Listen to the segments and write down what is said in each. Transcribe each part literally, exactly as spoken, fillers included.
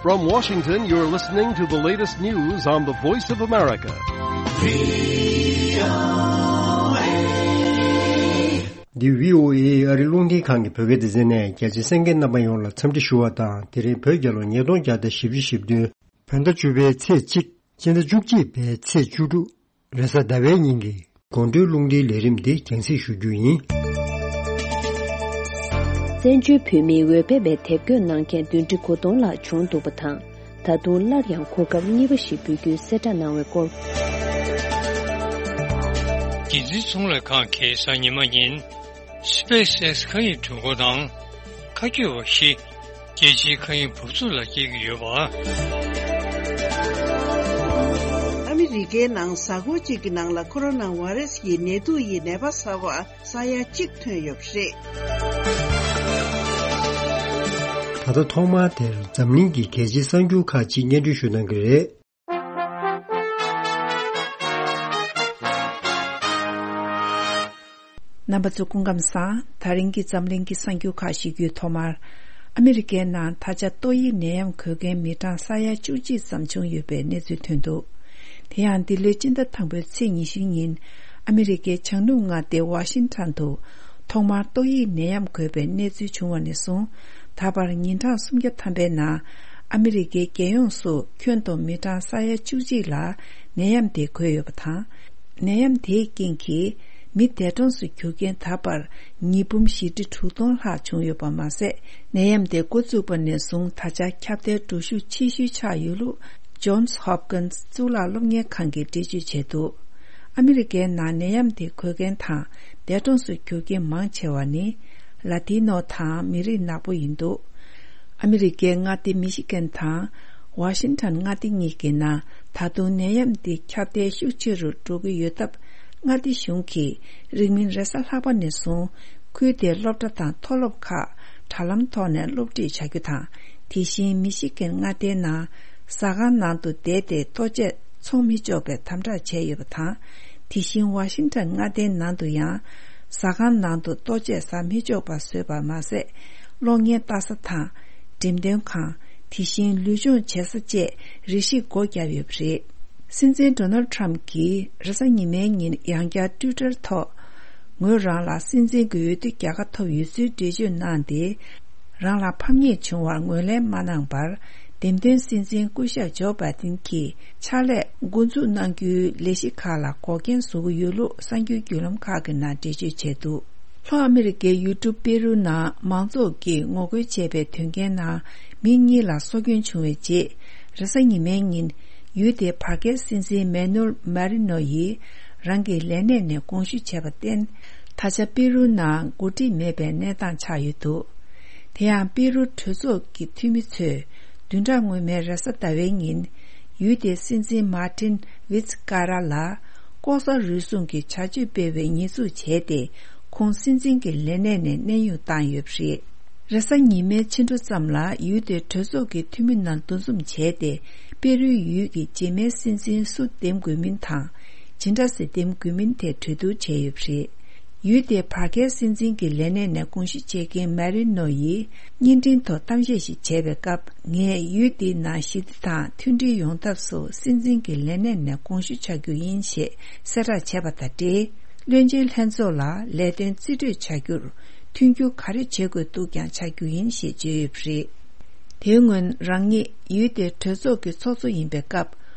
From Washington, you're listening to the latest news on the Voice of America. འདི་བྷི་ཨོ་ཨེ་ཨ་རི་རླུང་འཕྲིན་ཁང་གི་བོད་སྐད་སྡེ་ཚན་ནས། རྒྱ་ཆེའི་གསན་མཁན་རྣམ་པ་ཡོངས་ལ་འཚམས་འདྲི་ཞུ་བ་དང་། དེ་རིང་བོད་རྒྱལ་ལོ་ཉིས་སྟོང་བརྒྱ་དང་བཞི་བཅུ་ཞེ་བདུན། བོད་ཟླ་བཅུ་པའི་ཚེས་གཅིག་སྤྱི་ཟླ་བཅུ་གཅིག་པའི་ཚེས་བཅུ་དྲུག་རེས་གཟའ་ཟླ་བའི་ཉིན་གྱི་དགོང་དྲོའི་རླུང་འཕྲིན་ལས་རིམ་འདི་རྒྱང་སྲིང་ཞུ་རྒྱུ་ཡིན། བཙན་བྱོལ་བོད་མིའི་འོས་འཕེན་པའི་དེབ་འགོད་གནང་མཁན་བདུན་ཁྲི་དགུ་སྟོང་ལྷག་བྱུང་འདུག་པ་དང་། ད་དུང་སླར་ཡང་གོ་སྐབས་གཉིས་པ་ཞིག་འབུལ་རྒྱུའི་གསལ་བསྒྲགས་གནང་བའི་སྐོར། རྒྱལ་སྤྱིའི་ཚོང་ལས་ཁང་གིས་གཟའ་ཉི་མ་ཉིན། SpaceX་མཁའ་དབྱིངས་སྒྲོན་འཁོར་དང་། མཁའ་སྐྱོད་པ་བཞི། རྒྱལ་སྤྱིའི་མཁའ་དབྱིངས་འབབ་ཚུགས་ལ་སྐྱེལ་གྱི་ཡོད་པ། ཨ་མི་རི་ཀའི་ནང་གཟའ་འཁོར་གཅིག་གི་ནང་ལ་ཁོ་རོ་ན་བྷ་རེ་སི་ཡི་ནད་དུག་ཡི་ནད་པ་གསར་པ་ས་ཡ་གཅིག་ཐོན་ཡོད་པ་རེད། ད་ལྟ་ཐོག་མར་དེར་འཛམ་གླིང་གི་རྒྱལ་སྤྱིའི་གསར་འགྱུར་ཁག་ཅིག་སྙན་སྒྲོན་ཞུ་གནང་གི་རེད། རྣམ་པ་ཚོ་སྐུ་ཁམས་བཟང་། ད་རིང་གི་འཛམ་གླིང་གི་གསར་འགྱུར་ཁག་ཞིག་གི་ཐོག་མར། ཨ་མི་རི་ཀའི་ནང་ད་ཆ་ཏོག་དབྱིབས་ནད་ཡམས་འགོས་མཁན་མི་གྲངས་ས་ཡ་བཅུ་གཅིག་ཙམ་བྱུང་ཡོད་པའི་གནས་ཚུལ་ཐོན་འདུག་དེ་ཡང་འདི་ལོའི་སྤྱི་ཟླ་དང་པོའི་ཚེས་ཉི་ཤུ་ཉིན། ཨ་མི་རི་ཀའི་བྱང་ནུབ་མངའ་སྡེ་ཝ་ཤིང་ཊོན་དུ། ཐོག་མར་ཏོག་དབྱིབས་ནད་ཡམས་འགོས་པའི་གནས་ཚུལ་བྱུང་བ་ནས་བཟུང་། ད་བར་ཉིན་གྲངས་སུམ་བརྒྱ་ཐམ་པའི་ནང་། ཨ་མི་རི་ཀའི་རྒྱལ་ཡོངས་སུ་ཁྱོན་བསྡོམས་མི་གྲངས་ས་ཡ་བཅུ་གཅིག་ལ་ནད་ཡམས་དེ་འགོས་ཡོད་པ་དང་། ནད་ཡམས་དེའི་རྐྱེན་གྱིས་མི་འདས་གྲོངས་སུ་གྱུར་མཁན་ད་བར་ཉིས་འབུམ་བཞི་ཁྲི་དྲུག་སྟོང་ལྷག་བྱུང་ཡོད་པ་མ་ཟད། ནད་ཡམས་དེ་འགོ་བཙུགས་པ་ནས་བཟུང་ད་ཆ་ཁྱབ་གདལ་འགྲོ་ཤུགས་ཆེ་ཤོས་ཆགས་ཡོད་ལུགས། Johns Hopkins་གཙུག་ལག་སློབ་གཉེར་ཁང་གིས་འགྲེལ་བརྗོད་བྱས་འདུག་ཨ་མི་རི་ཀའི་ནང་ནད་ཡམས་དེ་འགོས་མཁན་དང་འདས་གྲོངས་སུ་གྱུར་མཁན་མང་ཆེ་བ་ནི་ལ་ཏི་ནོ་དང་མི་རིགས་ནག་པོ་ཡིན་འདུག་ཨ་མི་རི་ཀའི་མངའ་སྡེ་མི་ཤི་གན་དང་ཝ་ཤིང་ཊོན་མངའ་སྡེ་གཉིས་ཀྱི་ནང་ད་དུང་ནད་ཡམས་འདི་ཁྱབ་གདལ་ཤུགས་ཆེ་རུ་འགྲོ་གི་ཡོད་སྟབས། མངའ་སྡེ་གཞུང་གིས་རིང་མིན་རེས་གཟའ་ལྷག་པ་ནས་བཟུང་ཁུལ་དེའི་སློབ་གྲྭ་དང་མཐོ་སློབ་ཁག་དྲ་ལམ་ཐོག་ནས་སློབ་ཁྲིད་བྱ་རྒྱུ་དང་། དེ་བཞིན་མི་ཤི་གན་མངའ་སྡེའི་ནང་ཟ་ཁང་ནང་དུ་བསྡད་དེ་ལྟོ་ཆས་འཚོང་མི་ཆོག་པའི་དམ་དྲག་བྱས་ཡོད་པ་དང་། དེ་བཞིན་ཝ་ཤིང་ཊོན་མངའ་སྡེའི་ནང་དུ་ཡང་ཟ་ཁང་ནང་དུ་ལྟོ་ཆས་ཟ་མི་ཆོག་པ་བཟོས་པ་མ་ཟད། གློག་བརྙན་ལྟ་ས་དང་། འགྲེམས་སྟོན་ཁང་། དེ་བཞིན་ལུས་སྦྱོང་བྱེད་ས་བཅས་རེ་ཞིག་སྒོ་བརྒྱབ་ཡོད་པ་རེད། སྲིད་འཛིན་ཌོ་ནལ་ཌི་ཊརམ་ཕི་གྱིས་རེས་གཟའ་ཉི་མའི་ཉིན་ཡང་བསྐྱར་ཊུའི་ཊར་ཐོག་ངོས་རང་ལ་སྲིད་འཛིན་གྱི་འོས་བསྡུ་རྒྱལ་ཁ་ཐོབ་ཡོད་ཚུལ་འགྲེལ་བརྗོད་གནང་སྟེ། རང་ལ་ཕམ་ཉེས་བྱུང་བར་ངོས་ལེན་མ་གནང་བར། འདེམས་ཐོན་སྲིད་འཛིན་སྐུ་ཞབས་ཇོ་བྷའི་ཌེན་གྱིས་ཕྱག་ལས་འགོ་འཛུགས་གནང་རྒྱུའི་ལས་གཞི་ཁག་ལ་འགོག་རྐྱེན་བཟོ་གི་ཡོད་ལུགས་གསར་འགྱུར་བརྒྱུད་ལམ་ཁག་གི་ནང་འགྲེལ་བརྗོད་བྱས་འདུག་ལྷོ་ཨ་མི་རི་ཀའི་ཡུལ་གྲུ་པེ་རུ་ནང་མང་ཚོགས་ཀྱིས་ངོ་རྒོལ་བྱས་པའི་དོན་རྐྱེན་ནང་མི་གཉིས་ལ་སྲོག་སྐྱོན་བྱུང་བའི་རྗེས། རེས་གཟའ་ཉི་མའི་ཉིན། ཡུལ་དེའི་བར་བརྒལ་སྲིད་འཛིན་མེ་ནུལ་མ་རི་ནོ་ཡིས་རང་གི་ལས་གནས་ནས་དགོངས་ཞུ་བྱས་པར་བརྟེན། ད་ཆ་པེ་རུ་ནང་འགོ་ཁྲིད་མེད་པའི་གནས་སྟངས་ཆགས་ཡོད་འདུག་དེ་ཡང་པེ་རུ་གྲོས་ཚོགས་ཀྱི་འཐུས་མི་ཚོས་བདུན་ཕྲག་སྔོན་མའི་རེས་གཟའ་ཟླ་བའི་ཉིན། ཡུལ་དེའི་སྲིད་འཛིན་མཱ་ཏིན་ཝིད་ཀ་ར་ལ། ལྐོག་ཟ་རུལ་སུངས་ཀྱི་བྱ་སྤྱོད་སྤེལ་བའི་ཉེས་འཛུགས་བྱས་ཏེ། ཁོང་སྲིད་འཛིན་གྱི་ལས་གནས་ནས་གནས་དབྱུང་བཏང་ཡོད་པ་རེད། རེས་གཟའ་ཉི་མའི་ཕྱི་དྲོ་ཙམ་ལ་ཡུལ་དེའི་གྲོས་ཚོགས་ཀྱི་འཐུས་མི་རྣམས་འདུ་འཛོམས་བྱས་ཏེ། པེ་རུའི་ཡུལ་གྱི་རྗེས་མའི་སྲིད་འཛིན་སུ་འདེམས་དགོས་མིན་དང་། ཇི་འདྲ་སེ་འདེམས་དགོས་མིན་ཐད་གྲོས་བསྡུར་བྱས་ཡོད་པ་རེད། ཡུལ་དེའི་བར་བརྒལ་སྲིད་འཛིན་གྱི་ལས་གནས་ནས་དགོངས་ཞུ་བྱེད་མཁན་མ་རི་ནོ་ཡིས་བརྙན་འཕྲིན་ཐོག་གཏམ་བཤད་ཞིག་བྱས་པའི་སྐབས། ངས་ཡུལ་འདིའི་ནང་ཞི་བདེ་དང་མཐུན་སྒྲིལ་ཡོང་ཐབས་སུ་སྲིད་འཛིན་གྱི་ལས་གནས་ནས་དགོངས་ཞུ་བྱ་རྒྱུ་ཡིན་ཞེས་གསལ་བསྒྲགས་བྱས་པ་དང་འབྲེལ། བློན་ཆེན་ལྷན་ཚོགས་ལ་ལས་དོན་རྩིས་སྤྲོད་བྱ་རྒྱུར་མཐུན་འགྱུར་ག་རེ་བྱེད་དགོས་འདུག་ཀྱང་བྱ་རྒྱུ་ཡིན་ཞེས་བརྗོད་ཡོད་པ་རེད། དེའི་སྔོན་རང་ཉིད་ཡུལ་དེའི་གྲོས་ཚོགས་ཀྱི་ཚོགས་གཙོ་ཡིན་པའི་སྐབས།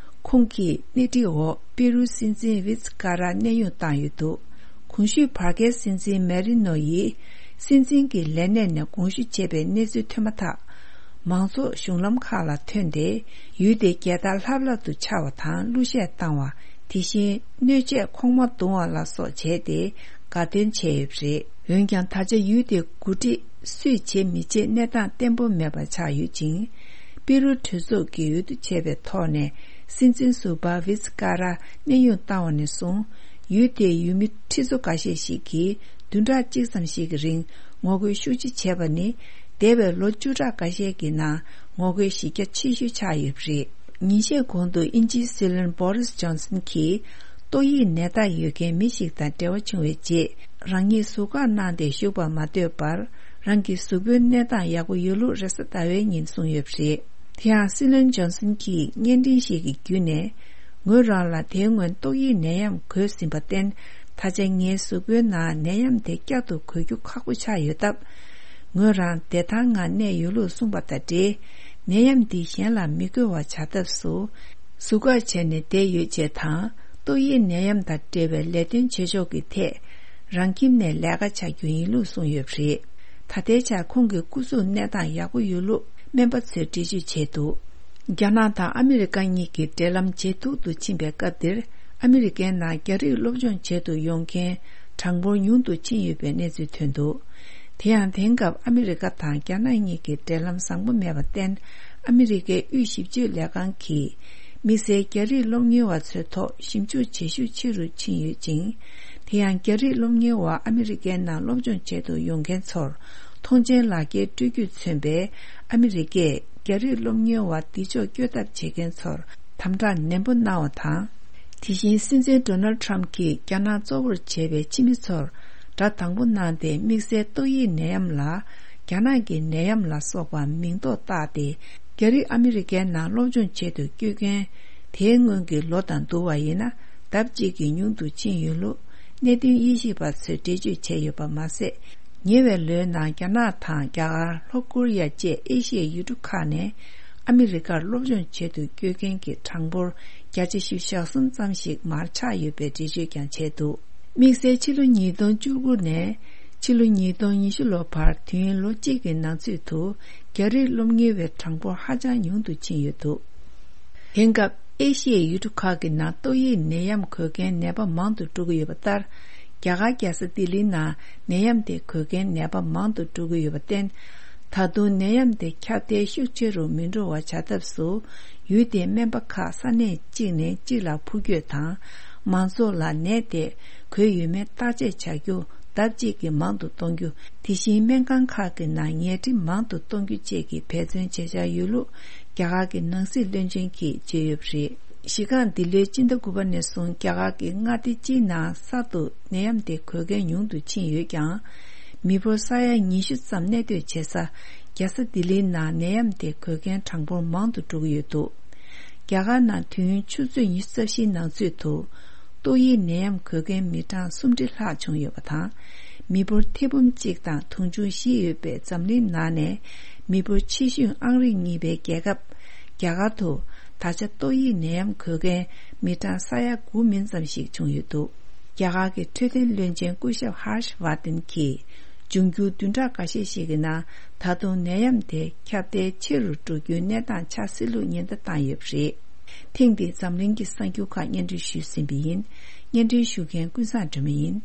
ཁོང་གིས་སྣེ་ཁྲིད་འོག་པེ་རུའི་སྲིད་འཛིན་ཝིད་ཀ་ར་གནས་དབྱུང་བཏང་ཡོད་འདུག་གོང་ཞུས་བར་བརྒལ་སྲིད་འཛིན་མེ་རི་ནོ་ཡིས་སྲིད་འཛིན་གྱི་ལས་གནས་ནས་དགོངས་ཞུ་བྱས་པའི་གནས་ཚུལ་ཐོན་མ་ཐག་མང་ཚོགས་གཞུང་ལམ་ཁག་ལ་ཐོན་ཏེ། ཡུལ་དེ་རྒྱལ་དར་ལྷབ་ལྷབ་ཏུ་འཕྱར་བ་དང་གླུ་གཞས་བཏང་བ། དེ་བཞིན་སྣོད་ཆས་གོང་མ་བརྡུང་བ་ལ་སོགས་བྱས་ཏེ། དགའ་སྟོན་བྱས་ཡོད་པ་རེད། འོན་ཀྱང་། ད་ཆ་ཡུལ་དེ་འགོ་ཁྲིད་སུས་བྱེད་མི་བྱེད་གནས་སྟངས་བརྟན་པོ་མེད་པ་ཆགས་ཡོད་ཅིང་། པེ་རུ་གྲོས་ཚོགས་ཀྱིས་འོས་བསྡུ་བྱས་པའི་ཐོག་ནས་སྲིད་འཛིན་ཟུར་པ་ཝིད་ཀ་ར་གནས་དབྱུང་བཏང་བ་ནས་བཟུང་། ཡུལ་དེའི་ཡུལ་མི་ཁྲི་ཚོ་འགའ་ཤས་ཤིག་གིས་བདུན་ཕྲག་གཅིག་ཙམ་ཞིག་གི་རིང་ངོ་རྒོལ་ཤུགས་ཆེ་བྱས་པ་ནི། འདས་པའི་ལོ་བཅུ་ཕྲག་འགའ་ཤས་ཀྱི་ནང་ངོ་རྒོལ་གཞི་རྒྱ་ཆེ་ཤོས་ཆགས་ཡོད་པ་རེད། ཉིན་ཤས་གོང་དུ་དབྱིན་ཇིའི་སྲིད་བློན་བོ་རིས་ཇོན་སན་གྱིས། ཏོག་དབྱིབས་ནད་རྟགས་ཡོད་མཁན་མི་ཞིག་དང་འབྲེལ་བ་བྱུང་བའི་རྗེས། རང་ཉིད་ཟུར་བཀག་གནང་སྟེ་བཞུགས་པར་མ་འདོད་པར། རང་གི་གཟུགས་པོའི་གནས་སྟངས་ཡག་པོ་ཡོད་ལུགས་རེས་གཟའ་ཟླ་བའི་ཉིན་གསུངས་ཡོད་པ་རེད། དེ་ཡང་སྲིད་བློན་ཇོན་སན་གྱིས་བརྙན་འཕྲིན་ཞིག་གི་བརྒྱུད་ནས། ངོས་རང་ལ་དེའི་སྔོན་ཏོག་དབྱིབས་ནད་ཡམས་འགོས་ཟིན་པར་བརྟེན། ད་ཆ་ངའི་གཟུགས་པོའི་ནང་ནད་ཡམས་དེ་བསྐྱར་དུ་འགོས་རྒྱུ་ཁག་པོ་ཆགས་ཡོད་སྟབས། ངོས་རང་བདེ་ཐང་ངང་གནས་ཡོད་ལུགས་གསུངས་པ་དང་འབྲེལ། ནད་ཡམས་འདི་གཞན་ལ་མི་འགོས་པ་བྱ་ཐབས་སུ། ཟུར་བཀག་བྱས་ནས་བསྡད་ཡོད་ཅེས་དང་། ཏོག་དབྱིབས་ནད་ཡམས་དང་འབྲེལ་བའི་ལས་དོན་བྱེད་ཕྱོགས་ཀྱི་ཐད། རང་ཁྱིམ་ནས་ལས་ཀ་བྱ་རྒྱུ་ཡིན་ལུགས་གསུངས་ཡོད་པ་རེད། ད་ལྟའི་ཆར་ཁོང་གི་སྐུ་གཟུགས་གནས་སྟངས་ཡག་པོ་ཡོད་ལུགས་སྨན་པ་ཚོས་འགྲེལ་བརྗོད་བྱས་འདུག་རྒྱ་ནག་དང་ཨ་མི་རི་ཀ་གཉིས་ཀྱི་འབྲེལ་ལམ་ཇེ་སྡུག་ཏུ་ཕྱིན་པའི་སྐབས་འདིར། ཨ་མི་རི་ཀའི་ནང་རྒྱ་རིགས་སློབ་སྦྱོང་བྱེད་དུ་ཡོང་མཁན་གྲངས་འབོར་ཉུང་དུ་ཕྱིན་ཡོད་པའི་གནས་ཚུལ་ཐོན་འདུག་དེ་ཡང་དེང་སྐབས་ཨ་མི་རི་ཀ་དང་རྒྱ་ནག་གཉིས་ཀྱི་འབྲེལ་ལམ་བཟང་པོ་མེད་པར་བརྟེན། ཨ་མི་རི་ཀའི་དབུས་ཞིབ་དཔྱོད་ལས་ཁང་གིས། དམིགས་བསལ་རྒྱ་རིགས་སློབ་གཉེར་བ་ཚོའི་ཐོག་ཞིབ་འཇུག་བྱེད་ཤུགས་ཆེ་རུ་ཕྱིན་ཡོད་ཅིང་། དེ་ཡང་རྒྱ་རིགས་སློབ་གཉེར་བ་ཨ་མི་རི་ཀའི་ནང་སློབ་སྦྱོང་བྱེད་དུ་ཡོང་མཁན་ཚོར་མཐོང་མཆན་ལག་འཁྱེར་སྤྲོད་རྒྱུས་མཚོན་པའི་ཨ་མི་རི་ཀས་རྒྱ་རིགས་སློབ་གཉེར་བ་འདི་ཕྱོགས་བསྐྱོད་ཐབས་བྱེད་མཁན་ཚོར་དམ་དྲག་ནན་པོ་གནང་བ་དང་། དེ་བཞིན་སྲིད་འཛིན་ཌོ་ནལ་ཊམ་གྱིས་རྒྱ་ནག་གཙོ་བོར་བྱས་པའི་ཕྱི་མི་ཚོར་སྒྲ་དང་པོ་གནང་སྟེ། དམིགས་བསལ་ཏོག་དབྱིབས་ནད་ཡམས་ལ་རྒྱ་ནག་གི་ནད་ཡམས་ལ་སོགས་པ་མིང་འདོགས་བཏགས་ཏེ། རྒྱ་རིགས་ཨ་མི་རི་ཀའི་ནང་སློབ་སྦྱོང་བྱེད་དུ་བསྐྱོད་མཁན་དེའི་སྔོན་གྱི་ལོ་དང་བསྡུར་བ་ཡིན་ན། ལྡབ་གཅིག་གིས་ཉུང་དུ་ཕྱིན་ཡོད་ལུགས་གནད་དོན་དབྱེ་ཞིབ་པ་ཚོས་འགྲེལ་བརྗོད་བྱས་ཡོད་པ་མ་ཟད། ཉེ་བའི་ལོའི་ནང་རྒྱ་ནག་དང་རྒྱ་གར། ལྷོ་ཀོ་རི་ཡ་བཅས་ཨེ་ཤི་ཡའི་ཡུལ་གྲུ་ཁག་ནས་ཨ་མི་རི་ཀར་སློབ་སྦྱོང་བྱེད་དུ་བསྐྱོད་མཁན་གྱི་གྲངས་འབོར་བརྒྱ་ཆ་བཞི་བཅུ་ཞེ་གསུམ་ཙམ་ཞིག་མར་ཆག་ཡོད་པའི་འགྲེལ་བརྗོད་ཀྱང་བྱས་འདུག་དམིགས་བསལ་ཕྱི་ལོ་ཉིས་སྟོང་བཅུ་དགུ་ནས་ཕྱི་ལོ་ཉིས་སྟོང་ཉི་ཤུ་ལོ་བར་དུས་ཡུན་ལོ་གཅིག་གི་ནང་ཚུད་དུ་རྒྱ་རིགས་སློབ་གཉེར་བའི་གྲངས་འབོར་ཧ་ཅང་ཉུང་དུ་ཕྱིན་ཡོད་འདུག་དེང་སྐབས་ཨེ་ཤི་ཡའི་ཡུལ་གྲུ་ཁག་གི་ནང་ཏོག་དབྱིབས་ནད་ཡམས་འགོས་མཁན་ནད་པ་མང་དུ་འགྲོ་གི་ཡོད་པ་ལྟར། རྒྱ་གར་རྒྱལ་ས་ལྡི་ལིའི་ནང་ནད་ཡམས་དེ་འགོས་མཁན་ནད་པ་མང་དུ་འགྲོ་གི་ཡོད་པར་བརྟེན། ད་དུང་ནད་ཡམས་དེ་ཁྱབ་གདལ་ཤུགས་ཆེ་རུ་མི་འགྲོ་བ་བྱ་ཐབས་སུ། ཡུལ་དེའི་སྨན་པ་ཁག་ས་གནས་གཅིག་ནས་གཅིག་ལ་འཕུར་སྐྱོད་དང་། མང་ཚོགས་ལ་ནད་དེ་འགོས་ཡོད་མེད་བརྟག་དཔྱད་བྱ་རྒྱུ་ལྡབ་གཅིག་གིས་མང་དུ་གཏོང་རྒྱུ། དེ་བཞིན་སྨན་ཁང་ཁག་གི་ནང་ཉལ་ཁྲི་མང་དུ་གཏོང་རྒྱུ་བཅས་ཀྱི་འབད་བརྩོན་བྱེད་འཆར་ཡོད་ལུགས་རྒྱ་གར་གྱི་ནང་སྲིད་བློན་ཆེན་གྱིས་བརྗོད་ཡོད་པ་རེད། གཞི་རྐང་འདི་ལོའི་སྤྱི་ཟླ་དགུ་པ་ནས་བཟུང་རྒྱ་གར་གྱི་མངའ་སྡེ་སྤྱིའི་ནང་གསར་དུ་ནད་ཡམས་དེ་འགོས་མཁན་ཉུང་དུ་ཕྱིན་ཡོད་ཀྱང་། མི་འབོར་ས་ཡ་ཉི་ཤུ་ཙམ་གནས་སྡོད་བྱེད་ས་རྒྱལ་ས་ལྡི་ལིའི་ནང་ནད་ཡམས་དེ་འགོས་མཁན་གྲངས་འབོར་མང་དུ་འགྲོ་གི་ཡོད་འདུག་རྒྱ་གར་ནང་དུས་ཡུན་ཆུ་ཚོད་ཉི་ཤུ་རྩ་བཞིའི་ནང་ཚུད་དུ། ཏོག་དབྱིབས་ནད་ཡམས་འགོས་མཁན་མི་གྲངས་སུམ་ཁྲི་ལྷག་བྱུང་ཡོད་པ་དང་། མི་འབོར་ཐེར་འབུམ་གཅིག་དང་དུང་ཕྱུར་བཞི་ཡོད་པའི་འཛམ་གླིང་ནང་ནས་མི་འབོར་ཆེ་ཤོས་ཨང་རིམ་གཉིས་པའི་རྒྱལ་ཁབ་རྒྱ་གར་དུ། ད་ཆ་ཏོག་དབྱིབས་ནད་ཡམས་འགོས་མཁན་མི་གྲངས་ས་ཡ་དགུ་མིན་ཙམ་ཞིག་བྱུང་ཡོད་འདུག་རྒྱ་གར་གྱི་འཕྲོད་བསྟེན་བློན་ཆེན་སྐུ་ཞབས་ཧར་ཤ་ཝར་དན་གྱིས། འབྱུང་འགྱུར་བདུན་ཕྲག་འགའ་ཤས་ཤིག་གི་ནང་ད་དུང་ནད་ཡམས་དེ་ཁྱབ་གདལ་ཆེ་རུ་འགྲོ་རྒྱུའི་གནས་སྟངས་ཆགས་སྲིད་ལུགས་ཉེན་བརྡ་བཏང་ཡོད་པ་རེད། ཐེངས་འདིའི་འཛམ་གླིང་གི་གསར་འགྱུར་ཁག་སྙན་སྒྲོན་ཞུས་ཟིན་པ་ཡིན། སྙན་སྒྲོན་ཞུ་མཁན་ཀུན་བཟང་སྒྲོལ་མ་ཡིན།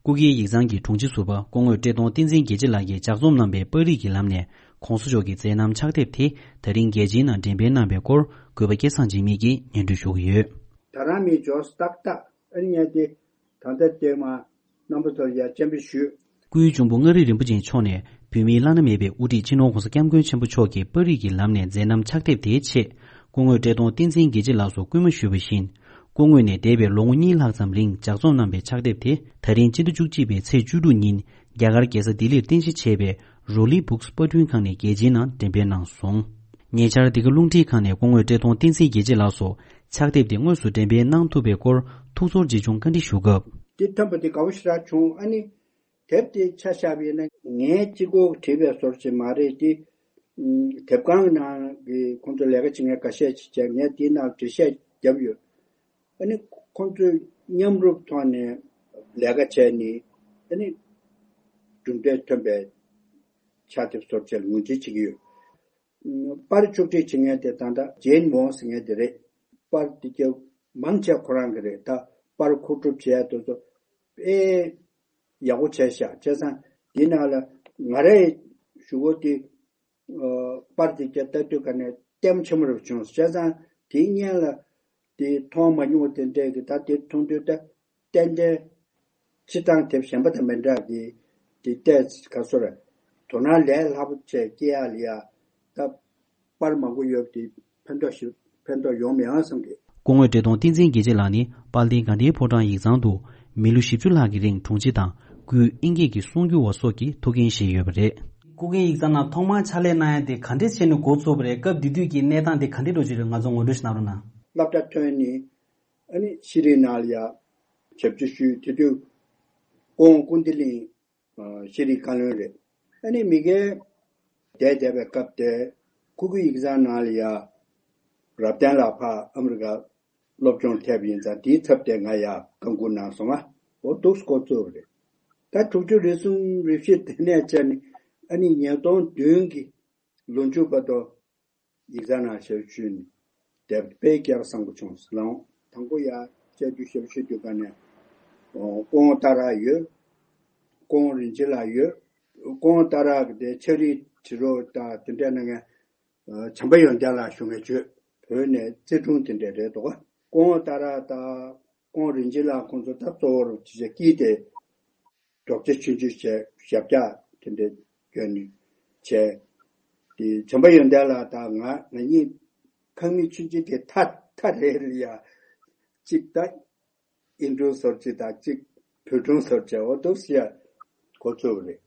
སྐུ་སྒེར་ཡིག་ཚང་གི་དྲུང་ཆེ་ཟུར་པ་སྐུ་ངོ་བཀྲས་མཐོང་བསྟན་འཛིན་རྒྱལ་གཅེས་ལགས་ཀྱིས་ལྗགས་རྩོམ་གནང་པའི་པར་རིས་ཀྱི་ལམ་ནས་༸གོང་ས་མཆོག་གི་མཛད་རྣམ་ཕྱག་དེབ་དེ་ད་རིང་རྒྱལ་སྤྱིའི་ནང་འགྲེམས་སྤེལ་གནང་པའི་སྐོར་གུས་པ་སྐལ་བཟང་འཇིགས་མེད་ཀྱིས་སྙན་སྒྲོན་ཞུ་གི་ཡོད། ད་རང་མི་འབྱོར་ཏག་ཏག་ཨ་ནི་ངས་དེ་ད་ལྟ་དེ་མ་རྣམ་པ་ཚོར་ཡ་སྤྱན་འབུལ་ཞུས། སྐུའི་གཅུང་པོ་མངའ་རིས་རིན་པོ་ཆེ་མཆོག་ནས་བོད་མིའི་བླ་ན་མེད་པའི་དབུ་ཁྲིད་སྤྱི་ནོར་༸གོང་ས་༸སྐྱབས་མགོན་ཆེན་པོ་མཆོག་གི་པར་རིས་ཀྱི་ལམ་ནས་མཛད་རྣམ་ཕྱག་དེབ་དེའི་ཆེད་སྐུ་ངོ་བཀྲས་མཐོང་བསྟན་འཛིན་རྒྱལ་གཅེས་ལགས་སུ་སྐུལ་མ་ཞུས་པ་བཞིན། སྐུ་ངོས་ནས་འདས་པའི་ལོ་ངོ་གཉིས་ལྷག་ཙམ་རིང་ལྗགས་རྩོམ་གནང་པའི་ཕྱག་དེབ་དེ་ད་རིང་སྤྱི་ཟླ་བཅུ་གཅིག་པའི་ཚེས་བཅུ་དྲུག་ཉིན་རྒྱ་གར་རྒྱལ་ས་ལྡི་ལིར་རྟེན་གཞི་བྱས་པའི་རོ་ལི་བུག་སི་པར་སྐྲུན་ཁང་ནས་རྒྱལ་སྤྱིའི་ནང་འགྲེམས་སྤེལ་གནང་སོང་། ཉེ་ཆར་འདི་ག་རླུང་འཕྲིན་ཁང་ནས་སྐུ་ངོ་བཀྲས་མཐོང་བསྟན་འཛིན་རྒྱལ་གཅེས་ལགས་སུ་ཕྱག་དེབ་དེ་དངོས་སུ་འགྲེམས་སྤེལ་གནང་ཐུབ་པའི་སྐོར་ཐུགས་ཚོར་ཆེ་ཆུང་བཀའ་འདྲི་ཞུ་སྐབས། འདི་ཐོན་པ་འདི་དགའ་བོ་ཞེ་དྲག་བྱུང་། ཨ་ནི་དེབ་དེ་ཆ་བཞག་པ་ཡིན་ན་ངའི་གཅིག་པོ་བྲིས་པའི་བཟོ་འདྲ་ཅིག་མ་རེད་དེ། དེབ་ཁང་ནང་གི་ཁོང་ཚོ་ལས་ཀ་བྱེད་མཁན་འགའ་ཤས་ཅིག་བྱས་ངས་དེའི་ནང་འགྲེལ་བཤད་བརྒྱབ་ཡོད། ཨ་ནི་ཁོང་ཚོས་མཉམ་རུབ་ཐོག་ནས་ལས་ཀ་བྱས་ནས་ཨ་ནི་གྲུབ་འབྲས་ཐོན་པའི་ཕྱག་དེབ་བཟོ་འདྲ་ཅིག་ལ་ངོས་འཛིན་བྱེད་ཀྱི་ཡོད། པར་ཕྱོགས་སྒྲིག་བྱེད་མཁན་དེ་ད་ལྟ་ཇེན་ཝོང་ཟེར་མཁན་དེ་རེད། པར་དེ་གྱ་མང་ཆེ་ཁོ་རང་གི་རེད། ད་པར་མཁོ་སྒྲུབ་བྱེད་ཡ་དེ་ཚོ་དཔེ་ཡག་པོ་བྱས་ཤག་བྱས་ཙང་དེའི་ནང་ལ་ང་རའི་གཞུག་གུ་དེ་པར་དེ་གྱ་ལྟ་དུས་ག་ནས་ལྟད་མོ་ཆེན་པོ་རེ་བྱུང་། བྱས་ཙང་དེའི་སྔོན་ལ་དེ་མཐོང་མ་མྱོང་བ་དེ་འདྲས་ཀྱི་ད་དེ་མཐོང་དུས་ད། ཏན་ཏན་སྤྱིར་བཏང་དེབ་གཞན་པ་དང་མི་འདྲ་གི་དེ་ལྟས་ག་སོ་རེད། དོ་སྣང་ལས་སླ་པོ་བྱས་སྐྱེ་ཡག་ལ་ཡ་ད་པར་མང་པོ་ཡོད་དེ་ཕན་ཐོགས་ཤིག་ཕན་ཐོགས་ཡོང་མི་ཡོང་བསམ་གི། སྐུ་ངོ་བཀྲས་མཐོང་བསྟན་འཛིན་རྒྱལ་གཅེས་ལགས་ནི་དཔལ་ལྡན་དགའ་ལྡན་ཕོ་བྲང་ཡིག་ཚང་དུ་མི་ལོ་བཞི་བཅུ་ལྷག་གི་རིང་དྲུང་ཆེ་དང་ སྐུའི་ཨིན་སྐད་ཀྱི་གསུང་བསྒྱུར་བ་སོགས་ཀྱི་ཐུགས་འགན་བཞེས་ཡོད་པ་རེད། སྐུ་སྒེར་ཡིག་ཚང་ནང་ཐོག་མར་ཕྱག་ལས་གནང་ཡ་དེ་ག་འདྲས་བྱས་ནས་འགོ་ཚུགས་པ་རེད། སྐབས་དེ་དུས་ཀྱི་གནས་སྟངས་དེ་ག་འདྲས་འགྲོ་བཞིན་རེད། ང་ཚོ་ངོ་སྤྲོད་ཞིག་གནང་རོགས་གནང་། སློབ་གྲྭ་ཐོན་ནས་ཨ་ནི་ཤེས་རིག་ནང་ལ་ཡ་ཞབས་ཕྱི་ཞུས། དེ་དུས་སྐུ་ངོ་ཀུན་བདེ་གླིང་ཨ་ཤེས་རིག་བཀའ་བློན་རེད། ཨ་ནི་མི་སྒེར་བསྡད་བསྡད་པའི་སྐབས་དེ་སྐུ་སྒེར་ཡིག་ཚང་ནང་ལ་ཡ་རབ་བརྟན་ལགས་ཕར་ཨ་མི་རི་ཀ་སློབ་སྦྱོང་ཐེབས་ཡིན་ཙང་དེའི་ཚབ་དེ་ང་ཡ་བཀའ་འགུག་གནང་སོང་ང་། འོ་འདུག་སེ་འགོ་བཙུགས་པ་རེད། ད་དྲུག་ཅུ་རེ་གསུམ་རེ་བཞི་དེ་ནས་བྱས་ནས་ཨ་ནི་ཉིས་སྟོང་བདུན་གྱི་ལོ་མཇུག་བར་དུ་ཡིག་ཚང་ནང་ཞབས་ཞུས་ནས་བསྡད་པ་དཔེ་སྐལ་བ་བཟང་པོ་བྱུང་ཟེར་ལ། དང་པོ་ཡ་བཅའ་བརྒྱུད་ཞབས་ཞུ་དུས་ག་ནས་སྐུ་ངོ་སྟག་རག་ཡོད། སྐུ་ངོ་རིན་ཆེན་ལགས་ཡོད། སྐུ་ངོ་སྟག་རག་གི་དེ་ཕྱག་བྲིས་བྲིས་རོགས་དང་དེ་འདྲ་གནང་མཁན་བྱམས་པ་ཡོན་ཏན་ལགས་ཞུ་མཁན་བརྗོད། བོད་ནས་རྩིས་དྲུང་དེ་འདྲ་རེད་འདུག་སྐུ་ངོ་སྟག་རག་དང་སྐུ་ངོ་རིན་ཆེན་ལགས་ཁོང་ཚོ་ད་གཙོ་བོར་ཅི་བྱ་སྐྱིད་དེ་རྒྱོག་ཆ་ཆུང་ཆུང་བྱས་ཞབས་བཀྱག་དེ་འདྲ་གྱོན་ནས་བྱས། དེ་བྱམས་པ་ཡོན་ཏན་ལགས་དང་ང་ང་གཉིས་ཁང་མིག་ཆུང་ཆུང་དེ་ཐ་ཐ་རེ་རེ་ཡ་གཅིག་ད་ཨིན་སྒྲུང་བཟོ་གཅིག་དང་གཅིག་བོད་སྒྲུང་བཟོ་བྱས། འོ་འདུག་སེ་ཡ་འགོ་བཙུགས་པ་རེད།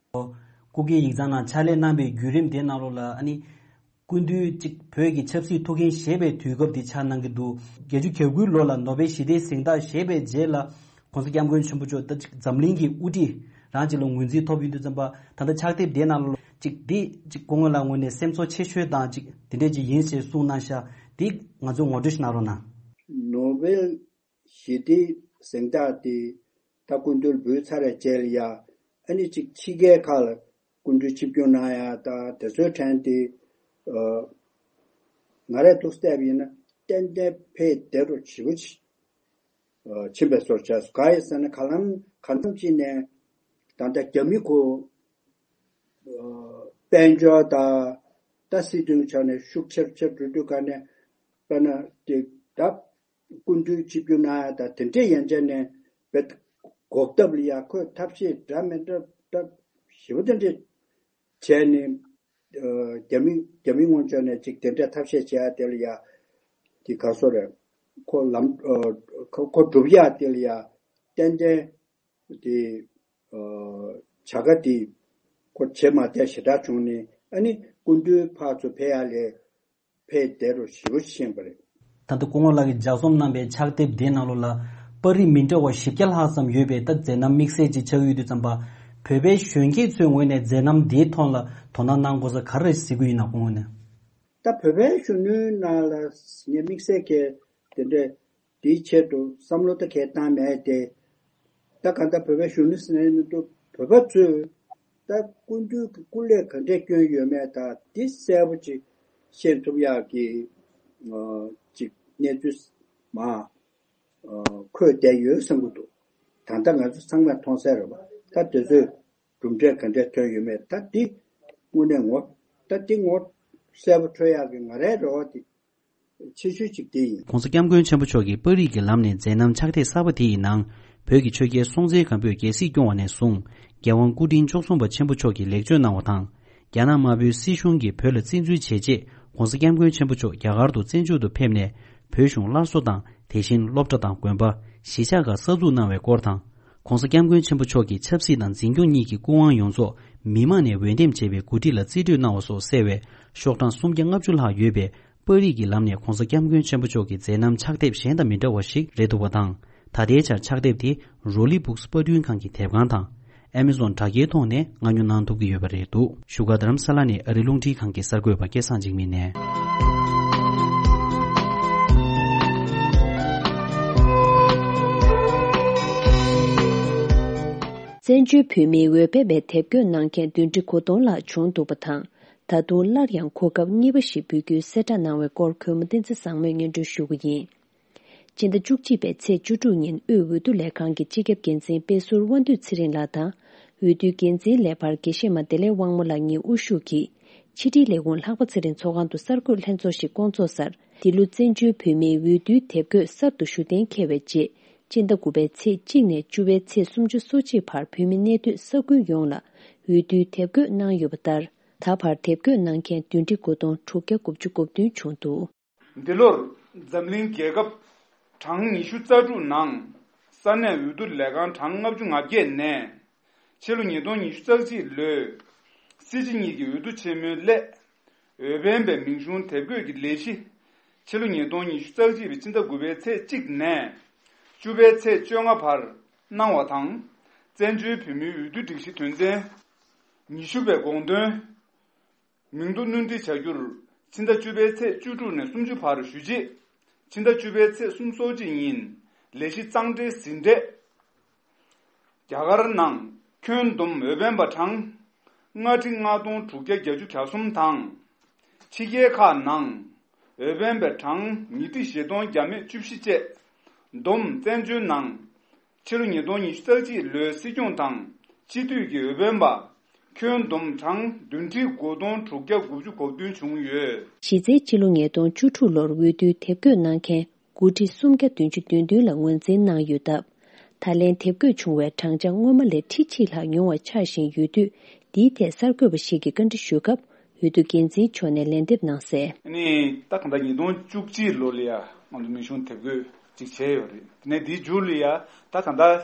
སྐུ་སྒེར་ཡིག་ཚང་ནང་ཕྱག་ལས་གནང་པའི་བརྒྱུད་རིམ་དེ་ནང་ལོགས་ལ་ཨ་ནི། སྐུ་མདུན་གཅིག་བོད་ཀྱི་ཆབ་སྲིད་ཐུགས་འགན་བཞེས་པའི་དུས་སྐབས་འདི་ཆགས་གནང་གི་འདུག་བརྒྱད་ཅུ་གྱ་དགུའི་ལོ་ལ་ནོ་བེལ་ཞི་བདེའི་གཟེངས་རྟགས་བཞེས་པའི་རྗེས་ལ་༸གོང་ས་༸སྐྱབས་མགོན་ཆེན་པོ་མཆོག་ད་གཅིག་འཛམ་གླིང་གི་དབུ་ཁྲིད་རང་གཅིག་ལ་ངོས་འཛིན་ཐོབ་ཡོང་དུས་ཙམ་པ། ད་ལྟ་ཕྱག་དེབ་དེའི་ནང་ལ་གཅིག་འདི་གཅིག་སྐུ་ངོ་ལགས་ངོས་ནས་སེམས་ཚོར་ཆེ་ཤོས་དང་གཅིག་དེ་འདྲས་ཅིག་ཡིན་ཞེས་གསུངས་གནང་ཤག་འདི་ང་ཚོ་ངོ་སྤྲོད་ཞིག་གནང་རོགས་གནང་། ནོ་བེལ་ཞི་བདེའི་གཟེངས་རྟགས་དེ་ད་སྐུ་མདུན་འབུལ་ཚར་བའི་རྗེས་ལ་ཡ་ཨ་ནི་གཅིག་ཕྱི་རྒྱལ་ཁག་ལ་སྐུ་མདུན་ཆིབས་བསྒྱུར་གནང་ཡ་ད་དེ་ཚོའི་གྲས་དེ་ཨ་ང་རས་འདུག་སེ་བལྟས་པ་ཡིན་ན་ཏན་ཏན་ཕེབས་བསྡད་འགྲོ་ཞེ་པོ་ཅིག་ཨ་ཕྱིན་པའི་བཟོ་འདྲ་བྱས་སོང་། གང་ཡིན་ཟེར་ན་གང་ལམ་གང་འཚམ་ཅིག་ནས་ད་ལྟ་རྒྱ་མི་ཁོ་ཨ་དཔལ་འབྱོར་དང་ད་སྲིད་དོན་ཆ་ནས་ཤུགས་ཆེར་ཆེར་འགྲོ་དུས་ག་ནས་དཔེར་ན་དེ་ད། སྐུ་མདུན་ཆིབས་བསྒྱུར་གནང་ཡ་དང་དེ་འདྲས་ཡན་ཆད་ནས་བེད་འགོག་ཐབས་ལ་ཡ་ཁོས་ཐབས་ཤེས་འདྲ་མི་འདྲ་འདྲ་ཞེ་པོ་དེ་འདྲས་བྱས་ནས་ཨ་རྒྱ་མི་རྒྱ་མི་ངོས་ཕྱོགས་ནས་ཅིག་དེ་འདྲས་ཐབས་ཤེས་བྱེད་ཡ་དེ་ལ་ཡ་དེ་ག་སོ་རེད། ཁོ་ལམ་ཨ་ཁོ་ཁོ་སྒྲུབ་ཡ་དེ་ལ་ཡ་ཏན་ཏན་དེ་ཨ་བྱ་དགའ་དེ་ཁོ་བྱེད་མ་བསྡད་ཞེ་དྲག་བྱུང་ནས་ཨ་ནི་སྐུ་མདུན་ཕར་ཚུར་ཕེབས་ཡ་ལས། ཕེབས་བསྡད་རོགས་ཞེ་པོ་ཤེས་པ་རེད། ད་ལྟ་སྐུ་ངོ་ལགས་ཀྱིས་ལྗགས་རྩོམ་གནང་པའི་ཕྱག་དེབ་དེའི་ནང་ལོགས་ལ་པར་རིས་མི་འདྲ་བ་བཞི་བརྒྱ་ལྷག་ཙམ་ཡོད་པའི་ད་མཛད་རྣམ་དམིགས་བསལ་ཅིག་ཆགས་ཡོད་དུས་ཙམ་པ། བོད་པའི་གཞོན་སྐྱེས་ཚོའི་ངོས་ནས་མཛད་རྣམ་འདིའི་ཐོག་ལ་དོ་སྣང་གནང་དགོས་ས་ག་རེ་གཟིགས་ཀྱི་ཡིན་ན་སྐུ་ངོ་ནས། ད་བོད་པའི་གཞོན་ནུའི་ནང་ལ་ངས་དམིགས་བསལ་གྱི་དེ་འདྲས། དེའི་ཆེད་དུ་བསམ་བློ་ད་གས་བཏང་མེད་དེ། ད་གང་ལྟར་བོད་པའི་གཞོན་ནུ་ཟེར་ནས་མི་འདུག་བོད་པ་ཚོས་ད་སྐུ་མདུན་གྱི་སྐུ་ལས་ག་འདྲས་བསྐྱོན་ཡོད་མེད་ད་འདི་གསལ་པོ་ཅིག་ཤེས་ཐུབ་ཡག་གི་ཨ་ཅིག་གནས་ཚུལ་མ་ཨ་འཁོད་བསྡད་ཡོད་བསམ་གྱི་འདུག་ད་ལྟ་ང་ཚོ་ཚང་མས་མཐོང་གསལ་རེད་པ། ད་དེ་ཚོས་གྲུབ་འབྲས་ག་འདྲས་ཐོན་ཡོད་མེད་ད་འདི་དངོས་གནས་ངོ་ད་འདི་ངོ་གསལ་པོ་འཕྲོད་ཡག་གི་ང་རའི་རེ་བ་དེ། ཆེ་ཤོས་གཅིག་དེ་ཡིན། ༸གོང་ས་༸སྐྱབས་མགོན་ཆེན་པོ་མཆོག་གིས་པར་རིས་ཀྱི་ལམ་ནས་མཛད་རྣམ་ཕྱག་དེབ་གསར་པ་དེ་ཡི་ནང་། བོད་ཀྱི་ཆོས་རྒྱལ་སྲོང་བཙན་སྒམ་པོས་རྒྱལ་སྲིད་སྐྱོང་བ་ནས་བཟུང་། རྒྱལ་དབང་སྐུ་ཕྲེང་བཅུ་གསུམ་པ་ཆེན་པོ་མཆོག་གིས་ལེགས་བཅོས་གནང་བ་དང་། རྒྱ་ནག་དམར་པོའི་སྲིད་གཞུང་གིས་བོད་ལ་བཙན་འཛུལ་བྱས་རྗེས། ༸གོང་ས་༸སྐྱབས་མགོན་ཆེན་པོ་མཆོག་རྒྱ་གར་དུ་བཙན་བྱོལ་དུ་ཕེབས་ནས། བོད་གཞུང་སླར་གསོ་དང་། དེ་བཞིན་སློབ་གྲྭ་དང་དགོན་པ། གཞིས་ཆགས་ཁག་གསར་འཛུགས་གནང་བའི་སྐོར་དང་། ༸གོང་ས་༸སྐྱབས་མགོན་ཆེན་པོ་མཆོག་གིས་ཆབ་སྲིད་དང་འཛིན་སྐྱོང་གཉིས་ཀྱི་སྐུ་དབང་ཡོངས་རྫོགས་མི་དམངས་ནས་འོས་འདེམས་བྱས་པའི་འགོ་ཁྲིད་ལ་རྩིས་སྤྲོད་གནང་བ་སོགས་གསལ་བའི་ཤོག་གྲངས་སུམ་བརྒྱ་ལྔ་བཅུ་ལྷག་ཡོད་པའི་པར་རིས་ཀྱི་ལམ་ནས་༸གོང་ས་༸སྐྱབས་མགོན་ཆེན་པོ་མཆོག་གི་མཛད་རྣམ་ཕྱག་དེབ་གཞན་དང་མི་འདྲ་བ་ཞིག་རེད་འདུག་པ་དང་། ད་ལྟའི་ཆར་ཕྱག་དེབ་དེ་རོ་ལི་སྦུག་སི་པར་སྐྲུན་ཁང་གི་དེབ་ཁང་དང་། ཨེ་མེ་ཟོན་དྲ་རྒྱའི་ཐོག་ནས་མངགས་ཉོ་གནང་ཐུབ་ཀྱི་ཡོད་པ་རེད་འདུག་བཞུགས་སྒར་རྡ་རམ་ས་ལ་ནས་ཨ་རི་རླུང་འཕྲིན་ཁང་གི་གསར་འགོད་པ་སྐལ་བཟང་འཇིགས་མེད་ནས། བཙན་བྱོལ་བོད་མིའི་འོས་འཕེན་པའི་དེབ་འགོད་གནང་མཁན་བདུན་ཁྲི་དགུ་སྟོང་ལྷག་བྱུང་འདུག་པ་དང་། ད་དུང་སླར་ཡང་གོ་སྐབས་གཉིས་པ་ཞིག་འབུལ་རྒྱུའི་གསལ་བསྒྲགས་གནང་བའི་སྐོར་གུས་མོ་བསྟན་འཛིན་བཟང་མོས་སྙན་སྒྲོན་ཞུ་གི་ཡིན། སྤྱི་ཟླ་བཅུ་གཅིག་པའི་ཚེས་བཅུ་དྲུག་ཉིན་དབུས་འོས་བསྡུ་ལས་ཁང་གི་སྤྱི་ཁྱབ་འགན་འཛིན་དཔེ་ཟུར་དབང་འདུས་ཚེ་རིང་ལགས་དང་། འོས་བསྡུའི་འགན་འཛིན་ལས་འཕར་དགེ་བཤེས་མ་བདེ་ལེགས་དབང་མོ་ལགས་གཉིས་དབུ་བཞུགས་ཀྱིས། ཕྱི་དྲིལ་ལས་ཁུངས་ལྷག་པ་ཚེ་རིང་ཚོགས་ཁང་དུ་གསར་འགོད་ལྷན་ཚོགས་ཤིག་བསྐོང་ཚོགས་སར། འདི་ལོ་བཙན་བྱོལ་བོད་མིའི་འོས་བསྡུའི་དེབ་འགོད་གསར་དུ་ཞུ་གཏན་འཁེལ་བའི་རྗེས། སྤྱི་ཟླ་དགུ་པའི་ཚེས་གཅིག་ནས་བཅུ་པའི་ཚེས་སུམ་ཅུ་སོ་གཅིག་བར་བོད་མི་གནས་སྡོད་ས་ཁུལ་ཡོངས་ལ་འོས་བསྡུའི་དེབ་འགོད་གནང་ཡོད་པ་ལྟར། ད་བར་དེབ་འགོད་གནང་མཁན་བདུན་ཁྲི་དགུ་སྟོང་དྲུག་བརྒྱ་དགུ་བཅུ་གོ་བདུན་བྱུང་འདུག་འདི་ལོར་འཛམ་གླིང་རྒྱལ་ཁབ་གྲངས་ཉི་ཤུ་རྩ་དྲུག་ནང་ས་གནས་འོས་བསྡུ་ལས་ཁང་གྲངས་ལྔ་བཅུ་ང་བརྒྱད་ནས་ ཕྱི་ལོ་ཉིས་སྟོང་ཉི་ཤུ་རྩ་གཅིག་ལོའི་སྲིད་སྤྱི་གཉིས་ཀྱི་འོས་བསྡུ་ཆེན་མོའི་སླད། འོས་འཕེན་པའི་མིང་གཞུང་དེབ་འགོད་ཀྱི་ལས་གཞི། ཕྱི་ལོ་ཉིས་སྟོང་ཉི་ཤུ་རྩ་གཅིག་པའི་ཕྱི་ཟླ་དགུ་པའི་ཚེས་གཅིག་ནས་བཅུ་པའི་ཚེས་བཅོ་ལྔ་བར་གནང་བ་དང་། བཙན་བྱོལ་བོད་མིའི་འོས་བསྡུ་སྒྲིག་གཞི་དོན་ཚན་ཉི་ཤུ་པའི་དགོངས་དོན། མིང་ཐོ་སྣོན་འཕྲི་བྱ་རྒྱུར། ཕྱི་ཟླ་བཅུ་པའི་ཚེས་བཅུ་དྲུག་ནས་སུམ་ཅུ་བར་ཞུ་རྗེས། ཕྱི་ཟླ་བཅུ་པའི་ཚེས་སུམ་ཅུ་སོ་གཅིག་ཉིན་ལས་གཞི་གཙང་སྦྲའི་ཟིན་བྲིས། རྒྱ་གར་ནང་ཁྱོན་བསྡོམས་འོས་འཕེན་པ་གྲངས་ལྔ་ཁྲི་ལྔ་སྟོང་དྲུག་བརྒྱ་གྱ་གསུམ་དང་། ཕྱི་རྒྱལ་ཁག་ནང་འོས་འཕེན་པའི་གྲངས་ཉིས་ཁྲི་བཞི་སྟོང་བརྒྱ་མེད་བཅུ་བཞི་བཅས། བསྡོམས་བཙན་བྱོལ་ནང་ཕྱི་ལོ་ཉིས་སྟོང་ཉི་ཤུ་རྩ་གཅིག་ལོའི་སྲིད་སྐྱོང་དང་སྤྱི་འཐུས་ཀྱི་འོས་འཕེན་པ་ཁྱོན་བསྡོམས་གྲངས་བདུན་ཁྲི་དགུ་སྟོང་དྲུག་བརྒྱ་དགུ་བཅུ་གོ་བདུན་བྱུང་ཡོད། གཞི་རྩའི་ཕྱི་ལོ་ཉིས་སྟོང་བཅུ་དྲུག་ལོར་འོས་བསྡུའི་དེབ་འགོད་གནང་མཁན་དགུ་ཁྲི་སུམ་བརྒྱ་བདུན་ཅུ་དོན་བདུན་ལ་ངོས་འཛིན་གནང་ཡོད་སྟབས། ད་ལན་དེབ་འགོད་བྱུང་བའི་གྲངས་ཆ་སྔོན་མ་ལས་ཁྲི་གཅིག་ལྷག་ཉུང་བ་ཆགས་བཞིན་ཡོད་དུས། འདིའི་ཐད་གསར་འགོད་པ་ཞིག་གིས་བཀའ་འདྲི་ཞུས་སྐབས། འོས་བསྡུ་འགན་འཛིན་མཆོག་ནས་ལན་འདེབས་གནང་གསལ། ཨ་ནི་ད་གང་ལྟར་ཉིས་སྟོང་བཅུ་གཅིག་ལོ་ལ་ཡ་ང་ཚོ་མིང་གཞུང་དེབ་འགོད་ཅིག་བྱས་ཡོད་རེད། དེ་ནས་དེའི་མཇུག་ལ་ཡ་ད་གང་ལྟར་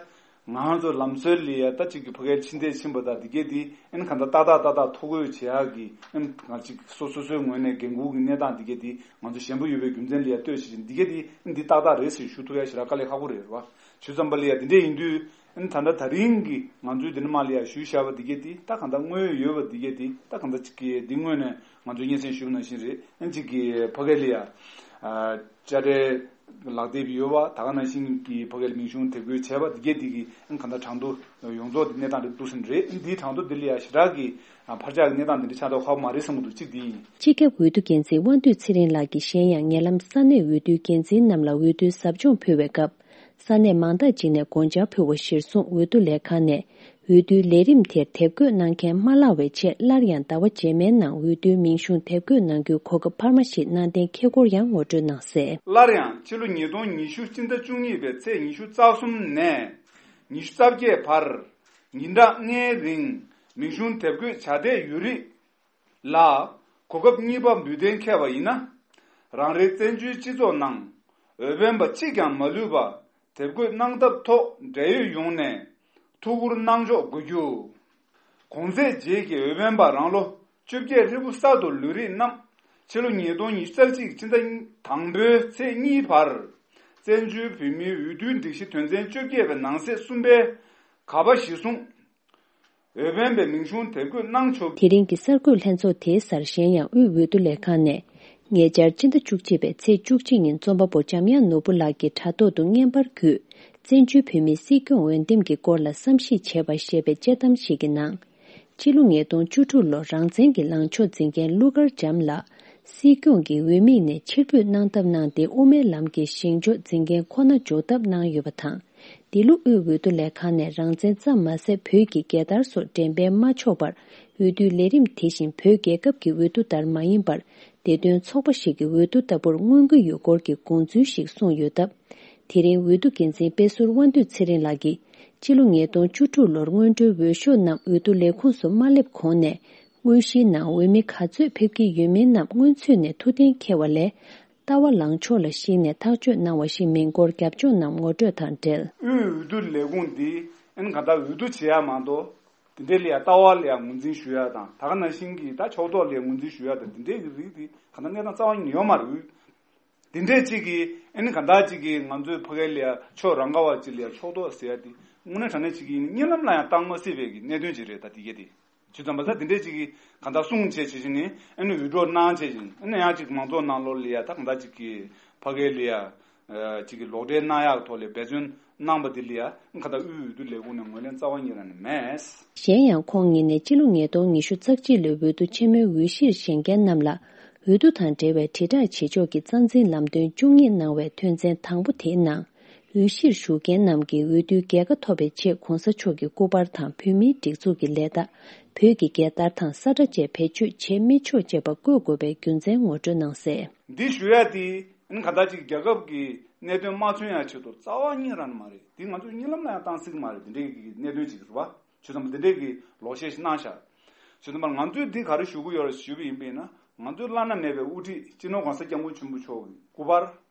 ང་ཚོ་ལམ་སྲོལ་ལ་ཡ་ད་ཅིག་གི་ཕ་གིར་ཕྱི་འདས་ཕྱིན་པ་དང་འདི་གས་དེ་ཨ་ནི་གང་ལྟར་ཏག་ཏག་ཏག་ཏག་ཐོ་འགོད་བྱེད་ཡག་གི་ཨ་ནི་ང་ཅིག་སོ་སོ་སོའི་ངོས་ནས་འགན་འཁུར་གྱི་གནས་སྟངས་འདི་གས་དེ་ང་ཚོ་ཞན་པོ་ཡོད་པའི་རྒྱུ་མཚན་ལ་ཡ་ལྟོས་བྱེད་བཞིན་འདི་གས་དེ་ཨ་ནི་འདི་ཏག་ཏག་རེད་ཟེར་ཞུ་ཐུབ་ཡ་ཞེ་དྲག་དཀའ་ལས་ཁག་པོ་རེད་བ། བྱས་ཙམ་པ་ལ་ཡ་དེ་འདྲས་ཡིན་དུས། ཨ་ནི་ད་ལྟ་ད་རིང་གི་ང་ཚོའི་འདི་ནས་མར་ལ་ཡ་ཞུས་བཞག་པ་འདི་གས་དེ་ད་གང་ལྟར་དངོས་ཡོད་པ་འདི་གས་དེ་ད་གང་ལྟར་ཅིག་གི་འདི་དངོས་ནས་ང་ཚོའི་སྙན་སེང་ཞུས་པ་ནང་བཞིན་རེད། ཨ་ནི་ཅིག་གི་ཕ་གི་ལ་ཡ་ཨ་དཔྱ་ཁྲལ་ལག་དེབ་ཡོད་པ་ད་ག་ནང་བཞིན་གྱི་ཕ་གི་ལ་མིང་གཞུང་དེབ་འགོད་བྱས་པ་འདི་གས་དེ་གི་ཨ་ནི་གང་ལྟར་གྲངས་ཐོ་ཡོངས་རྫོགས་དེ་གནས་སྟངས་དེ་འདུག་ཟིན་རེད། ཨ་ནི་འདིའི་གྲངས་ཐོ་འདི་ལ་ཡ་ཞེ་དྲག་གི་ཨ་འཕར་ཆག་གི་གནས་སྟངས་འདི་འདྲ་ཆགས་མདོག་ཁ་པོ་མ་རེད་བསམ་གྱི་འདུག་གཅིག་འདི་ཡིན། སྤྱི་ཁྱབ་འོས་བསྡུ་འགན་འཛིན་དབང་འདུས་ཚེ་རིང་ལགས་ཀྱིས་གཞན་ཡང་ཉེ་ལམ་ས་གནས་འོས་བསྡུའི་འགན་འཛིན་རྣམས་ལ་འོས་བསྡུའི་ཟབ་སྦྱོང་ཕུལ་བའི་སྐབས། ས་གནས་མང་དག་ཅིག་ནས་དགོངས་འཆར་ཕུལ་བ་གཞིར་བཟུང་འོས་བསྡུ་ལས་ཁང་ནས་འོས་བསྡུའི་ལས་རིམ་དེར་དེབ་འགོད་གནང་མཁན་མ་ལྷག་པའི་ཆེད་སླར་ཡང་ཟླ་བ་རྗེས་མའི་ནང་འོས་བསྡུའི་མིང་གཞུང་དེབ་འགོད་གནང་རྒྱུའི་གོ་སྐབས་འཕར་མ་ཞིག་གནང་གཏན་འཁེལ་སྐོར་ཡང་ངོ་སྤྲོད་གནང་གསལ། སླར་ཡང་ཕྱི་ལོ་ཉིས་སྟོང་ཉི་ཤུ་སྤྱི་ཟླ་བཅུ་གཉིས་པའི་ཚེས་ཉི་ཤུ་རྩ་གསུམ་ནས་ཉི་ཤུ་རྩ་བརྒྱད་བར་ཉིན་གྲངས་ལྔའི་རིང་མིང་གཞུང་དེབ་འགོད་བྱ་བསྡད་ཡོད་རིགས། ལ། གོ་སྐབས་གཉིས་པ་འབུལ་གཏན་འཁེལ་བ་ཡིན་ན། རང་རེའི་བཙན་བྱོལ་སྤྱི་ཚོགས་ནང་འོས་འཕེན་པ་གཅིག་ཀྱང་མ་ལུས་པ་དེབ་འགོད་གནང་ཐབས་ཐོག་འབྲེལ་ཡོད་ཡོངས་ནས་ཐུགས་ཁུར་གནང་ཕྱོགས་དགོས་རྒྱུ། གོང་ཚེས་རྗེས་ཀྱི་འོས་འཕེན་པ་རང་ལོ་བཅོ་བརྒྱད་ཧྲིལ་པོ་གསར་དུ་ལུས་རིགས་རྣམས་ཕྱི་ལོ་ཉིས་སྟོང་ཉི་ཤུ་རྩ་གཅིག་ཕྱི་ཟླ་དང་པོའི་ཚེས་གཉིས་བར་བཙན་བྱོལ་བོད་མིའི་འོས་བསྡུའི་སྒྲིག་གཞི་དོན་ཚན་བཅོ་བརྒྱད་པའི་ནང་གསེས་གསུམ་པའི་ག་པ་གཞིར་བཟུང་། འོས་འཕེན་པའི་མིང་གཞུང་དེབ་འགོད་གནང་ཆོག་དེ་རིང་གི་གསར་འགོད་ལྷན་ཚོགས་དེའི་སར་གཞན་ཡང་དབུས་འོས་བསྡུ་ལས་ཁང་ནས། ཉེ་ཆར་སྤྱི་ཟླ་བཅུ་གཅིག་པའི་ཚེས་བཅུ་གཅིག་ཉིན་རྩོམ་པ་པོ་འཇམ་དབྱངས་ནོར་བུ་ལགས་ཀྱིས་དྲ་ཐོག་ཏུ་བརྙན་པར་བརྒྱུད། བཙན་བྱོལ་བོད་མིའི་སྲིད་སྐྱོང་འོས་འདེམས་ཀྱི་སྐོར་ལ་བསམ་གཞིག་བྱས་པ་ཞེས་པའི་དཔྱད་གཏམ་ཞིག་གི་ནང་། སྤྱི་ལོ་ཉིས་སྟོང་བཅུ་དྲུག་ལོར་རང་བཙན་གྱི་ལངས་ཕྱོགས་འཛིན་མཁན་ཀླུ་མཁར་བྱམས་ལགས། སྲིད་སྐྱོང་གི་འོས་མི་ནས་ཕྱིར་འབུད་གནང་ཐབས་གནང་སྟེ། དབུ་མའི་ལམ་གྱི་བཞེངས་ཕྱོགས་འཛིན་མཁན་ཁོ་ན་འཇོག་ཐབས་གནང་ཡོད་པ་དང་། འདི་ལོ་དབུས་འོས་བསྡུ་ལས་ཁང་ནས་རང་བཙན་ཙམ་མ་ཟད་བོད་ཀྱི་རྒྱལ་དར་སོགས་འགྲེམས་སྤེལ་མ་ཆོག་པར། འོས་བསྡུའི་ལས་རིམ་དེ་བཞིན་བོད་རྒྱལ་ཁབ་ཀྱི་འོས་བསྡུ་ལྟར་མ་ཡིན་པར། བདེ་དོན་ཚོགས་པ་ཞིག་གི་འོས་བསྡུ་ལྟ་བུར་མངོན་གྱི་ཡོད་སྐོར་གྱི་དགོངས་ཚུལ་ཞིག་གསུངས་ཡོད་སྟབས། དེ་རིང་འོས་བསྡུ་འགན་འཛིན་དཔེ་ཟུར་དབང་འདུས་ཚེ་རིང་ལགས་ཀྱིས། སྤྱི་ལོ་ཉིས་སྟོང་བཅུ་དྲུག་ལོར་སྔོན་འགྲོའི་འོས་ཤོག་རྣམས་འོས་བསྡུ་ལས་ཁུངས་སུ་མ་སླེབས་གོང་ནས། དངོས་གཞིའི་ནང་འོས་མི་ག་ཚོད་ཕེབས་ཀྱི་ཡོད་མིན་རྣམས་སྔོན་ཚུད་ནས་ཐུགས་གཏན་འཁེལ་བ་ལས། ལྟ་བ་ལངས་ཕྱོགས་ལ་གཞིགས་ནས་ཐག་གཅོད་གནང་བ་ཞིག་མིན་སྐོར་རྒྱབ་ལྗོངས་རྣམས་ངོ་སྤྲོད་དང་འབྲེལ། དབུས་འོས་བསྡུ་ལས་ཁུངས་འདི་ཨ་ནི་གང་ལྟར་འོས་བསྡུ་བྱེད་ཡ་མ་གཏོགས། དེ་འདྲའི་ལ་ཡ་ལྟ་བ་ལ་ཡ་ངོས་འཛིན་ཞུ་ཡ་དང་། ད་ག་ནང་བཞིན་གྱི་ད་ཕྱོགས་གཏོགས་ལ་ཡ་ངོས་འཛིན་ཞུ་ཡ་དང་། དེ་འདྲའི་གི་རིགས་དེ་གང་ལྟར་གནས་སྟངས་རྩ་བ་ཉིད་ཡོད་མ་རེད། དེ་འདྲས་ཅིག་གིས་ཨ་ནི་གང་ལྟར་ཅིག་གིས་ང་ཚོའི་ཕ་གི་ལ་ཡ་ཕྱོགས་རང་ག་བ་ཅིག་ལ་ཡ་ཕྱོགས་གཏོགས་ཟེར་ཡ་དེ་དངོས་གནས་དྲང་གནས་ཅིག་གིས་གཉིད་ལམ་ལ་ཡང་བཏང་མ་སྲིད་པའི་གི་གནད་དོན་ཅིག་རེད། ད་དེ་གས་དེ། བྱས་ཙང་མ་ཟད་དེ་འདྲས་ཅིག་གིས་གང་ལྟར་གསུང་བྱས་བྱས་བྱས་ནས་ཨ་ནི་འུད་སྒྲོག་གནང་བྱས་བྱས་ཨ་ནི་ཡང་ཅིག་མང་ཚོགས་ནང་ལོགས་ལ་ཡ་ད་གང་ལྟར་ཅིག་གིས་ཕ་གི་ལ་ཡ་ཅིག་གིས་ལོག་འགྲེལ་གནང་ཡག་ཐོག་ལ་འབད་བརྩོན་གནང་པ་དེ་ལ་ཡ་གང་ལྟར་དབུས་འོས་བསྡུ་ལས་ཁུངས་ནས་ངོས་ལེན་རྩ་བ་ཉིད་རང་ནས་མེད། གཞན་ཡང་ཁོང་ཉིད་ནས་སྤྱི་ལོ་ཉིས་སྟོང་ཉི་ཤུ་རྩ་གཅིག་ལོའི་འོས་བསྡུ་ཆེན་མོའི་འོས་གཞིར་བཞེངས་མཁན་རྣམས་ལ་འོས་བསྡུ་དང་འབྲེལ་བའི་དྲིལ་བསྒྲགས་བྱེད་ཕྱོགས་ཀྱི་རྩ་འཛིན་ལམ་སྟོན་བཅུ་གཉིས་གནང་བའི་དོན་ཚན་དང་པོ་དེའི་ནང་། འོས་གཞིར་ཞུགས་མཁན་རྣམས་ཀྱིས་འོས་བསྡུའི་རྒྱལ་ཁ་ཐོབ་པའི་ཆེད་གོང་ས་མཆོག་གི་སྐུ་པར་དང་བོད་མིའི་སྒྲིག་འཛུགས་ཀྱི་ལས་རྟགས། བོད་ཀྱི་རྒྱལ་དར་དང་ས་ཁྲ་བཅས་བེད་སྤྱོད་བྱེད་མི་ཆོག་ཅེས་པ་བཀོད་དགོས་པའི་རྒྱུ་མཚན་ངོ་སྤྲོད་གནང་གསལ། འདི་ཞུ་ཡ་དེ་གང་ལྟར་ཅིག་རྒྱལ་ཁབ་ཀྱི་གནད་དོན་མ་མཚོན་ཡ་ཆེད་དུ་རྩ་བ་ཉིད་རང་མ་རེད། འདི་ང་ཚོས་གཉིད་ལམ་ལ་ཡང་བཏང་སྲིད་ཀྱི་མ་རེད། འདི་འདྲའི་གི་གནད་དོན་ཅིག་རེད་བ། བྱས་ཙང་འདི་འདྲའི་གི་ལོག་བཤད་ཞིག་གནང་ཤག་བྱས་ཙང་ང་ཚོས་འདི་ག་རེ་ཞུ་གི་ཡོད་རེད་ཞུས་པ་ཡིན་པ་ཡིན་ན། ང་ཚོའི་བླ་ན་མེད་པའི་དབུ་ཁྲིད་སྤྱི་ནོར་གོང་ས་སྐྱབས་མགོན་ཆེན་པོ་མཆོག་གི་སྐུ་པར།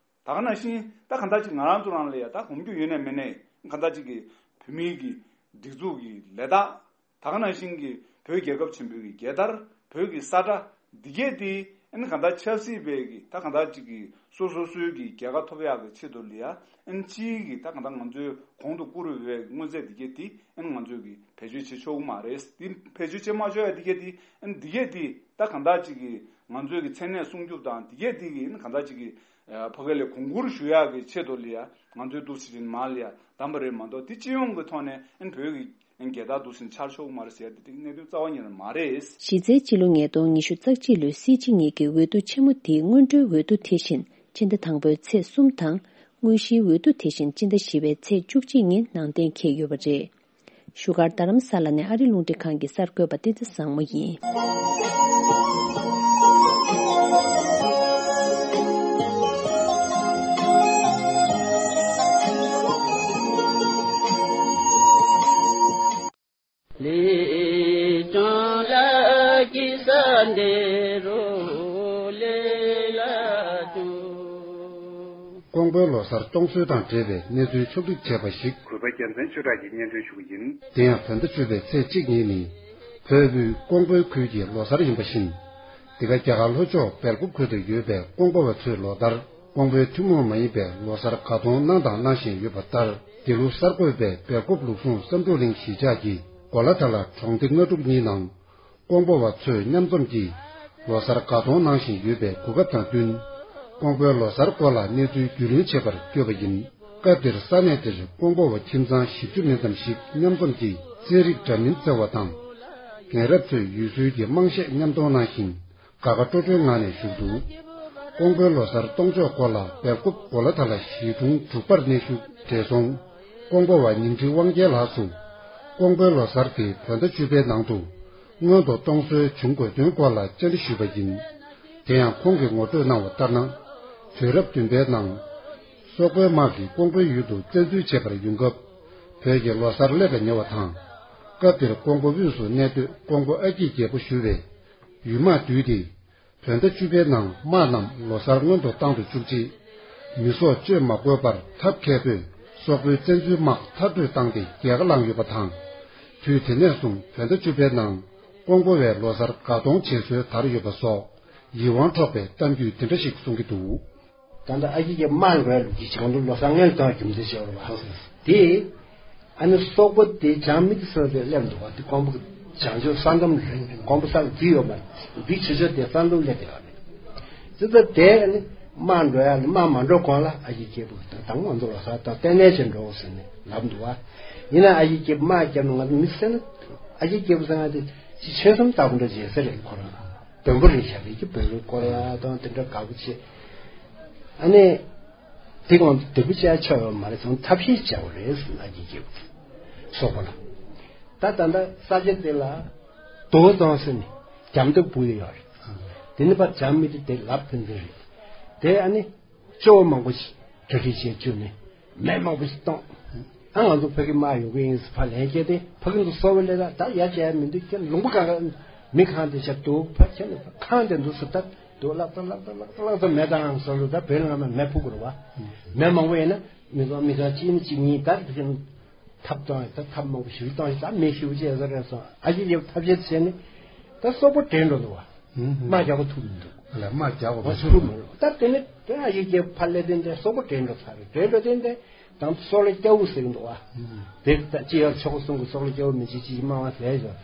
ད་ག་ནང་བཞིན་ད་གང་ལྟར་ཅིག་ང་རང་ཚོ་རང་ལ་ཡ་ད་གོམས་རྒྱུ་ཡོད་ནས་མེད་ནས་གང་ལྟར་ཅིག་གི་བོད་མིའི་གི་སྒྲིག་འཛུགས་ཀྱི་ལས་རྟགས། ད་ག་ནང་བཞིན་གྱི་བོད་རྒྱལ་ཁབ་ཆེན་པོའི་གི་རྒྱལ་དར། བོད་ཀྱི་ས་ཁྲ་འདི་གས་དེ་ཨ་ནི་གང་ལྟར་ཆབ་སྲིད་པའི་གི་ད་གང་ལྟར་ཅིག་གི་སོ་སོ་སོའི་གི་རྒྱལ་ཁ་ཐོབ་ཡག་གི་ཆེད་དུ་ལ་ཡ་ཨ་ནི་སྤྱིའི་གི་ད་གང་ལྟར་ང་ཚོའི་གོང་དུ་བཀུར་འོས་པའི་མངོན་རྫས་འདི་གས་དེ་ཨ་ནི་ང་ཚོས་གི་བེད་སྤྱོད་བྱེད་ཆོག་གི་མ་རེད། འདི་བེད་སྤྱོད་བྱེད་མ་ཆོག་ཡ་འདི་གས་དེ་ཨ་ནི་འདི་གས་དེ་ད་གང་ལྟར་ཅིག་གི་ང་ཚོའི་གི་མཚན་གནས་སྲུང་སྐྱོབ་དང་འདི་གས་དེ་གི་ཨ་ནི་གང་ལྟར་ཅིག་གི་ཕ་གི་ལ་གོང་བཀུར་ཞུ་ཡག་གི་ཆེད་དུ་ལ་ཡ་ང་ཚོའི་འདུག་སེ་མར་ལ་ཡ་བདམས་པ་རེད་མ་གཏོགས། དེ་སྤྱི་ཡོངས་ཀྱི་ཐོག་ནས་ཨ་ནི་བོད་ཀྱི་རྒྱལ་དར་འདུག་སེ་འཕྱར་ཆོག་གི་མ་རེད་ཟེར་ཡ་དེ་གནད་དོན་རྩ་བ་ཉིད་ནས་མ་རེད། གཞི་རྩའི་སྤྱི་ལོ་ཉིས་སྟོང་ཉི་ཤུ་རྩ་གཅིག་ལོའི་སྲིད་སྤྱི་གཉིས་ཀྱི་འོས་བསྡུ་ཆེན་མོ་དེའི་སྔོན་འགྲོའི་འོས་བསྡུ་དེ་བཞིན་ཕྱི་ཟླ་དང་པོའི་ཚེས་གསུམ་དང་། དངོས་གཞིའི་འོས་བསྡུ་དེ་བཞིན་སྤྱི་ཟླ་བཞི་པའི་ཚེས་བཅུ་གཅིག་ཉིན་ནང་གཏན་འཁེལ་ཡོད་པ་རེད། བཞུགས་སྒར་རྡ་རམ་ས་ལ་ནས་ཨ་རི་རླུང་འཕྲིན་ཁང་གི་གསར་འགོད་པ་བསྟན་འཛིན་བཟང་མོ་ཡིན། ལས་ཀྱང་ལ་གི་ས་འདི་རུ་ལས་ལ་ཏུ། ཀོང་པོའི་ལོ་གསར་གཏོང་སྲོལ་དང་འབྲེལ་བའི་གནས་ཚུལ་ཕྱོགས་བསྒྲིགས་བྱས་པ་ཞིག་གུས་པ་རྒྱལ་མཚན་ཆོས་གྲགས་ཀྱིས་སྙན་སྒྲོན་ཞུ་གི་ཡིན། དེ་ཡང་བོད་ཟླ་བཅུ་པའི་ཚེས་གཅིག་ཉིན་ནི་བོད་དབུས་ཀོང་པོའི་ཁུལ་གྱི་ལོ་གསར་ཡིན་པ་བཞིན། འདི་ག་རྒྱ་གར་ལྷོ་ཕྱོགས་སྦེལ་ཀོབ་ཁུལ་དུ་ཡོད་པའི་ཀོང་པོ་བ་ཚོའི་ལོ་ལྟར། ཀོང་པོའི་ཐུན་མོང་མ་ཡིན་པའི་ལོ་གསར་ག་གཏོང་གནང་དང་གནང་བཞིན་ཡོད་པ་ལྟར། འདི་ལོ་གསར་འགོད་པས་སྦེལ་ཀོབ་ལུགས་ཟུང་བསམ་གྲུབ་གླིང་གཞིས་ཆགས་ཀྱི་གོ་ལ་ཐ་ལ་གྲོང་སྡེ་ལྔ་དྲུག་གཉིས་ནང་། ཀོང་པོ་བ་ཚོས་མཉམ་འཛོམས་ཀྱིས་ལོ་གསར་ག་གཏོང་གནང་བཞིན་ཡོད་པའི་གོ་སྐབས་དང་བསྟུན། ཀོང་པོའི་ལོ་གསར་སྐོར་ལ་གནས་ཚུལ་རྒྱུས་ལོན་བྱེད་པར་བསྐྱོད་པ་ཡིན། སྐབས་དེར་ས་གནས་དེར་ཀོང་པོ་བ་ཁྱིམ་ཚང་བཞི་བཅུ་མིན་ཙམ་ཞིག་མཉམ་འཛོམས་ཀྱིས་རྩེད་རིགས་འདྲ་མིན་རྩེ་བ་དང་། རྒན་རབས་ཚོས་ཡུལ་སྲོལ་གྱི་དམངས་གཞས་མཉམ་གཏོང་གནང་ཞིང་། དགའ་དགའ་སྤྲོ་སྤྲོའི་ངང་ནས་བཞུགས་འདུག་ཀོང་པོའི་ལོ་གསར་གཏོང་ཕྱོགས་སྐོར་ལ་སྦེལ་ཀོབ་གོ་ལ་ཐ་ལ་གཞིས་གྲོང་འབྲུག་པར་གནས་བཞུགས་བགྲེས་སོང་ཀོང་པོ་བ་ཉིང་ཁྲི་དབང་རྒྱལ་ལགས་སུ། ཀོང་པོའི་ལོ་གསར་དེ་བོད་ཟླ་བཅུ་པའི་ནང་དུ་སྔོན་དུ་གཏོང་སྲོལ་བྱུང་དགོས་དོན་སྐོར་ལ་བཅར་འདྲི་ཞུས་པ་ཡིན། དེ་ཡང་ཁོང་གིས་ངོ་སྤྲོད་གནང་བ་ལྟར་ན། དུས་རབས་བདུན་པའི་ནང་། སོག་པོའི་དམག་གིས་ཀོང་པོའི་ཡུལ་དུ་བཙན་འཛུལ་བྱེད་པར་ཡོང་སྐབས། བོད་ཀྱི་ལོ་གསར་སླེབས་པ་ཉེ་བ་དང་། སྐབས་དེར་ཀོང་པོ་དབུས་སུ་གནས་སྡོད་ཀོང་པོ་ཨ་སྐྱིད་རྒྱལ་པོ་ཞུ་བས། ཡུལ་དམག་བསྡུས་ཏེ། བོད་ཟླ་བཅུ་པའི་ནང་དམག་རྣམས་ལོ་གསར་སྔོན་དུ་བཏང་དུ་བཅུག་རྗེས། མི་སྲོག་གཅོད་མ་དགོས་པར་ཐབས་མཁས་པོས་སོག་པོའི་བཙན་འཛུལ་དམག་མཐར་སྐྲོད་བཏང་སྟེ་རྒྱལ་ཁ་བླངས་ཡོད་པ་དང་། དུས་དེ་ནས་བཟུང་བོད་ཟླ་བཅུ་པའི་ནང་ཀོང་པོ་བས་ལོ་གསར་དགའ་གཏོང་བྱེད་སྲོལ་དར་ཡོད་པ་སོགས་ཡིད་དབང་འཕྲོག་པའི་གཏམ་རྒྱུད་དེ་འདྲ་ཞིག་གསུང་གི་འདུག་ད་ལྟ་ཨ་ཁུ་གི་དམག་འགྲོ་ཡ་ལུགས་ཀྱི་བྱང་དུ་ལོ་གསར་སྔོན་དུ་བཏང་རྒྱུ་མཚན་ཞིག་ཡོད་རེད་བ། དེ། ཨ་ནི་སོག་པོ་དེ་བྱང་མི་དེ་སོག་དེ་སླེབས་འདུག་བ། དེ་ཀོང་པོ་བྱང་ཕྱོགས་ས་མཚམས་རིང་རིང་ཀོང་པོ་ས་ལ་འདི་ཡོད་མ་རེད། འདི་ཆུ་ཕྱོགས་དེ་ས་མཚམས་སླེབས་བསྡད་ཡོད་རེད། ཙི་ཙི་དེ་ཨ་ནི་དམག་འགྲོ་ཡ་ལ་དམག་མ་འགྲོ་གོང་ལ་ཨ་ཁུ་སྐྱེས་བུ་དང་ང་ཚོ་ལོ་གསར་དང་ལྟེ་གནས་ཆེན་འགྲོ་ཟེར་ནས་ལབ་འདུག་བ། ཡིན་ན་ཨ་ཁུ་སྐྱེས་བུ་དམག་རྒྱབ་ན་ང་ཚོ་མི་སེར་ན་ཨ་ཁུ་སྐྱེས་བུ་ཟེར་ང་དེ་ཅི་ཆོལ་གསུམ་ལྟ་བུ་འདྲ་བྱེད་ས་རེད་ཁོ་རང་། དོན་པོ་རེད་ཤག་རེད་ཀྱི་བོད་རིགས་སྐོར་ལ་དང་དེ་འདྲ་དགའ་པོ་བྱེད། ཨ་ནི། དེ་གང་དུ་དེ་བུ་ཅག་ཆོག་ཡོད་མ་རེད་སོང་ཐབས་ཤེས་བྱ་བ་རེད་ཟེར་ན་གྱི་སྐྱེ་བོ། སོག་པོ་ལ། ད་ད་ལྟ་ས་ཆ་དེ་ལ། རྡོ་བཙོང་ཟེར་ནས་རྒྱ་མདོ་སྦུག་ཡོད་རེད། དེ་ནི་པ་རྒྱ་མི་དེ་དེ་ལབ་ཕན་ཚུན་རེད། དེ་ཨ་ནི། སྐྱོ་བོ་མང་པོ་ཞིག་གྲ་སྒྲིག་བྱས་བཅུག་ནས། མེ་མང་པོ་ཞིག་གཏོང་། ཨ་ང་ཚོ་ཕ་གི་དམག་ཡོང་གི་ཡིན་ཟེར་ཕར་ལན་སྐྱེལ་ཏེ་ཕ་གི་ཚོ་སོག་པོ་ལས་ད་ད་ཡར་བྱས་མི་འདུག་ཁྱེད་ལུང་པ་གང་ག་མི་གང་དེ་ཆ་འདུག་ཕར་ཁྱེད་ནི་ཁང་དེ་འདུག་ཟེར་ད་འདུག་ལག་ད་ལག་ད་ལག་ད་ལག་ད་མེ་ད་ཨང་ཟེར་ལུགས་ད་བོད་ལ་ང་མ་མེ་ཕུག་དགོས་རེད་བ། མེ་མང་པོ་ཡིན་ན་མི་ཚོགས་མི་ཚོགས་གཅིག་ནི་གཅིག་གཉིས་ད་དེ་ཐབས་གཏོང་ཡ་ད་ཐབས་མང་པོ་ཞིག་གཏོང་ཡ་ད་མེ་ཞིག་བྱས་ཟེར་རེད་སོང་ཨ་ཅེ་ཡབ་ཐབས་ཤེས་བྱས་ནི་ད་སོག་པོ་དྲན་འགྲོ་འདུག་བ། དམག་རྒྱག་གོ་ཐུབ་མི་འདུག་ལ་དམག་རྒྱག་གོ་མ་ཐུབ་མི་འདུག་ད་དེ་ནི་དེ་ཨ་ཅེ་ཡབ་ཕར་སླེབས་དེ་འདྲ་སོག་པོ་དྲན་འགྲོ་ཚར་རེད་དྲན་འགྲོ་དེ་འདྲ། དང་སོག་ལེ་སྐྱ་བོ་ཟེར་གྱི་འདུག་བ། དེ་ལྟ་ཅི་ཡར་ཆོག་གསུང་གི་སོག་ལེ་སྐྱ་བོ་མི་གཅིག་གཅིག་མང་བ་ཟེར་ཞོག་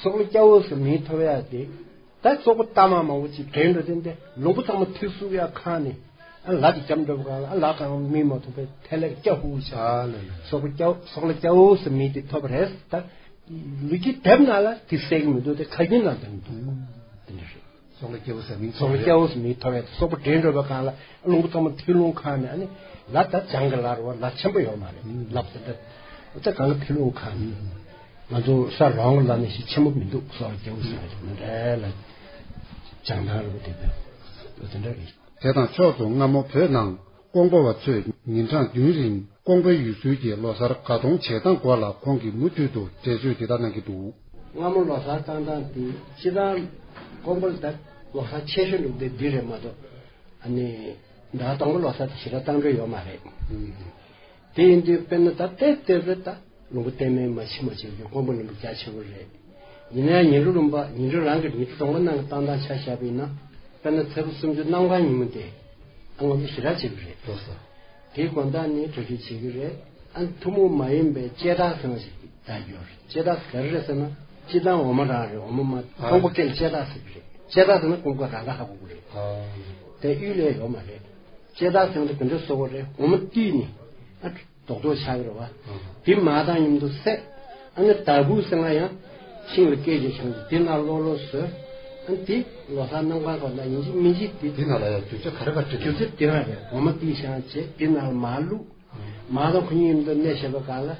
སོག་ལེ་སྐྱ་བོ་ཟེར་མིང་ཐོབ་ཡ་དེ། ད་སོག་པོ་ལྟ་མ་མང་པོ་ཅིག་དྲན་འགྲོ་དེ་འདི་ལུང་པ་ཚང་མ་ཐིག་གསུག་ཡ་ཁང་ནས་ཨ་ལ་དེ་འཇམ་འགྲོ་བ་གང་ལ་ཨ་ལ་གང་མི་མ་ཐུབ་པའི་ཐལ་ལེར་སྐྱ་ཧུ་ཆ། ཨ་ལེ་ལེ། སོག་པོ་སྐྱ་བོ་སོག་ལེ་སྐྱ་བོ་ཟེར་མིང་དེ་ཐོབ་རེད་ད། ལུས་ཀྱི་དེབ་ནང་ལ་དེ་གསལ་གྱི་མི་འདུག་དེ་ཁ་རྒྱུན་ནང་དེ་མི་འདུག་དེ་འདྲ་རེད། སོག་ལེ་སྐྱ་བོ་ཟེར་མིང་སོག་ལེ་སྐྱ་བོ་ཟེར་མིང་ཐོབ་ཡ་དེ་སོག་པོ་དྲན་འགྲོ་བ་གང་ལ་ལུང་པ་ཚང་མ་ཐིག་ལུང་ཁང་ནས་ཨ་ནི་ལ་ད་བྱང་གི་ལ་རུ་བ་ལ་ཆེན་པོ་ཡོད་མ་རེད་ལབ་ཟེར་ད། ད་གང་ལ་ཐིག་ལུང་ཁང་ནས་ང་ཚོ་ས་རོང་ལ་ནས་ཞིག་ཆེན་པོ་མི་འདུག་སོག་ལེ་སྐྱ་བོ་ཟེར་མིང་དེ་མི་འདྲ་ལ་བྱང་ཐང་རུ་བ་དེ་འདྲ་དེ་འདྲ་རེད། དེ་དང་ཕྱོགས་སུ་སྔ་མོ་བོད་ནང་ཀོང་པོ་བ་ཚོས་ཉིན་གྲངས་བདུན་རིང་ཀོང་པོའི་ཡུལ་སྲོལ་གྱི་ལོ་གསར་ག་གཏོང་བྱེད་སྟངས་སྐོར་ལ་ཁོང་གིས་མུ་མཐུད་དུ་འགྲེལ་བརྗོད་འདི་ལྟར་གནང་གི་འདུག་སྔ་མོ་ལོ་གསར་བཏང་སྟངས་དེ་སྤྱིར་བཏང་ཀོང་པོ་ལ་ད་ལོ་གསར་ཆེ་ཤོས་ནི་འདི་འདི་རེད་མ་གཏོགས་ཨ་ནི་ཟླ་དང་པོ་ལོ་གསར་དེ་ཞེ་དྲག་བཏང་འདོད་ཡོད་མ་རེད། དེ་ཡིན་དུས་དཔེར་ན་ད་ལྟའི་ལྟོས་རེད་ད། ལུང་པ་བརྟན་མའི་མ་ཕྱི་མ་བྱེད་ཀྱི་དཀོན་པོ་ལུང་པ་རྒྱ་ཆེ་བོ་རེད། ཡིན་ན་ཡང་ཉི་འབྲུ་ལུང་པ་ཉི་འབྲུ་རང་གི་ཉི་འབྲུ་གྲོང་པ་ནང་གི་བཏང་སྟངས་ཆ་བཞག་པ་ཡིན་ན། དཔེར་ན་ཚེས་པ་སུམ་ཅུ་གནམ་གང་ཉིན་མོ་དེ་ཨ་ང་ཚོ་ཞེ་དྲག་བྱེད་ཀྱི་རེད། ལགས་སོ། དེའི་དགོང་དག་ནས་གྲ་སྒྲིག་བྱེད་ཀྱི་རེད། ཨ་ཐུན་མོང་མ་ཡིན་པའི་ལྕེ་ཐག་ཟེར་བ་ཞིག་ད་ཡོད་རེད། ལྕེ་ཐག་ག་རེ་རེད་ཟེར་ན། སྤྱིར་བཏང་འོ་མ་རང་རེད། འོ་མ་མ་ཀོང་པོ་སྐད་ལ་ལྕེ་ཐག་ཟེར་གྱི་རེད། ལྕེ་ཐག་ཟེར་ན་ཀོང་པོ་རང་ད་ཧ་གོ་གི་རེད། དེ་གཡུལ་ལས་ཡོད་མ་རེད། ལྕེ་ཐག་ཟེར་ན་དེ་ག་འདྲ་བཟོ་དགོས་རེད། འོ་མ་བཏུས་ནས་ཨ། རྡོག་རྡོག་ཆགས་ཀྱི་རེད་བ། ཨ། དེ་མར་དང་མཉམ་དུ་བསྲེག་ཨ་ནི་དར་བུ་ཟེར་ན་ཡང་ཤིང་ལ་སྐད་ཅིག་བྱུང་སྟེ་དེ་ནང་ལོག་ལོག་བཟོས། ཨ་ནི་དེ་ལོ་གསར་གནམ་གང་གོང་ན་ཡིན་གཅིག་མིན་གཅིག་དེ། དེ་ནང་ལ་ཡང་རྒྱུ་ཆ་ག་རེ་ག་རེ་བྲིས་རྒྱུ་ཆ་དེ་རང་རེད། འོ་མ་དེ་བཞེངས་བྱས་དེ་ནང་ལ་མར་བླུགས། ཨ། མར་དང་ཁོ་གཉིས་མཉམ་དུ་གནས་བྱས་པ་གང་ལ་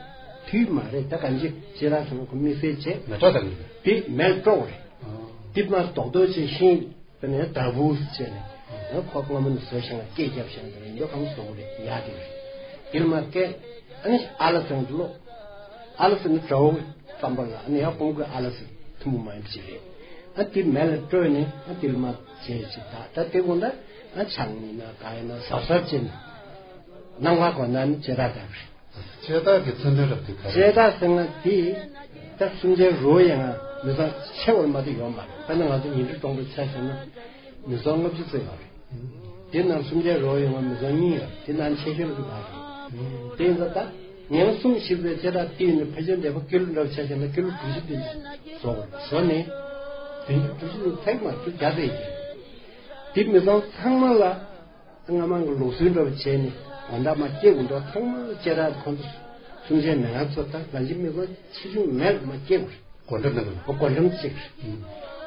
དུས་མ་རེད། ད་གང་ཅི་ཅི་ར་ཚང་ཁོ་དམིགས་བསལ་བྱས། མེ་ཏོག་དང་། དེ་མེ་ལ་སྤྲོ་བ་རེད། ཨ། དེ་མར་རྡོག་རྡོག་བྱས་ཤིང་། དེ་ནས་དར་བུ་བྱས་ནས། ཁོ་སྔ་མོ་ནས་བཟོས་བཞག་ན་སྐད་རྒྱབ་བཞག་ན་དེ་རིང་འདོད་ཁམས་བཟོ་གི་རེད། ཡག་གི་རེད། དེར་མ་སྐད། ཨ་ནི་ཨ་ལ་ཚང་དུ་ལོག་ཨ་ལ་ཟེར་ནི་དགྲ་བོ་བསམ་པ་ལ་ཨ་ནི་ཡང་ཀོང་པོའི་ཨ་ལ་ཟེར་ཐུན་མོང་མ་ཡིན་པ་ཞིག་རེད། ཨ་དེ་མེ་ལ་སྤྲོས་ནས་ཨ་དེར་མ་བྱས་ཅིག་ད་ད་དེ་དགོང་ད་ཨ་ཆང་ཡིན་ན་ག་ཡིན་ན་ཟབ་ཟབ་བྱས་ནས་གནམ་གང་གོང་ན་ནི་ལྕེ་ཐག་ལྟ་བུ་རེད། ལྕེ་ཐག་གི་མཚོན་དོན་རབ་དེ་ག་རེ། ལྕེ་ཐག་ཟེར་ན་དེ་ད་སུམ་ཆའི་རོ་ཡང་མི་ཚང་ཆེ་བར་མ་དེ་ཡོད་མ་རེད། དཔེར་ན་ང་ཚོ་ཉིན་རེ་གྲོང་པའི་ཆ་བཞག་ན་མི་ཚང་ལྔ་བཅུ་ཙམ་ཡོད་རེད། དེ་ནང་སུམ་ཆའི་རོ་ཡོང་བ་མི་ཚང་གཉིས་ཡོད་རེད། དེ་ནང་ཆེ་ཤོས་ལ་དེ་བ་རེད། དེ་ཡིན་ཙང་ད་ཉིན་གསུམ་བཞི་པའི་ལྕེ་ཐག་དེ་ཡིན་ན་ཕལ་ཆེར་འདས་པ་ཀི་ལོ་འདྲ་བ་ཆ་བཞག་ན་ཀི་ལོ་དྲུག་ཅུ་དེ་བཟོ་བར་བཟོ་ནས་བདུན་ཅུ་དྲུག་ཅུ་ནས་ཚེག་མ་བཅུ་བརྒྱ་ཙམ་ཡིན། དེ་མི་ཚང་ཚང་མ་ལ། སྔ་མ་གི་ལུགས་སྲོལ་འདྲ་བ་བྱས་ནས་དགོང་དག་མ་སྐྱེ་དགོས་འགྲོ། ཚང་མ་ལྕེ་ཐག་ཁོང་ཚོ་སུམ་ཆའི་མེ་ལ་ཚོ་ད་ང་ཚོའི་མི་ཚོ་ཆེ་ཆུང་མེད་མ་སྐྱེ་དགོས། སྒོ་འགྲམ་ནང་གི་སྒོ་འགྲམ་གཅིག་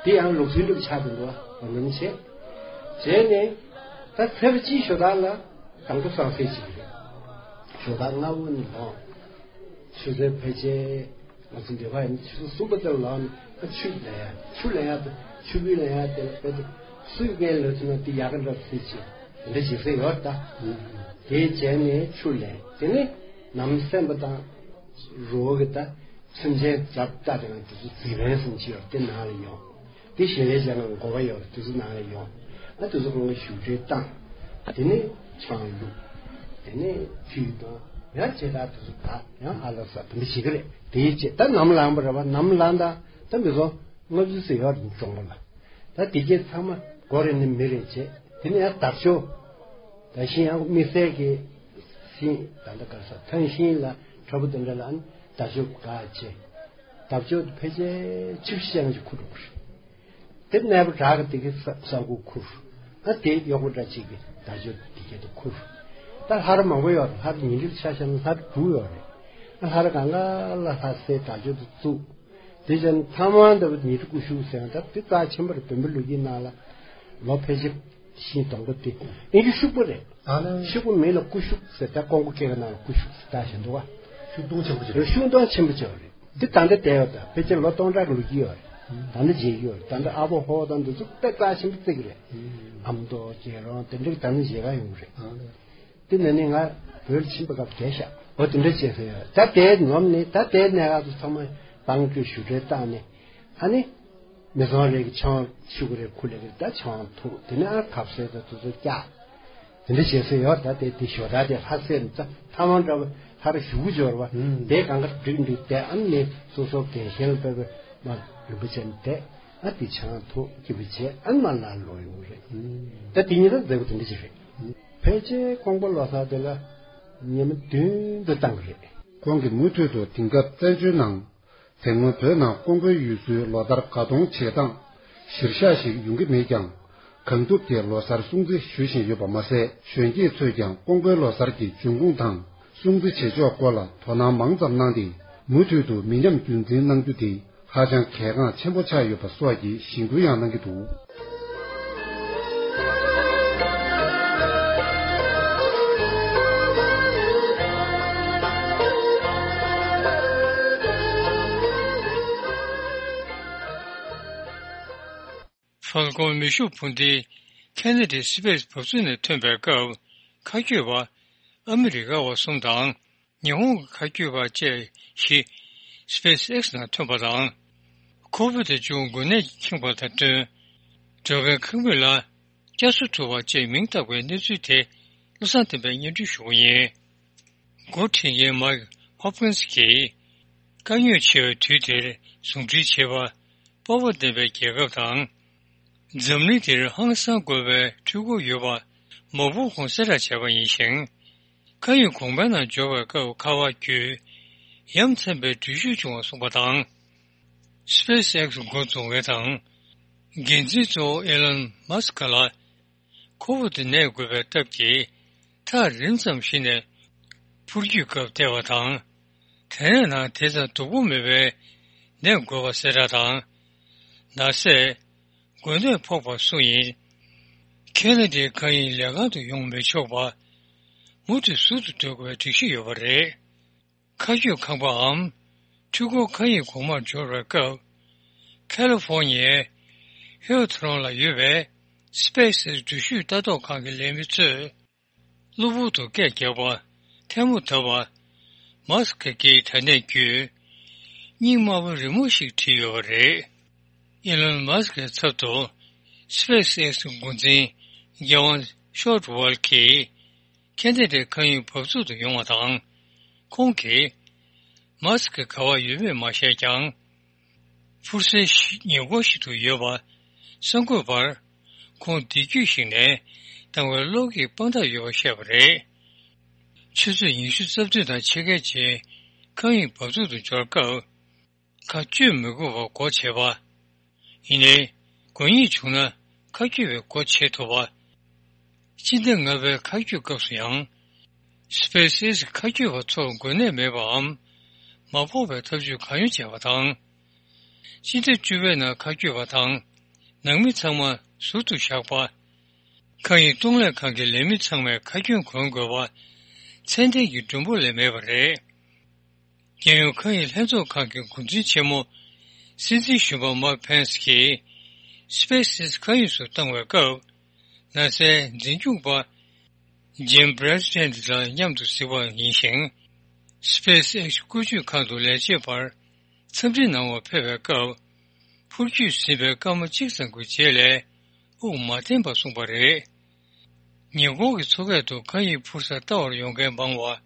དེ་ཡང་ལུགས་སྲོལ་འདྲ་བ་ཆགས་དགོས་འགྲོ། སྒོ་འགྲམ་བྱས། བྱས་ནས་ད་ཚེས་པ་གཅིག་ཞོགས་ཀ་ལ་དང་པོ་སང་སེ་གཅིག་རེད། ཞོགས་ཀ་སྔ་པོ་ནས་ལངས། ཆུ་ཚོད་ཕལ་ཆེར། ང་ཚོ་འདི་བ་ཡིན་ཆུ་ཚོད་གསུམ་པ་དེར་ལངས་ནས་ཆུ་ལེན་ཡ། ཆུ་ལེན་ཡ་དེ་ཆུ་བུད་ལེན་ཡ་དེ་ལ་དཔེ་དེ་སུས་འགན་ལོས་ཐུབ་ན་དེ་ཡག་ག་འདྲ་ཟེར་ཅིག་དེ་འདྲ་བྱེད་སྲོལ་ཡོད་ད། དེ་བྱས་ནས་ཆུ་ལེན། དེ་ནས་ནམ་སེམས་པ་དང་རོ་གི་ད་ཚུན་ཆད་རྒྱབ་ལྟ་དེ་ང་དེ་ཚོ་རྫི་བན་ཟིན་གྱི་ཡོད། དེ་ནང་ལ་ཡོང་། དེ་ཞལ་ལས་བྱས་ན་འགོ་བ་ཡོད་རེད། དེ་ཚོ་ནང་ལ་ཡོང་། ཨ་དེ་ཚོ་ཁོང་གི་བཞུགས་གྲལ་བཏང་། དེ་ནས་ཆང་བླུགས། དེ་ནས་ཁྲུས་དང་ཡང་ཇེ་དྲག་དེ་ཚོ་དག་ཡང་ཨ་ལ་ས་དེ་འདྲ་བྱེད་ཀྱི་རེད། དེའི་རྗེས་ད་ནམ་ལངས་པ་རེད་བ། ནམ་ལངས་དང་ད་མི་ཚོ་ལྔ་བཅུ་ཙམ་ཡོད་རེད་གྲོང་པ་ལ། ད་དེ་གྱད་ཚང་མ་སྒོ་རེ་ནས་མི་རེ་བྱས། དེ་ནས་ཡང་དར་ལྕོག་ད་ཤིང་ཡང་དམིགས་བསལ་གྱི་ཤིང་ད་ལྟ་ག་ས་ཐང་ཤིང་ལ་ཁྲ་བོ་དེ་འདྲ་ལ་ཨ་ནི་དར་ལྕོག་བཀག་བྱས། དར་ལྕོག་དེ་ཕལ་ཆེར་ཆིབས་ཤང་ཅིག་ཁུར་འགྲོ་གི་རེད། དེ་གནས་པ་བྲག་གི་དེ་གའི་ས་ས་འགུ་ཁུར། ཨ་དེ་གཡོག་པོ་འདྲ་གཅིག་གིས་དར་ལྕོག་དེ་གའི་དུ་ཁུར། ད་ལྷ་རི་མང་པོ་ཡོད་རེད། ལྷ་རི་ཉིན་རེ་ཆ་བཞག་ན་ལྷ་རི་དྲུག་ཡོད་རེད། ཨ་ལྷ་རི་གང་ག་ལ་ལྷ་སའི་དར་ལྕོག་དེ་བཙུགས། དེ་བཞིན་ཐ་མ་འདི་བ་ཉི་ཁྲི་སྐུ་ཤུགས་ཟེར་ཡང་ད་དེ་རྩ་ཆེན་པོ་རེད། བོན་པོའི་ལོ་རྒྱུས་ནང་ལ་ལོ་ཕལ་ཆེར་ཤིང་སྡོང་པོ་དེ་ཨིན་ཅི་ཤུག་པོ་རེད། ཨ་ལ། ཤུག་པོ་མིང་ལ་སྐུ་ཤུགས་ཟེར། ད་ཀོང་པོ་སྐད་ཀྱི་ནང་ལ་སྐུ་ཤུགས་ཟེར་ད་བཞིན་འདུག་བ། ཤུག་སྡོང་ཆེན་པོ་ཅིག་རེད། ཤུག་སྡོང་ཆེན་པོ་ཅིག་རེད། འདི་ད་ལྟ་བསྡད་ཡོད། ད་ཕལ་ཆེར་ལོ་སྟོང་ཕྲག་གི་ལོ་རྒྱུས་ཡོད་རེད། ད་ལྟ་མཇལ་རྒྱུ་ཡོད་རེད། ད་ལྟ་ཨ་ཕོ་ཧོ་དང་འདི་ཚོ་དཔེ་རྩ་ཆེན་པོ་བརྩི་གི་རེད། ཨ་མདོ་རྒྱལ་རོང་དེ་འདྲ་གི་ད་ནི་མཇལ་ཁ་ཡོང་གི་རེད། དེ་ནས་ནི་ང་བོད་ལ་ཕྱིན་པ་སྐབས་བསྡད་ཤག་འོ་དེ་འདྲ་བྱས་ཟེར་ཡོད། ད་དེ་ནོམ་ནི་ད་དེ་གནས་སྐབས་སུ་ཚང་མ་བང་བཀྲུས་བཞུགས་གྲལ་བཏང་ནས་ཨ་ནི། མི་ཚང་རེ་གི་ཆང་ཆུ་གི་རེ་ཁུ་ལེ་གི་ད་ཆང་འཐུང་། དེ་ནས་ཨ་ཁབ་སེ་ད་དུ་ཚོ་བཀྱག་དེ་འདྲ་བྱེད་སྲོལ་ཡོད། ད་དེ་དེ་ཞོ་ད་དེ་ལྷ་སེ་ནི་ད་ཐ་མ་འདྲ་བ་ལྷ་ར་ཞུ་གུ་འབྱོར་བ་དེ་གང་ག་འགྲིག་འགྲིག་དེ་ཨ་ནི་སོ་སོ་རྒན་གཞོན་ལ་དཔེ་བའི་མ་རིན་པོ་ཆེ་ནི་དེ་ཨ་དེ་ཆང་འཐུང་སྐྱིད་པོ་བྱས་ཨ་ནི་མ་ལ་ལོ་ཡོང་གི་རེད། ད་དེ་ཉིན་ད་མཛད་སྒོ་དེ་འདྲ་ཞིག་རེད། ཕལ་ཆེར་ཀོང་པོ་ལོ་གསར་དེ་ལ་ཉི་མ་བདུན་དུ་བཏང་གི་རེད། ཁོང་གིས་མུ་མཐུད་དུ་དེང་སྐབས་བཙན་བྱོལ་ནང་། དེ་སྔོན་བོད་ནང་ཀོང་པོའི་ཡུལ་སྲོལ་ལོ་ལྟར་དགའ་གཏོང་བྱེད་སྟངས་གཞིར་བཞག་ཞིག་ཡོང་གི་མེད་ཀྱང་། གང་ཐུབ་ཀྱིས་ལོ་གསར་སྲུང་བརྩི་ཞུ་བཞིན་ཡོད་པ་མ་ཟད། གཞོན་སྐྱེས་ཚོས་ཀྱང་ཀོང་པོའི་ལོ་གསར་གྱི་འབྱུང་ཁུངས་དང་སྲུང་བརྩི་བྱེད་ཕྱོགས་སྐོར་ལ་དོ་སྣང་མང་ཙམ་གནང་སྟེ། མུ་མཐུད་དུ་མི་ཉམས་རྒྱུན་འཛིན་གནང་རྒྱུ་དེ་ཧ་ཅང་གལ་འགངས་ཆེན་པོ་ཆགས་ཡོད་པ་སོགས་ཀྱི་གཞེན་སྐུལ་ཡང་གནང་གི་འདུག། ཧྥལ་ཀོན་མེ་ཤུགས་འཕུར་མདེལ་ཁེ་ན་ཌའི་སི་པེ་སི་བབས་ཚུགས་ནས་ཐོན་པའི་སྐབས། མཁའ་སྐྱོད་པ་ཨ་མི་རི་ཀ་བ་གསུམ་དང་། ཉི་ཧོང་གི་མཁའ་སྐྱོད་པ་བཅས་བཞི་སི་པེ་སི་ཨེག་སི་ནང་ཐོན་པ་དང་། ཁོ་བིད་བཅུ་འགོས་ནད་ཀྱིས་ཁེངས་པ་དང་བསྟུན། འགྲོ་མགོན་ཁང་མིག་ལ་བསྐྱར་གསོ་ཐུབ་པ་བཅས་མིང་བཏགས་པའི་གནས་ཚུལ་དེ་བློ་བཟང་བསྟན་པས་སྙན་སྒྲོན་ཞུ་གི་ཡིན། འགོ་ཁྲིད་མཁན་མའིག་ཧོབ་ཀིན་སི་གིས་ དཀའ་རྙོག་ཆེ་བའི་དུས་དེར་ཟུང་འབྲེལ་བྱེད་པ། སྤོབས་པ་ལྡན་པའི་རྒྱལ་ཁབ་དང་། འཛམ་གླིང་འདིར་ཧང་སང་དགོས་པའི་འཕྲུལ་འཁོར་ཡོད་པ་མ་བུ་ཁོང་གསལ་བསྒྲགས་བྱས་པ་ཡིན་ཞིང་། མཁའ་དབྱིངས་གོང་མའི་ནང་འབྱོར་བའི་སྐབས་ཁ་པར་བརྒྱུད་ཡ་མཚན་པའི་འགྲུལ་བཞུད་བྱུང་བ་གསུངས་པ་དང་། SpaceX འགོ་འཛུགས་མཁན་དང་། འགན་འཛིན་གཙོ་བོ་ཨེ་ལོན་མཱ་སི་ཀ་ལ། ཁོ་བོ་དེ་གནས་དགོས་པའི་སྟབས་ཀྱིས་ཐག་རིང་ཙམ་ཞིག་ནས་འཕུར་སྐྱོད་སྐབས་བལྟས་པ་དང་། དེ་ནས་ནང་དེ་ཙམ་སྡུག་པོ་མེད་པའི་གནས་དགོས་པ་གསལ་བསྒྲགས་དང་། ནར་སོན། འགོས་ནད་ཕོག་པ་སུ་ཡིན། ཁེ་ན་ཌའི་མཁའ་དབྱིངས་ལས་ཁང་དུ་ཡོང་མི་ཆོག་པ། མུ་མཐུད་ཟུར་དུ་སྡོད་དགོས་པའི་སྒྲིག་གཞི་ཡོད་པ་རེད། མཁའ་སྐྱོད་ཁང་པའམ་འཕྲུལ་འཁོར་མཁའ་དབྱིངས་གོང་མར་འབྱོར་བའི་སྐབས། ཁ་ལི་ཧྥོར་ནི་ཡའི་ཧིལ་ཐོ་རོན་ལ་ཡོད་པའི་སི་པེ་སི་ཨེག་སི་འགྲུལ་བཞུད་ལྟ་རྟོག་ཁང་གི་ལས་མི་ཚོས་གློ་བུར་དུ་སྐད་བརྒྱབ་པ། ཐལ་མོ་བརྡབས་པ། མཱ་སི་ཀ་གིས་དྲ་གནས་བརྒྱུད་སྙིང་དམར་པོ་རི་མོ་ཞིག་བྲིས་ཡོད་པ་རེད། ཨི་ལོན་མཱ་སི་ཀའི་ཚབ་ཏུ་སི་པེ་སི་ཨེག་སི་འགོ་འཛིན་རྒྱལ་དབང་ཤོར་ཝལ་གྱིས། ཁེ་ན་ཌའི་མཁའ་དབྱིངས་འབབ་ཚུགས་སུ་ཡོང་བ་དང་། ཁོང་གིས་མཱ་སི་ཀ་ག་པར་ཡོད་མེད་མ་ཤེས་ཀྱང་། འཕུར་སའི་ཉེ་འཁོར་ཞིག་ཏུ་ཡོད་པ་གསར་འགོད་པར། ཁོང་བདེ་སྐྱིད་ཞིག་ནས་བཏང་བའི་གློག་གི་དཔང་རྟགས་ཡོད་པ་བཤད་པ་རེད། ཆུ་ཚོད་ཉི་ཤུ་རྩ་བདུན་དང་ཕྱེད་ཀའི་རྗེས་མཁའ་དབྱིངས་འབབ་ཚུགས་སུ་འབྱོར་སྐབས། མཁའ་སྤྱོད་མི་དགོས་པར་སྒོ་ཕྱེ་བ། ཡིན་ནའི། དགོས་ངེས་བྱུང་ན་མཁའ་སྐྱོད་པའི་སྒོ་ཕྱེ་ཐུབ་པ། སྤྱི་ཟླ་ལྔ་པའི་མཁའ་སྐྱོད་སྐབས་སུ་ཡང་། སི་པེ་སི་ཨེག་སི་མཁའ་སྐྱོད་པ་ཚོར་འགོས་ནད་མེད་པའམ། མ་ཕོག་པའི་ཐབས་ཇུས་གང་ཡོང་བྱས་པ་དང་། སྤྱི་ཟླ་བཅུ་པའི་ནང་མཁའ་སྐྱོད་པ་དང་ནང་མི་ཚང་མ་ཟུར་དུ་བཞག་པ། མཁའ་དབྱིངས་གཏོང་ལེན་ཁང་གི་ལས་མི་ཚང་མས་ཁ་གྱོན་གོན་དགོས་པ། ཚད་ལྡན་གྱི་མགྲོན་པོ་ལས་མེད་པ་རེད། རྒྱལ་ཡོངས་མཁའ་དབྱིངས་ལྷན་ཚོགས་ཁང་གི་འགོ་འཛིན་ཆེན་མོ། སྲིད་འཛིན་གཞོན་པ་མཱིག་ཕེན་སི་གིས། སི་པེ་སི་ཨེག་སི་མཁའ་དབྱིངས་སུ་བཏང་བའི་སྐབས། ནཱ་སའི་འཛིན་སྐྱོང་པ། ཇིམ་བྷི་རེ་སི་ཌེན་ཊི་དང་མཉམ་དུ་གཟིགས་པ་ཡིན་ཞིང་། སི་པེ་སི་ཨེག་སི་བཀོལ་སྤྱོད་ཁང་དུ་ལས་བྱེད་པར་འཚམས་འདྲི་གནང་བར་ཕེབས་པའི་སྐབས། འཕུར་སྐྱོད་ཟིན་པའི་སྐར་མ་གཅིག་ཙམ་གྱི་རྗེས་ལས་དབུགས་མ་བརྟན་པར་གསུངས་པ་རེད། ཉེ་འཁོར་གྱི་མཚོ་ཁ་དུ་མཁའ་དབྱིངས་འཕུར་སར་ལྟ་བར་ཡོང་མཁན་མང་བ།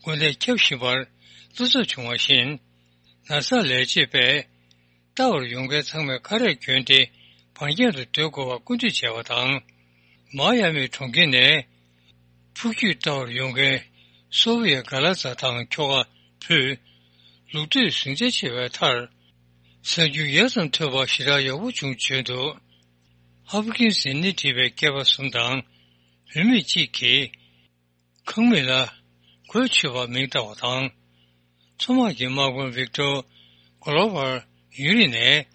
འགོས་ནད་ཁྱབ་བཞིན་པར་བློ་འཚབ་བྱུང་བ་བཞིན། ནཱ་སར་ལས་བྱེད་པས། ལྟ་བར་ཡོང་མཁན་ཚང་མས་ཁ་རས་གྱོན་ཏེ་བར་ཁྱམས་སུ་སྡོད་དགོས་པར་སྐུལ་འདེད་བྱས་པ་དང་། མ་ཡ་མི་གྲོང་ཁྱེར་ནས་འཕུར་སྐྱོད་ལྟ་བར་ཡོང་མཁན་སོ་བི་ཡ་ག་ལ་ཛ་དང་ཁྱོ་ག་བུས་ལུག་ཐོག་ཟིང་ཆ་ཆེ་བའི་མཐར། གཟའ་མཇུག་ཡ་ཙམ་ཐོན་པ་ཞེ་དྲག་ཡག་པོ་བྱུང་བྱོན་འདུག་ཧོབ་ཀིན་སི་ནས་བྲིས་པའི་སྐྱེས་པ་གསུམ་དང་བུད་མེད་གཅིག་གིས། ཁང་མིག་ལ་གོས་ཆོད་པར་མིང་བཏགས་པ་དང་། མཚོ་དམག་གི་དམག་དཔོན་ཝིག་ཏོར་གོ་ལོ་བར་ཡུན་རིང་ནས་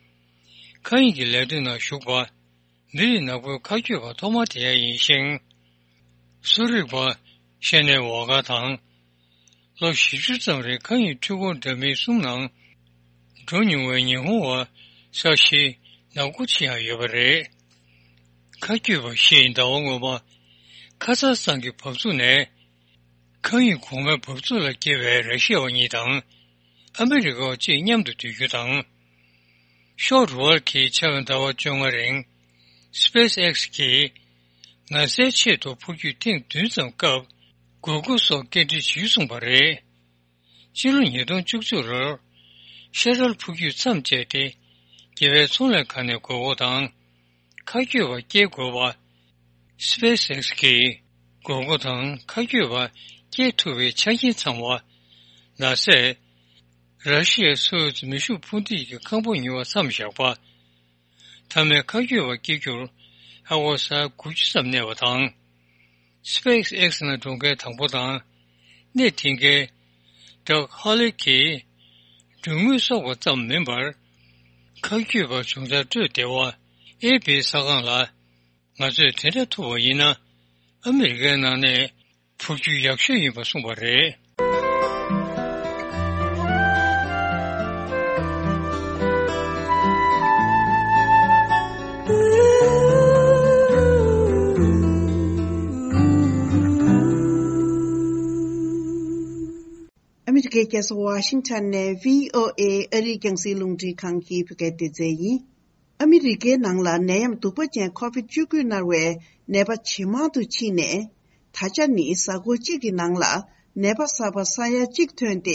མཁའ་དབྱིངས་ཀྱི་ལས་དོན་ནང་ཞུགས་པ། མི་རིགས་ནག་པོའི་མཁའ་སྐྱོད་པ་ཐོག་མ་དེ་ཡང་ཡིན་ཞིང་། གསོ་རིག་པ་ཤེ་ནེ་ཝ་ག་དང་། ལོ་བཞི་བཅུ་ཙམ་རིང་མཁའ་དབྱིངས་འཕྲུལ་འཁོར་འདྲ་མིན་གསུམ་ནང་འགྲོ་མྱོང་བའི་ཉི་ཧོང་བ་ས་ཤི་ནག་པོ་ཆེ་ཡང་ཡོད་པ་རེད། མཁའ་སྐྱོད་པ་ཞིག་ཟླ་བ་སྔོན་མ་ཁ་ཛ་སི་ཐན་གྱི་འབབ་ཚུགས་ནས། མཁའ་དབྱིངས་གོང་མའི་འབབ་ཚུགས་ལ་སྐྱེལ་བའི་ར་ཤི་ཡ་བ་གཉིས་དང་ཨ་མི་རི་ཀ་བ་གཅིག་མཉམ་དུ་སྡོད་རྒྱུ་དང་། ཤོག་རུ་ཝལ་གྱིས་ཕྱི་ཟླ་བ་བཅོ་ལྔ་རིང་སི་པེ་སི་ཨེག་སི་གིས་ནཱ་སའི་ཆེད་དུ་འཕུར་སྐྱོད་ཐེངས་བདུན་ཙམ་སྐབས་དགོས་མཁོ་སོགས་སྐད་འཕྲིན་ཞུས་གསུངས་པ་རེད། ཕྱི་ལོ་ཉིས་སྟོང་བཅུ་གཅིག་ལོར་ཤ་ཊལ་འཕུར་སྐྱོད་མཚམས་བཅད་དེ་རྒྱལ་བའི་ཚོང་ལས་ཁང་ནས་དགོས་མཁོ་དང་མཁའ་སྐྱོད་པ་སྐྱེལ་དགོས་པ། སི་པེ་སི་ཨེག་སི་གིས་དགོས་མཁོ་དང་མཁའ་སྐྱོད་པ་སྐྱེལ་ཐུབ་པའི་ཆ་རྐྱེན་ཚང་བ། ནཱ་སས་ར་ཤི་ཡའི་སོ་ཡུ་ཛི་མེ་ཤུགས་འཕུར་མདེལ་གྱི་ཁང་པ་ཉོ་བ་མཚམས་བཞག་པ། མཐའ་མའི་མཁའ་སྐྱོད་པ་སྐྱེལ་རྒྱུར་ཨ་སྒོར་ས་ཡ་དགུ་བཅུ་ཙམ་གནས་པ་དང་། སི་པེ་སི་ཨེག་སི་ནང་འགྲོ་མཁན་དང་པོ་དང་། གནས་དེང་གའི་ཌག་ཧོ་ལི་གིས་མགྲོན་དངུལ་གསོག་པ་ཙམ་མིན་པར། མཁའ་སྐྱོད་པ་བྱུང་ཚར་སྤྲོད་བདེ་བ་ཨེ་བྷི་ཟ་ཁང་ལ། ང་ཚོས་དེ་འདྲ་ཐུབ་པ་ཡིན་ན། ཨ་མི་རི་ཀའི་ནང་ནས་འཕུར་རྒྱུ་ཡག་ཤོས་ཡིན་པ་གསུངས་པ་རེད། ཨ་མི་རི་ཀའི་རྒྱལ་ས་ཝ་ཤིང་ཊོན་ནས་བྷི་ཨོ་ཨེ་ཨ་རིའི་རྒྱང་སྲིང་རླུང་འཕྲིན་ཁང་གི་བོད་སྐད་སྡེ་ཚན་ཡིན། ཨ་མི་རི་ཀའི་ནང་ལ་ནད་ཡམས་གདུག་པ་ཅན་ཁོ་བིད་བཅུ་དགུ་མནར་བའི་ནད་པ་ཇེ་མང་དུ་ཕྱིན་ནས། ད་ཆ་ནི་གཟའ་འཁོར་གཅིག་གི་ནང་ལ་ནད་པ་གསར་པ་ས་ཡ་གཅིག་ཐོན་ཏེ།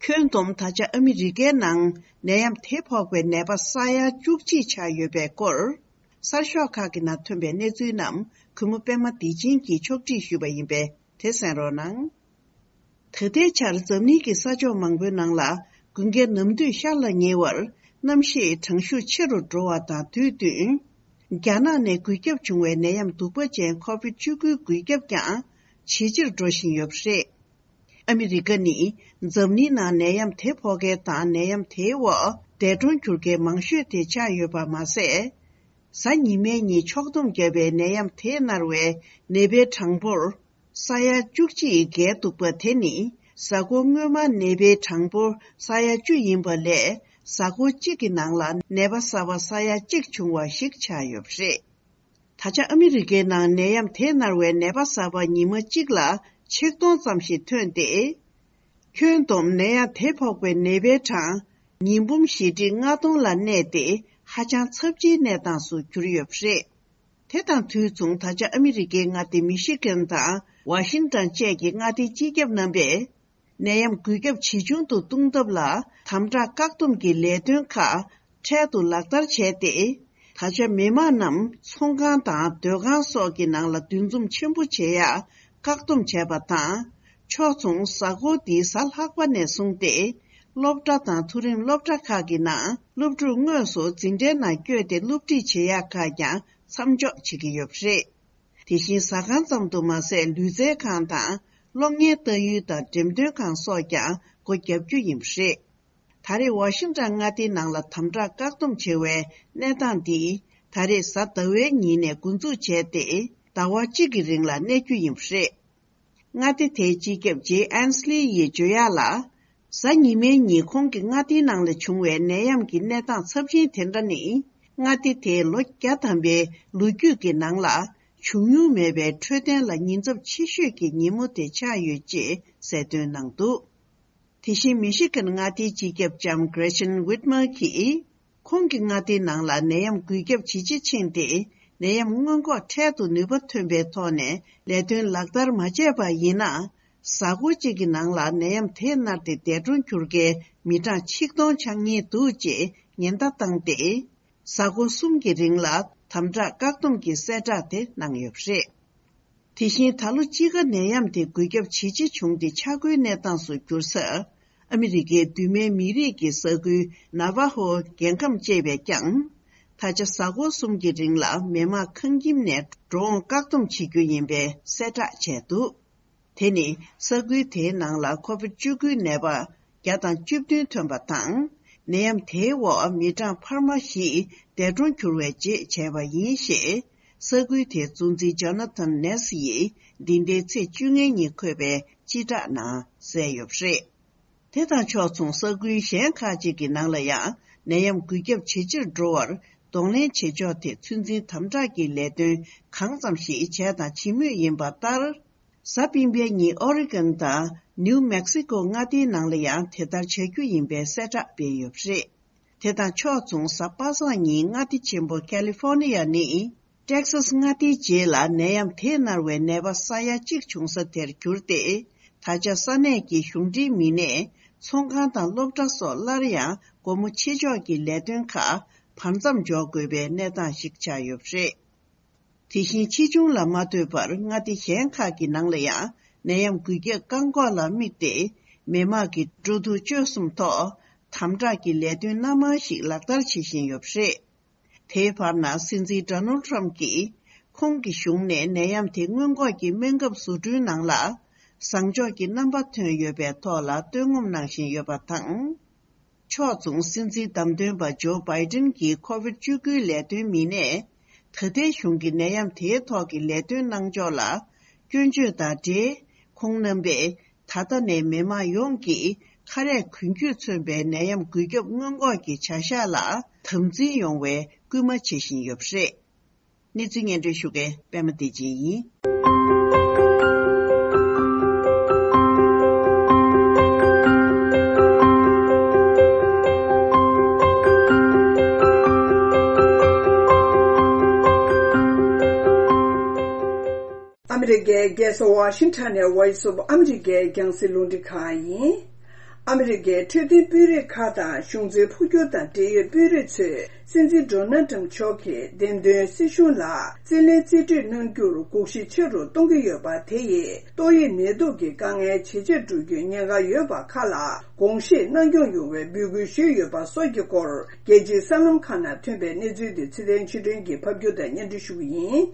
ཁྱོན་བསྡོམས་ད་ཆ་ཨ་མི་རི་ཀའི་ནང་ནད་ཡམས་དེ་ཕོག་པའི་ནད་པ་ས་ཡ་བཅུ་གཅིག་ཆགས་ཡོད་པའི་སྐོར། གསར་ཤོག་ཁག་གི་ནང་ཐོན་པའི་གནས་ཚུལ་རྣམས་གུས་མོ་པད་མ་བདེ་ཆེན་གྱིས་ཕྱོགས་སྒྲིག་ཞུས་པ་ཡིན་པས་དེ་གསན་རོགས་གནང་། ད་ལྟའི་ཆར་འཛམ་གླིང་གི་ས་ཕྱོགས་མང་པོའི་ནང་ལ་དགུན་ཁའི་ནམ་དུས་ཤར་ལ་ཉེ་བར་གནམ་གཤིས་གྲང་ཤུགས་ཆེ་རུ་འགྲོ་བ་དང་དུས་བསྟུན། རྒྱ་ནག་ནས་འགོས་ཁྱབ་བྱུང་བའི་ནད་ཡམས་གདུག་པ་ཅན་ཁོ་བིད་བཅུ་དགུའི་འགོས་ཁྱབ་ཀྱང་ཇེ་ཆེར་འགྲོ་བཞིན་ཡོད་པ་རེད། ཨ་མི་རི་ཀ་ནི་འཛམ་གླིང་ནང་ནད་ཡམས་དེ་ཕོག་མཁན་དང་ནད་ཡམས་དེའི་འོག་འདས་གྲོངས་གྱུར་མཁན་མང་ཤོས་དེ་ཆགས་ཡོད་པ་མ་ཟད། གཟའ་ཉི་མའི་ཉིན་ཕྱོགས་བསྡོམས་བརྒྱབ་པའི་ནད་ཡམས་དེས་མནར་བའི་ནད་པའི་གྲངས་འབོར་ས་ཡ་བཅུ་གཅིག་བརྒལ་འདུག་པ་དེ་ནི་གཟའ་འཁོར་སྔོན་མ་ནད་པའི་གྲངས་འབོར་ས་ཡ་བཅུ་ཡིན་པ་ལས་གཟའ་འཁོར་གཅིག་གི་ནང་ལ་ནད་པ་གསར་པ་ས་ཡ་གཅིག་བྱུང་བ་ཞིག་ཆགས་ཡོད་པ་རེད། ད་ཆ་ཨ་མི་རི་ཀའི་ནང་ནད་ཡམས་དེས་མནར་བའི་ནད་པ་གསར་པ་ཉི་མ་གཅིག་ལ་ཆིག་སྟོང་ཙམ་ཞིག་ཐོན་ཏེ། ཁྱོན་བསྡོམས་ནད་ཡམས་དེ་ཕོག་པའི་ནད་པའི་གྲངས་ཉིས་འབུམ་བཞི་ཁྲི་ལྔ་སྟོང་ལ་གནས་ཏེ་ཧ་ཅང་ཚབས་ཆེའི་གནས་སྟངས་སུ་གྱུར་ཡོད་པ་རེད། དེ་དང་དུས་མཚུངས་ད་ཆ་ཨ་མི་རི་ཀའི་མངའ་སྡེ་མི་ཤི་གན་དང་ཝ་ཤིང་ཊོན་བཅས་ཀྱི་མངའ་སྡེའི་སྤྱི་ཁྱབ་རྣམ་པས། ནད་ཡམས་འགོས་ཁྱབ་ཇེ་ཆུང་དུ་གཏོང་ཐབས་ལ་དམ་དྲག་བཀག་སྡོམ་གྱི་ལས་དོན་ཁག་འཕྲལ་དུ་ལག་བསྟར་བྱས་ཏེ། ད་ཆ་མི་མང་རྣམས་ཚོང་ཁང་དང་སྡོད་ཁང་སོགས་ཀྱི་ནང་ལ་འདུ་འཛོམས་ཆེན་པོ་བྱེད་ཡག་བཀག་སྡོམ་བྱས་པ་དང་། ཕྱོགས་མཚུངས་གཟའ་འཁོར་འདིའི་གཟའ་ལྷག་པ་ནས་བཟུང་སྟེ། སློབ་གྲྭ་དང་མཐོ་རིམ་སློབ་གྲྭ་ཁག་གི་ནང་སློབ་ཕྲུག་དངོས་སུ་འཛིན་གྲྭའི་ནང་བསྐྱོད་དེ་སློབ་ཁྲིད་བྱེད་ཡག་ཁག་ཀྱང་མཚམས་འཇོག་བྱེད་ཀྱི་ཡོད་པ་རེད། དེ་བཞིན་ཟ་ཁང་ཙམ་དུ་མ་ཟད་ལུས་རྩལ་ཁང་དང་གློག་བརྙན་ལྟ་ཡུལ་དང་འགྲེམས་སྟོན་ཁང་སོགས་ཀྱང་སྒོ་བརྒྱབ་རྒྱུ་ཡིན་པ་རེད། ད་རེས་ཝ་ཤིང་ཊོན་མངའ་སྡེའི་ནང་ལ་དམ་དྲག་བཀག་སྡོམ་བྱེད་པའི་གནས་སྟངས་འདི་ད་རེས་གཟའ་ཟླ་བའི་ཉིན་ནས་འགོ་འཛུགས་བྱས་ཏེ་ཟླ་བ་གཅིག་གི་རིང་ལ་གནས་རྒྱུ་ཡིན་པ་རེད། མངའ་སྡེ་དེའི་སྤྱི་ཁྱབ་ཇེ་ཨན་སི་ལི་ཡིས་བརྗོད་ཡག་ལ། གཟའ་ཉི་མའི་ཉིན་ཁོང་གི་མངའ་སྡེའི་ནང་ལ་བྱུང་བའི་ནད་ཡམས་ཀྱི་གནས་སྟངས་ཚབས་ཆེན་དེ་འདྲ་ནི། མངའ་སྡེ་དེའི་ལོ་བརྒྱ་ཐམ་པའི་ལོ་རྒྱུས་ཀྱི་ནང་ལ་བྱུང་མྱོང་མེད་པའི་འཕྲོད་བསྟེན་ལ་ཉེན་ཚབས་ཆེ་ཤོས་ཀྱི་ཉིན་མོ་དེ་ཆགས་ཡོད་ཅེས་གསལ་སྟོན་གནང་འདུག་དེ་བཞིན་མི་ཤི་གན་མངའ་སྡེའི་སྤྱི་ཁྱབ་ལྕམ་Gretchen Whitmer གྱིས། ཁོང་གི་མངའ་སྡེའི་ནང་ལ་ནད་ཡམས་འགོས་ཁྱབ་ཇེ་ཆེ་ཕྱིན་ཏེ། ནད་ཡམས་སྔོན་འགོག་འཕྲལ་དུ་ནུས་པ་ཐོན་པའི་ཐོག་ནས་ལས་དོན་ལག་བསྟར་མ་བྱས་པ་ཡིན་ན། གཟའ་འཁོར་གཅིག་གི་ནང་ལ་ནད་ཡམས་དེས་མནར་ཏེ་འདས་གྲོངས་གྱུར་མཁན་མི་གྲངས་ཆིག་སྟོང་ཆགས་ཉེན་འདུག་ཅེས་ཉེན་བརྡ་བཏང་སྟེ། གཟའ་འཁོར་གསུམ་གྱི་རིང་ལ་དམ་དྲག་བཀག་སྡོམ་གྱི་གསལ་བསྒྲགས་དེ་གནང་ཡོད་པ་རེད། དེ་བཞིན་ད་ལོ་དཔྱིད་ཀ་ནད་ཡམས་དེ་འགོས་ཁྱབ་ཇེ་ཆེ་བྱུང་སྟེ་ཆག་སྒོའི་གནས་སྟངས་སུ་གྱུར་ས། ཨ་མི་རི་ཀའི་གདོད་མའི་མི་རིགས་ཀྱི་ས་ཁུལ་ནཱ་ཝ་ཧོ་རྒྱལ་ཁམས་བཅས་པས་ཀྱང་། ད་ཆ་གཟའ་འཁོར་གསུམ་གྱི་རིང་ལ་མི་མང་ཁང་ཁྱིམ་ནས་འགྲོ་འོང་བཀག་སྡོམ་བྱེད་རྒྱུ་ཡིན་པའི་གསལ་བསྒྲགས་བྱས་འདུག་དེ་ནི་ས་ཁུལ་དེའི་ནང་ལ་ཁོ་བིད་བཅུ་དགུའི་ནད་པ་བརྒྱ་དང་བཅུ་བདུན་ཐོན་པ་དང་། ནད་ཡམས་དེའི་འོག་མི་གྲངས་འཕར་མ་བཞི་འདས་གྲོངས་གྱུར་བའི་རྗེས་བྱས་པ་ཡིན་ཞེས། ས་ཁུལ་དེའི་གཙོ་འཛིན་ཇོ་ན་ཐན་ནེ་སི་ཡིས་འདི་ཟླའི་ཚེས་བཅོ་ལྔའི་ཉིན་འཁོད་པའི་སྤྱི་བསྒྲགས་ནང་གསལ་ཡོད་པ་རེད། དེ་དང་ཕྱོགས་མཚུངས་ས་ཁུལ་གཞན་ཁག་ཅིག་གི་ནང་ལ་ཡང་ནད་ཡམས་འགོས་ཁྱབ་ཇེ་ཆེར་འགྲོ་བར་གདོང་ལེན་བྱེད་ཕྱོགས་དེ་ཚོད་འཛིན་དམ་དྲག་གི་ལས་དོན་གང་ཙམ་ཞིག་བྱས་དང་བྱེད་མུས་ཡིན་པ་ལྟར། གཟའ་སྤེན་པའི་ཉིན་ཨོ་རི་གོན་དང་ནིའུ་མེག་སི་ཀོ་མངའ་སྡེའི་ནང་ལ་ཡང་དེ་ལྟར་བྱ་རྒྱུ་ཡིན་པའི་གསལ་བསྒྲགས་སྤེལ་ཡོད་པ་རེད། དེ་དང་ཕྱོགས་མཚུངས་གཟའ་པ་སངས་ཉིན་མངའ་སྡེ་ཆེན་པོ་ཁ་ལི་ཧྥོ་ནི་ཡ་ནི་ཏེག་སཱས་མངའ་སྡེའི་རྗེས་ལ་ནད་ཡམས་དེས་མནར་བའི་ནད་པ་ས་ཡ་གཅིག་བྱུང་ས་དེར་གྱུར་ཏེ། ད་ཆ་ས་གནས་ཀྱི་གཞུང་འབྲེལ་མི་སྣས་ཚོང་ཁང་དང་སློབ་གྲྭ་སོགས་སླར་ཡང་སྒོ་མོ་ཕྱེ་ཕྱོགས་ཀྱི་ལས་དོན་ཁག་བར་མཚམས་འཇོག་དགོས་པའི་གནས་སྟངས་ཤིག་ཆགས་ཡོད་པ་རེད། དེ་བཞིན་ཕྱིས་འབྱུང་ལ་མ་ལྟོས་པར་མངའ་སྡེ་གཞན་ཁག་གི་ནང་ལ་ཡང་ནད་ཡམས་འགོས་ཁྱབ་བཀག་འགོག་ལ་དམིགས་ཏེ། མི་དམངས་ཀྱི་འགྲོ་འདུག་སྤྱོད་གསུམ་ཐོག་དམ་དྲག་གི་ལས་དོན་སྣ་མང་ཞིག་ལག་བསྟར་བྱེད་བཞིན་ཡོད་པ་རེད། དེའི་བར་ན་སྲིད་འཛིན་ཌོ་ནལ་ཊམ་གྱིས་ཁོང་གི་གཞུང་ནས་ནད་ཡམས་དེ་སྔོན་འགོག་གི་སྨན་ཁབ་བཟོ་སྐྲུན་ནང་ལ་བཟང་ཕྱོགས་ཀྱི་རྣམ་པ་ཐོན་ཡོད་པའི་ཐོག་ལ་བསྟོད་ངོམ་གནང་བཞིན་ཡོད་པ་དང་། ཕྱོགས་མཚུངས་སྲིད་འཛིན་བདམས་ཐོན་པ་ཇོ་བྷའི་ཏིན་གྱིས་ཁོ་བིད་བཅུ་དགུའི་ལས་དོན་མི་སྣས་ད་ལྟའི་གཞུང་གི་ནད་ཡམས་དེའི་ཐོག་གི་ལས་དོན་གནང་ཕྱོགས་ལ་སྐྱོན་བརྗོད་དང་འབྲེལ། ཁོང་རྣམ་པས་ད་ལྟ་ནས་མི་དམངས་ཡོངས་ཀྱིས་ཁ་རས་གོན་རྒྱུས་མཚོན་པའི་ནད་ཡམས་འགོས་ཁྱབ་སྔོན་འགོག་གི་བྱ་གཞག་ལ་དམ་འཛིན་ཡོང་བའི་སྐུལ་མ་བྱེད་བཞིན་ཡོད་པ་རེད། གནས་ཚུལ་སྙན་སྒྲོན་ཞུ་མཁན་པད་མ་བདེ་ཆེན་ཡིན། ཨ་མི་རི་ཀའི་རྒྱལ་ས་ཝ་ཤིང་ཊོན་ནས་Voice of America རྒྱང་སྲིང་རླུང་འཕྲིན་ཁང་ཡིན། ཨ་མི་རི་ཀའི་འཕྲོད་བསྟེན་དཔོན་རིགས་ཁག་དང་གཞུང་འཛིན་འཕོ་འགྱུར་དང་འབྲེལ་ཡོད་དཔོན་རིགས་ཚོས་སྲིད་འཛིན་ཌོ་ནལ་ཏྲམ་མཆོག་གིས་འདེམས་ཐོན་སྲིད་གཞུང་ལ་རྩིས་ལེན་རྩིས་སྤྲོད་གནང་རྒྱུར་དགོངས་གཞི་ཆེ་རུ་གཏོང་གི་ཡོད་པ་དེ་ཡིས་ཏོག་དབྱིབས་ནད་དུག་གི་དཀའ་ངལ་ཇེ་ཆེར་འགྲོ་རྒྱུའི་ཉེན་ཁ་ཡོད་པ་ཁག་ལ་དགོངས་བཞེས་གནང་སྐྱོང་ཡོང་བའི་འབོད་སྐུལ་ཞུས་ཡོད་པ་སོགས་ཀྱི་སྐོར། རྒྱལ་སྤྱིའི་གསར་ལམ་ཁག་ནང་ཐོན་པའི་གནས་ཚུལ་དེ་ཚེ་བརྟན་ཆོས་སྒྲོན་གྱིས་ཕབ་སྒྱུར་དང་སྙན་སྒྲོན་ཞུ་གི་ཡིན།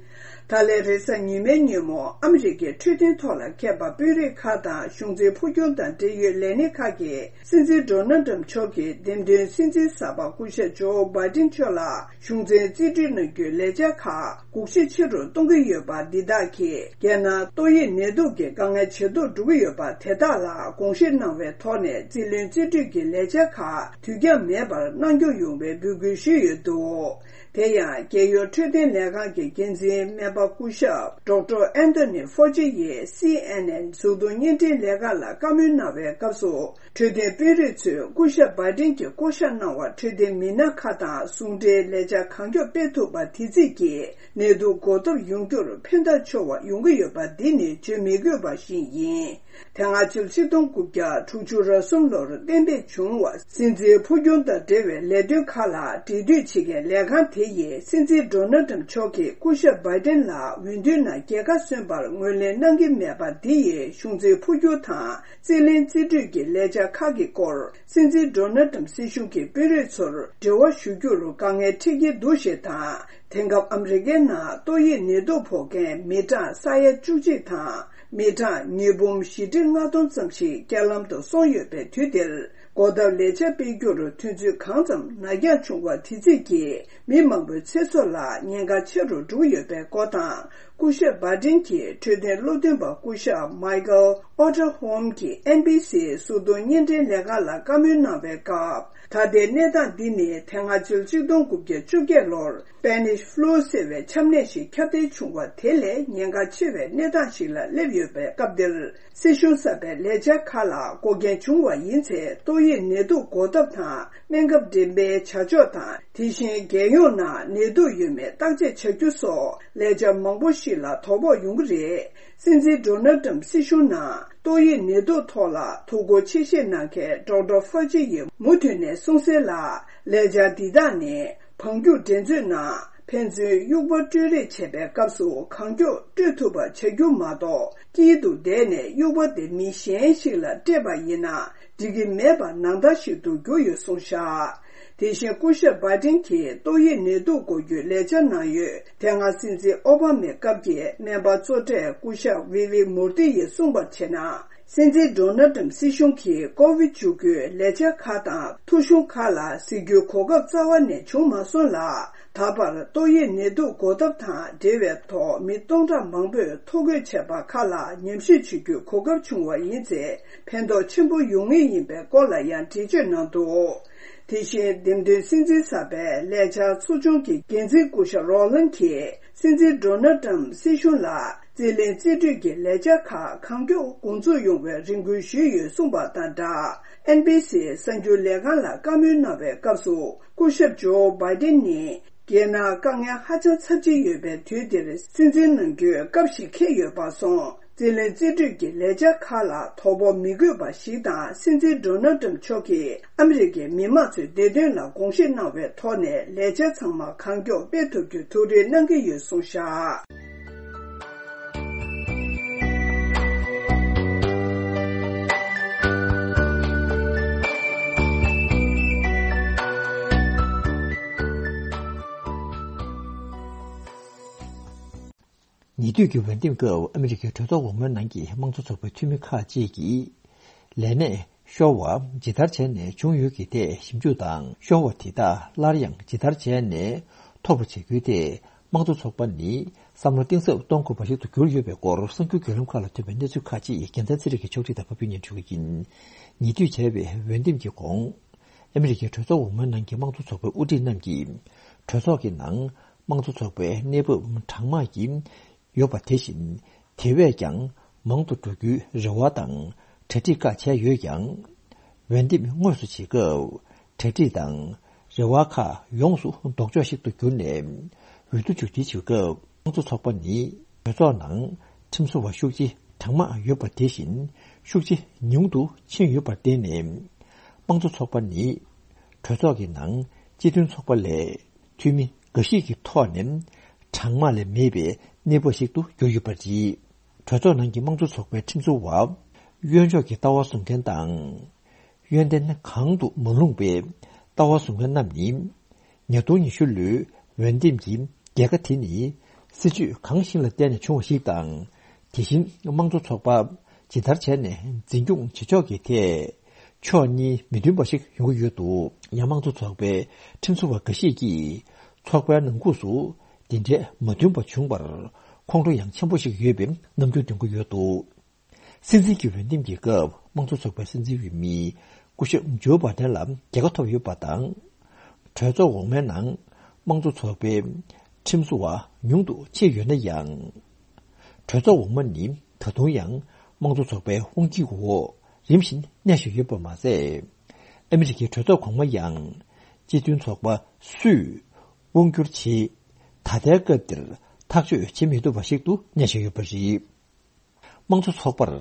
ད་ལན་རེས་གཟའ་ཉི་མའི་ཉིན་མོ་ཨ་མི་རི་ཀའི་འཕྲོད་བསྟེན་ཐོག་ལ་མཁས་པ་དཔོན་རིགས་ཁག་དང་གཞུང་འཛིན་འཕོ་འགྱུར་དང་འབྲེལ་ཡོད་ལས་སྣེ་ཁག་གིས་སྲིད་འཛིན་ཌོ་ནལ་ཏྲམ་མཆོག་གི་འདེམས་ཐོན་སྲིད་འཛིན་གསར་པ་སྐུ་ཞབས་ཇོ་བྷའི་ཏིན་མཆོག་ལ་གཞུང་འཛིན་རྩིས་སྤྲོད་གནང་རྒྱུའི་ལས་འཆར་ཁག་སྒུག་བཞེས་ཆེ་རུ་གཏོང་གི་ཡོད་པ་འདི་དག་གིས་རྒྱལ་ནང་ཏོག་དབྱིབས་ནད་དུག་གི་དཀའ་ངལ་ཇེ་སྡུག་འགྲོ་གི་ཡོད་པ་དེ་དག་ལ་དགོངས་བཞེས་གནང་བའི་ཐོག་ནས་རྩིས་ལེན་རྩིས་སྤྲོད་ཀྱི་ལས་འཆར་ཁག་དུས་འགྱངས་མེད་པར་གནང་སྐྱོང་ཡོང་བའི་འབོད་སྐུལ་ཞུས་ཡོད་འདུག་དེ་ཡང་རྒྱལ་ཡོངས་འཕྲོད་བསྟེན་ལས་ཁང་གི་འགན་འཛིན་སྨན་པ་སྐུ་ཞབས་ཌོག་ཊར་ཨན་ཐོ་ནི་ཕོ་ཅི་ཡིས་སི་ཨེན་ཨེན་གཟུགས་མཐོང་བརྙན་འཕྲིན་ལས་ཁང་ལ་བཀའ་མོལ་གནང་བའི་སྐབས་སུ། འཕྲོད་བསྟེན་དཔོན་རིགས་ཚོས་སྐུ་ཞབས་བྷའི་ཏིན་གྱིས་བསྐོ་གཞག་གནང་བ་འཕྲོད་བསྟེན་མི་སྣ་ཁག་དང་ཟུང་འབྲེལ་ལས་འཆར་གང་མགྱོགས་སྤེལ་ཐུབ་པ་དེ་རྩིས་ཀྱིས་ནད་དུག་འགོག་ཐབས་ཡོང་རྒྱུར་ཕན་ཐོགས་ཆེ་བ་ཡོང་གི་ཡོད་པ་འདི་ནི་བརྗོད་མི་དགོས་པ་ཞིག་ཡིན། དེ་སྔ་ཕྱི་ལོ་ཆིག་སྟོང་དགུ་བརྒྱ་དྲུག་ཅུ་རེ་གསུམ་ལོར་གཏན་འབེབས་བྱུང་བ་སྲིད་འཛིན་འཕོ་འགྱུར་དང་འབྲེལ་བའི་ལས་དོན་ཁག་ལ་འབྲེལ་མཐུད་བྱེད་མཁན་ལས་ཁང་དེ་ཡིས་སྲིད་འཛིན་ཌོ་ནལ་ཏྲམ་མཆོག་གིས་སྐུ་ཞབས་བྷའི་ཏིན་ལ་འོས་བསྡུའི་ནང་རྒྱལ་ཁ་སོན་པར་ངོས་ལེན་གནང་གི་མེད་པ་འདི་ཡིས་གཞུང་འཛིན་འཕོ་འགྱུར་དང་རྩིས་ལེན་རྩིས་སྤྲོད་ཀྱི་ལས་འཆར་ཁག་གི་སྐོར་སྲིད་འཛིན་ཌོ་ནལ་ཏྲམ་སྲིད་གཞུང་གི་དཔོན་རིགས་ཚོར་འབྲེལ་བ་ཞུ་རྒྱུར་དཀའ་ངལ་འཕྲད་ཀྱི་འདུག་ཞེས་དང་། དེང་སྐབས་ཨ་མི་རི་ཀའི་ནང་ཏོག་དབྱིབས་ནད་དུག་ཕོག་མཁན་མི་གྲངས་ས་ཡ་བཅུ་གཅིག་དང་མི་གྲངས་ཉིས་འབུམ་བཞི་ཁྲི་ལྔ་སྟོང་ཙམ་ཞིག་རྐྱེན་ལམ་དུ་སོང་ཡོད་པའི་དུས་འདིར། འགོག་ཐབས་ལས་འཆར་སྤེལ་རྒྱུར་ཐོན་ཚུལ་གང་ཙམ་ནར་འགྱངས་བྱུང་བ་དེ་རྩིས་ཀྱིས་མི་མང་པོའི་ཚེ་སྲོག་ལ་ཉེན་ཁ་ཆེ་རུ་འགྲོ་ཡོད་པའི་སྐོར་དང་། སྐུ་ཞབས་བྷའི་ཏིན་གྱི་འཕྲོད་བསྟེན་བློ་འདོན་པ་སྐུ་ཞབས་མའི་ཀལ་ཨོ་ཏར་ཧོམ་གྱིས་ཨེན་བྷི་སི་གཟུགས་མཐོང་བརྙན་འཕྲིན་ལས་ཁང་ལ་བཀའ་མོལ་གནང་བའི་སྐབས། ད་ལྟའི་གནས་སྟངས་འདི་ནི་དེ་སྔ་ཕྱི་ལོ་ཆིག་སྟོང་དགུ་བརྒྱ་བཅོ་བརྒྱད་ལོར་སྤེ་ནིཤ་ཕུ་ལུ་ཟེར་བའི་ཆམ་ནད་ཞིག་ཁྱབ་གདལ་བྱུང་བ་དེ་ལས་ཉེན་ཁ་ཆེ་བའི་གནས་སྟངས་ཤིག་ལ་སླེབས་ཡོད་པའི་སྐབས་འདིར། སྲིད་གཞུང་གསར་པའི་ལས་འཆར་ཁག་ལ་འགོག་རྐྱེན་བྱུང་བ་ཡིན་ཚེ། ཏོག་དབྱིབས་ནད་དུག་འགོག་ཐབས་དང་སྨན་ཁབ་འགྲེམས་སྤེལ་བྱ་ཕྱོགས་དང་། དེ་བཞིན་རྒྱལ་ཡོངས་ནང་ནད་དུག་ཡོད་མེད་བརྟག་དཔྱད་བྱ་རྒྱུ་སོགས་ལས་འཆར་མང་པོ་ཞིག་ལ་དོ་ཕོག་ཡོང་གི་རེད། སྲིད་འཛིན་ཌོ་ནལ་ཏྲམ་སྲིད་གཞུང་ནང་ཏོག་དབྱིབས་ནད་དུག་ཐོག་ལ་ཐུགས་ཁུར་ཆེ་བཞེས་གནང་མཁན་ཌོག་ཊར་ཕོ་ཅི་ཡིས་མུ་མཐུད་ནས་གསུངས་གསལ་ལ། ལས་འཆར་འདི་དག་ནི་འབངས་སྐྱུག་འགྲན་རྩོད་ནང་ཕན་ཚུན་དབྱུག་པ་སྤྲོད་རེས་བྱེད་པའི་སྐབས་སུ་གང་མགྱོགས་སྤྲོད་ཐུབ་པ་བྱ་རྒྱུ་མ་གཏོགས། དཀྱིལ་དུ་བསྡད་ནས་དབྱུག་པ་དེ་མི་གཞན་ཞིག་ལ་སྤྲད་པ་ཡིན་ན་འགྲིག་གི་མེད་པ་ནང་ལྟར་ཞིག་ཏུ་གྱུར་ཡོད་གསུངས་བཞག་དེ་བཞིན་སྐུ་ཞབས་བྷའི་ཏིན་གྱིས་ཏོག་དབྱིབས་ནད་དུག་འགོག་རྒྱུའི་ལས་འཆར་གནང་ཡོད། དེ་སྔ་སྲིད་འཛིན་ཨོ་བྷ་མའི་སྐབས་ཀྱི་སྨན་པ་གཙོ་གྲས་སྐུ་ཞབས་ཝི་ཝི་མུར་ཏི་ཡིས་གསུངས་པར་བྱས་ན། སྲིད་འཛིན་ཌོ་ནལ་ཏྲམ་སྲིད་གཞུང་གིས་ཀོ་ཝིཌ་བཅུ་དགུའི་ལས་འཆར་ཁག་དང་ཐོ་གཞུང་ཁག་ལ་གཟིགས་རྒྱུའི་གོ་སྐབས་རྩ་བ་ནས་བྱུང་མ་སོང་ལ། ད་བར་ཏོག་དབྱིབས་ནད་དུག་འགོག་ཐབས་དང་འབྲེལ་བའི་ཐོག་མི་སྟོང་ཕྲག་མང་པོས་ཐོ་འགོད་བྱས་པ་ཁག་ལ་ཉམས་ཞིབ་བྱེད་རྒྱུའི་གོ་སྐབས་བྱུང་བ་ཡིན་ཚེ་ཕན་ཐོགས་ཆེན་པོ་ཡོང་ངེས་ཡིན་པའི་སྐོར་ལ་ཡང་འགྲེལ་བརྗོད་གནང་འདུག་དེ་བཞིན་འདེམས་ཐོན་སྲིད་འཛིན་གསར་པའི་ལས་འཆར་ཚོགས་ཆུང་གི་འགན་འཛིན་སྐུ་ཞབས་རོ་ལན་གྱིས་སྲིད་འཛིན་ཌོ་ནལ་ཏྲམ་སྲིད་གཞུང་ལ་རྩིས་ལེན་རྩིས་སྤྲོད་ཀྱི་ལས་འཆར་ཁག་གང་མགྱོགས་འགོ་འཛུགས་ཡོང་བའི་རེ་སྐུལ་ཞུས་ཡོད་གསུངས་པ་དང་སྦྲགས། ཨེན་བྷི་སི་གསར་འགྱུར་ལས་ཁང་ལ་བཀའ་མོལ་གནང་བའི་སྐབས་སུ་སྐུ་ཞབས་ཇོ་བྷའི་ཏིན་ནི། རྒྱལ་ནང་དཀའ་ངལ་ཧ་ཅང་ཚབས་ཆེན་ཡོད་པའི་དུས་འདིར་སྲིད་འཛིན་གནང་རྒྱུའི་སྐབས་ཤིག་འཁེལ་ཡོད་པར་སོང་། རྩིས་ལེན་རྩིས་སྤྲོད་ཀྱི་ལས་འཆར་ཁག་ལ་དོ་ཕོག་མི་དགོས་པ་ཞིག་དང་། སྲིད་འཛིན་ཌོ་ནལ་ཏྲམ་མཆོག་གིས་ཨ་མི་རི་ཀའི་མི་དམངས་ཚོའི་བདེ་དོན་ལ་དགོངས་བཞེས་གནང་བའི་ཐོག་ནས་ལས་འཆར་ཚང་མ་གང་མགྱོགས་སྤེལ་ཐུབ་རྒྱུའི་ཐུགས་རེ་གནང་གི་ཡོད་གསུངས་བཞག་ཉེ་དུས་ཀྱི་འོས་འདེམས་སྐབས་ཨ་མི་རི་ཀའི་གྲོས་ཚོགས་འོག་མའི་ནང་གི་དམངས་གཙོ་ཚོགས་པའི་འཐུས་མི་ཁག་ཅིག་གིས། ལས་གནས་ཤོར་བ་ཇི་ལྟར་བྱས་ནས་བྱུང་ཡོད་ཀྱི་ཐད་ཞིབ་འཇུག་དང་། ཤོར་བ་དེ་དག་སླར་ཡང་ཇི་ལྟར་བྱས་ནས་ཐོབ་པ་བྱེད་རྒྱུའི་ཐད་དམངས་གཙོ་ཚོགས་པ་ནི་བསམ་བློ་གཏིང་ཟབ་གཏོང་དགོས་པ་ཞིག་ཏུ་གྱུར་ཡོད་པའི་སྐོར་གསར་འགྱུར་བརྒྱུད་ལམ་ཁག་ལ་ཐོན་པའི་གནས་ཚུལ་ཁག་ཅིག་རྒྱལ་མཚན་ཚེ་རིང་གིས་ཕྱོགས་སྒྲིག་དང་ཕབ་སྒྱུར་སྙན་སྒྲོན་ཞུ་གི་ཡིན། ཉེ་དུས་བྱས་པའི་འོས་འདེམས་ཀྱི་གོང་། ཨ་མི་རི་ཀའི་གྲོས་ཚོགས་འོག་མའི་ནང་གི་དམངས་གཙོ་ཚོགས་པའི་དབུ་ཁྲིད་རྣམས་ཀྱིས། གྲོས་ཚོགས་ཀྱི་ནང་དམངས་གཙོ་ཚོགས་པའི་གནས་བབ་གྲང་དམག་གི་ཡོད་པ་དེ་བཞིན། དེ་བས་ཀྱང་མང་དུ་འགྲོ་རྒྱུའི་རེ་བ་དང་གྲ་སྒྲིག་བཀའ་བྱས་ཡོད་ཀྱང་། འོས་འདེམས་དངོས་སུ་བྱེད་སྐབས་གྲ་སྒྲིག་དང་རེ་བ་ཁག་ཡོངས་སུ་ལྡོག་ཕྱོགས་ཤིག་ཏུ་གྱུར་ནས། འོས་བསྡུ་མཇུག་སྒྲིལ་བྱེད་སྐབས་དམངས་གཙོ་ཚོགས་པ་ནི་གྲོས་ཚོགས་ནང་ཁྲིམས་བཟོ་བ་ཤུགས་ཆེ་གྲང་དམག་ཡོད་པ་དེ་བཞིན། ཤུགས་ཆེ་ཉུང་དུ་ཕྱིན་ཡོད་པར་བརྟེན་ནས། དམངས་གཙོ་ཚོགས་པ་ནི་གྲོས་ཚོགས་ཀྱི་ནང་སྤྱི་མཐུན་ཚོགས་པ་ལས་འཐུས་མི་འགའ་ཞིག་གི་ཐོག་ནས་གྲངས་མང་ལས་མེད་པའི་གནས་བབ་ཞིག་ཏུ་གྱུར་ཡོད་པ་རེད། གྲོས་ཚོགས་ནང་གི་དམངས་གཙོ་ཚོགས་པའི་ཁྲིམས་བཟོ་བ། གཡོན་ཕྱོགས་ཀྱི་ལྟ་བ་བཟུང་མཁན་དང་། ཡོན་ཏན་གང་དུ་མ་ལྷུང་པའི་ལྟ་བ་བཟུང་མཁན་རྣམས་ནི། ཉིས་སྟོང་ཉི་ཤུ་ལོའི་འོས་འདེམས་ཀྱི་རྒྱལ་ཁ་དེ་ནི་སྲིད་ཇུས་གང་ཞིག་ལ་བརྟེན་ནས་བྱུང་བ་ཞིག་དང་། དེ་བཞིན་དམངས་གཙོ་ཚོགས་པ་ཇི་ལྟར་བྱས་ནས་འཛིན་སྐྱོང་བྱེད་ཕྱོགས་ཀྱི་ཐད་ཕྱོགས་གཉིས་མི་མཐུན་པ་ཞིག་ཡོང་གི་ཡོད་འདུག། ཡང་དམངས་གཙོ་ཚོགས་པའི་ཁྲིམས་བཟོ་བ་འགའ་ཞིག་གིས་ཚོགས་པའི་ནང་ཁུངས་སུ་དེ་འདྲའི་མ་མཐུན་པ་བྱུང་བར་ཁོང་ཁྲོ་ཡང་ཆེན་པོ་ཞིག་ཡོད་པའི་རྣམ་འགྱུར་སྟོན་གྱི་ཡོད་འདུག། སྲིད་འཛིན་གྱི་འོས་འདེམས་ཀྱི་སྐབས་དམངས་གཙོ་ཚོགས་པའི་སྲིད་འཛིན་འོས་མི་སྐུ་ཞབས་ཇོ་བྷ་དན་ལ་རྒྱལ་ཁ་ཐོབ་ཡོད་པ་དང་། གྲོས་ཚོགས་འོག་མའི་ནང་དམངས་གཙོ་ཚོགས་པའི་ཁྲིམས་བཟོ་བ་ཉུང་དུ་ཕྱིན་ཡོད་ན་ཡང་། གྲོས་ཚོགས་འོག་མ་ནི་ད་དུང་ཡང་དམངས་གཙོ་ཚོགས་པའི་དབང་སྒྱུར་འོག་རིམ་བཞིན་གནས་བཞིན་ཡོད་པ་མ་ཟད། ཨ་མི་རི་ཀའི་གྲོས་ཚོགས་གོང་མ་ཡང་སྤྱི་མཐུན་ཚོགས་པ་སུས་དབང་སྒྱུར་བྱེད། ད་ལྟའི་སྐབས་འདིར་ཐག་གཅོད་བྱེད་མི་ཐུབ་པ་ཞིག་ཏུ་གནས་བཞིན་ཡོད་པ་རེད། དམངས་གཙོ་ཚོགས་པར་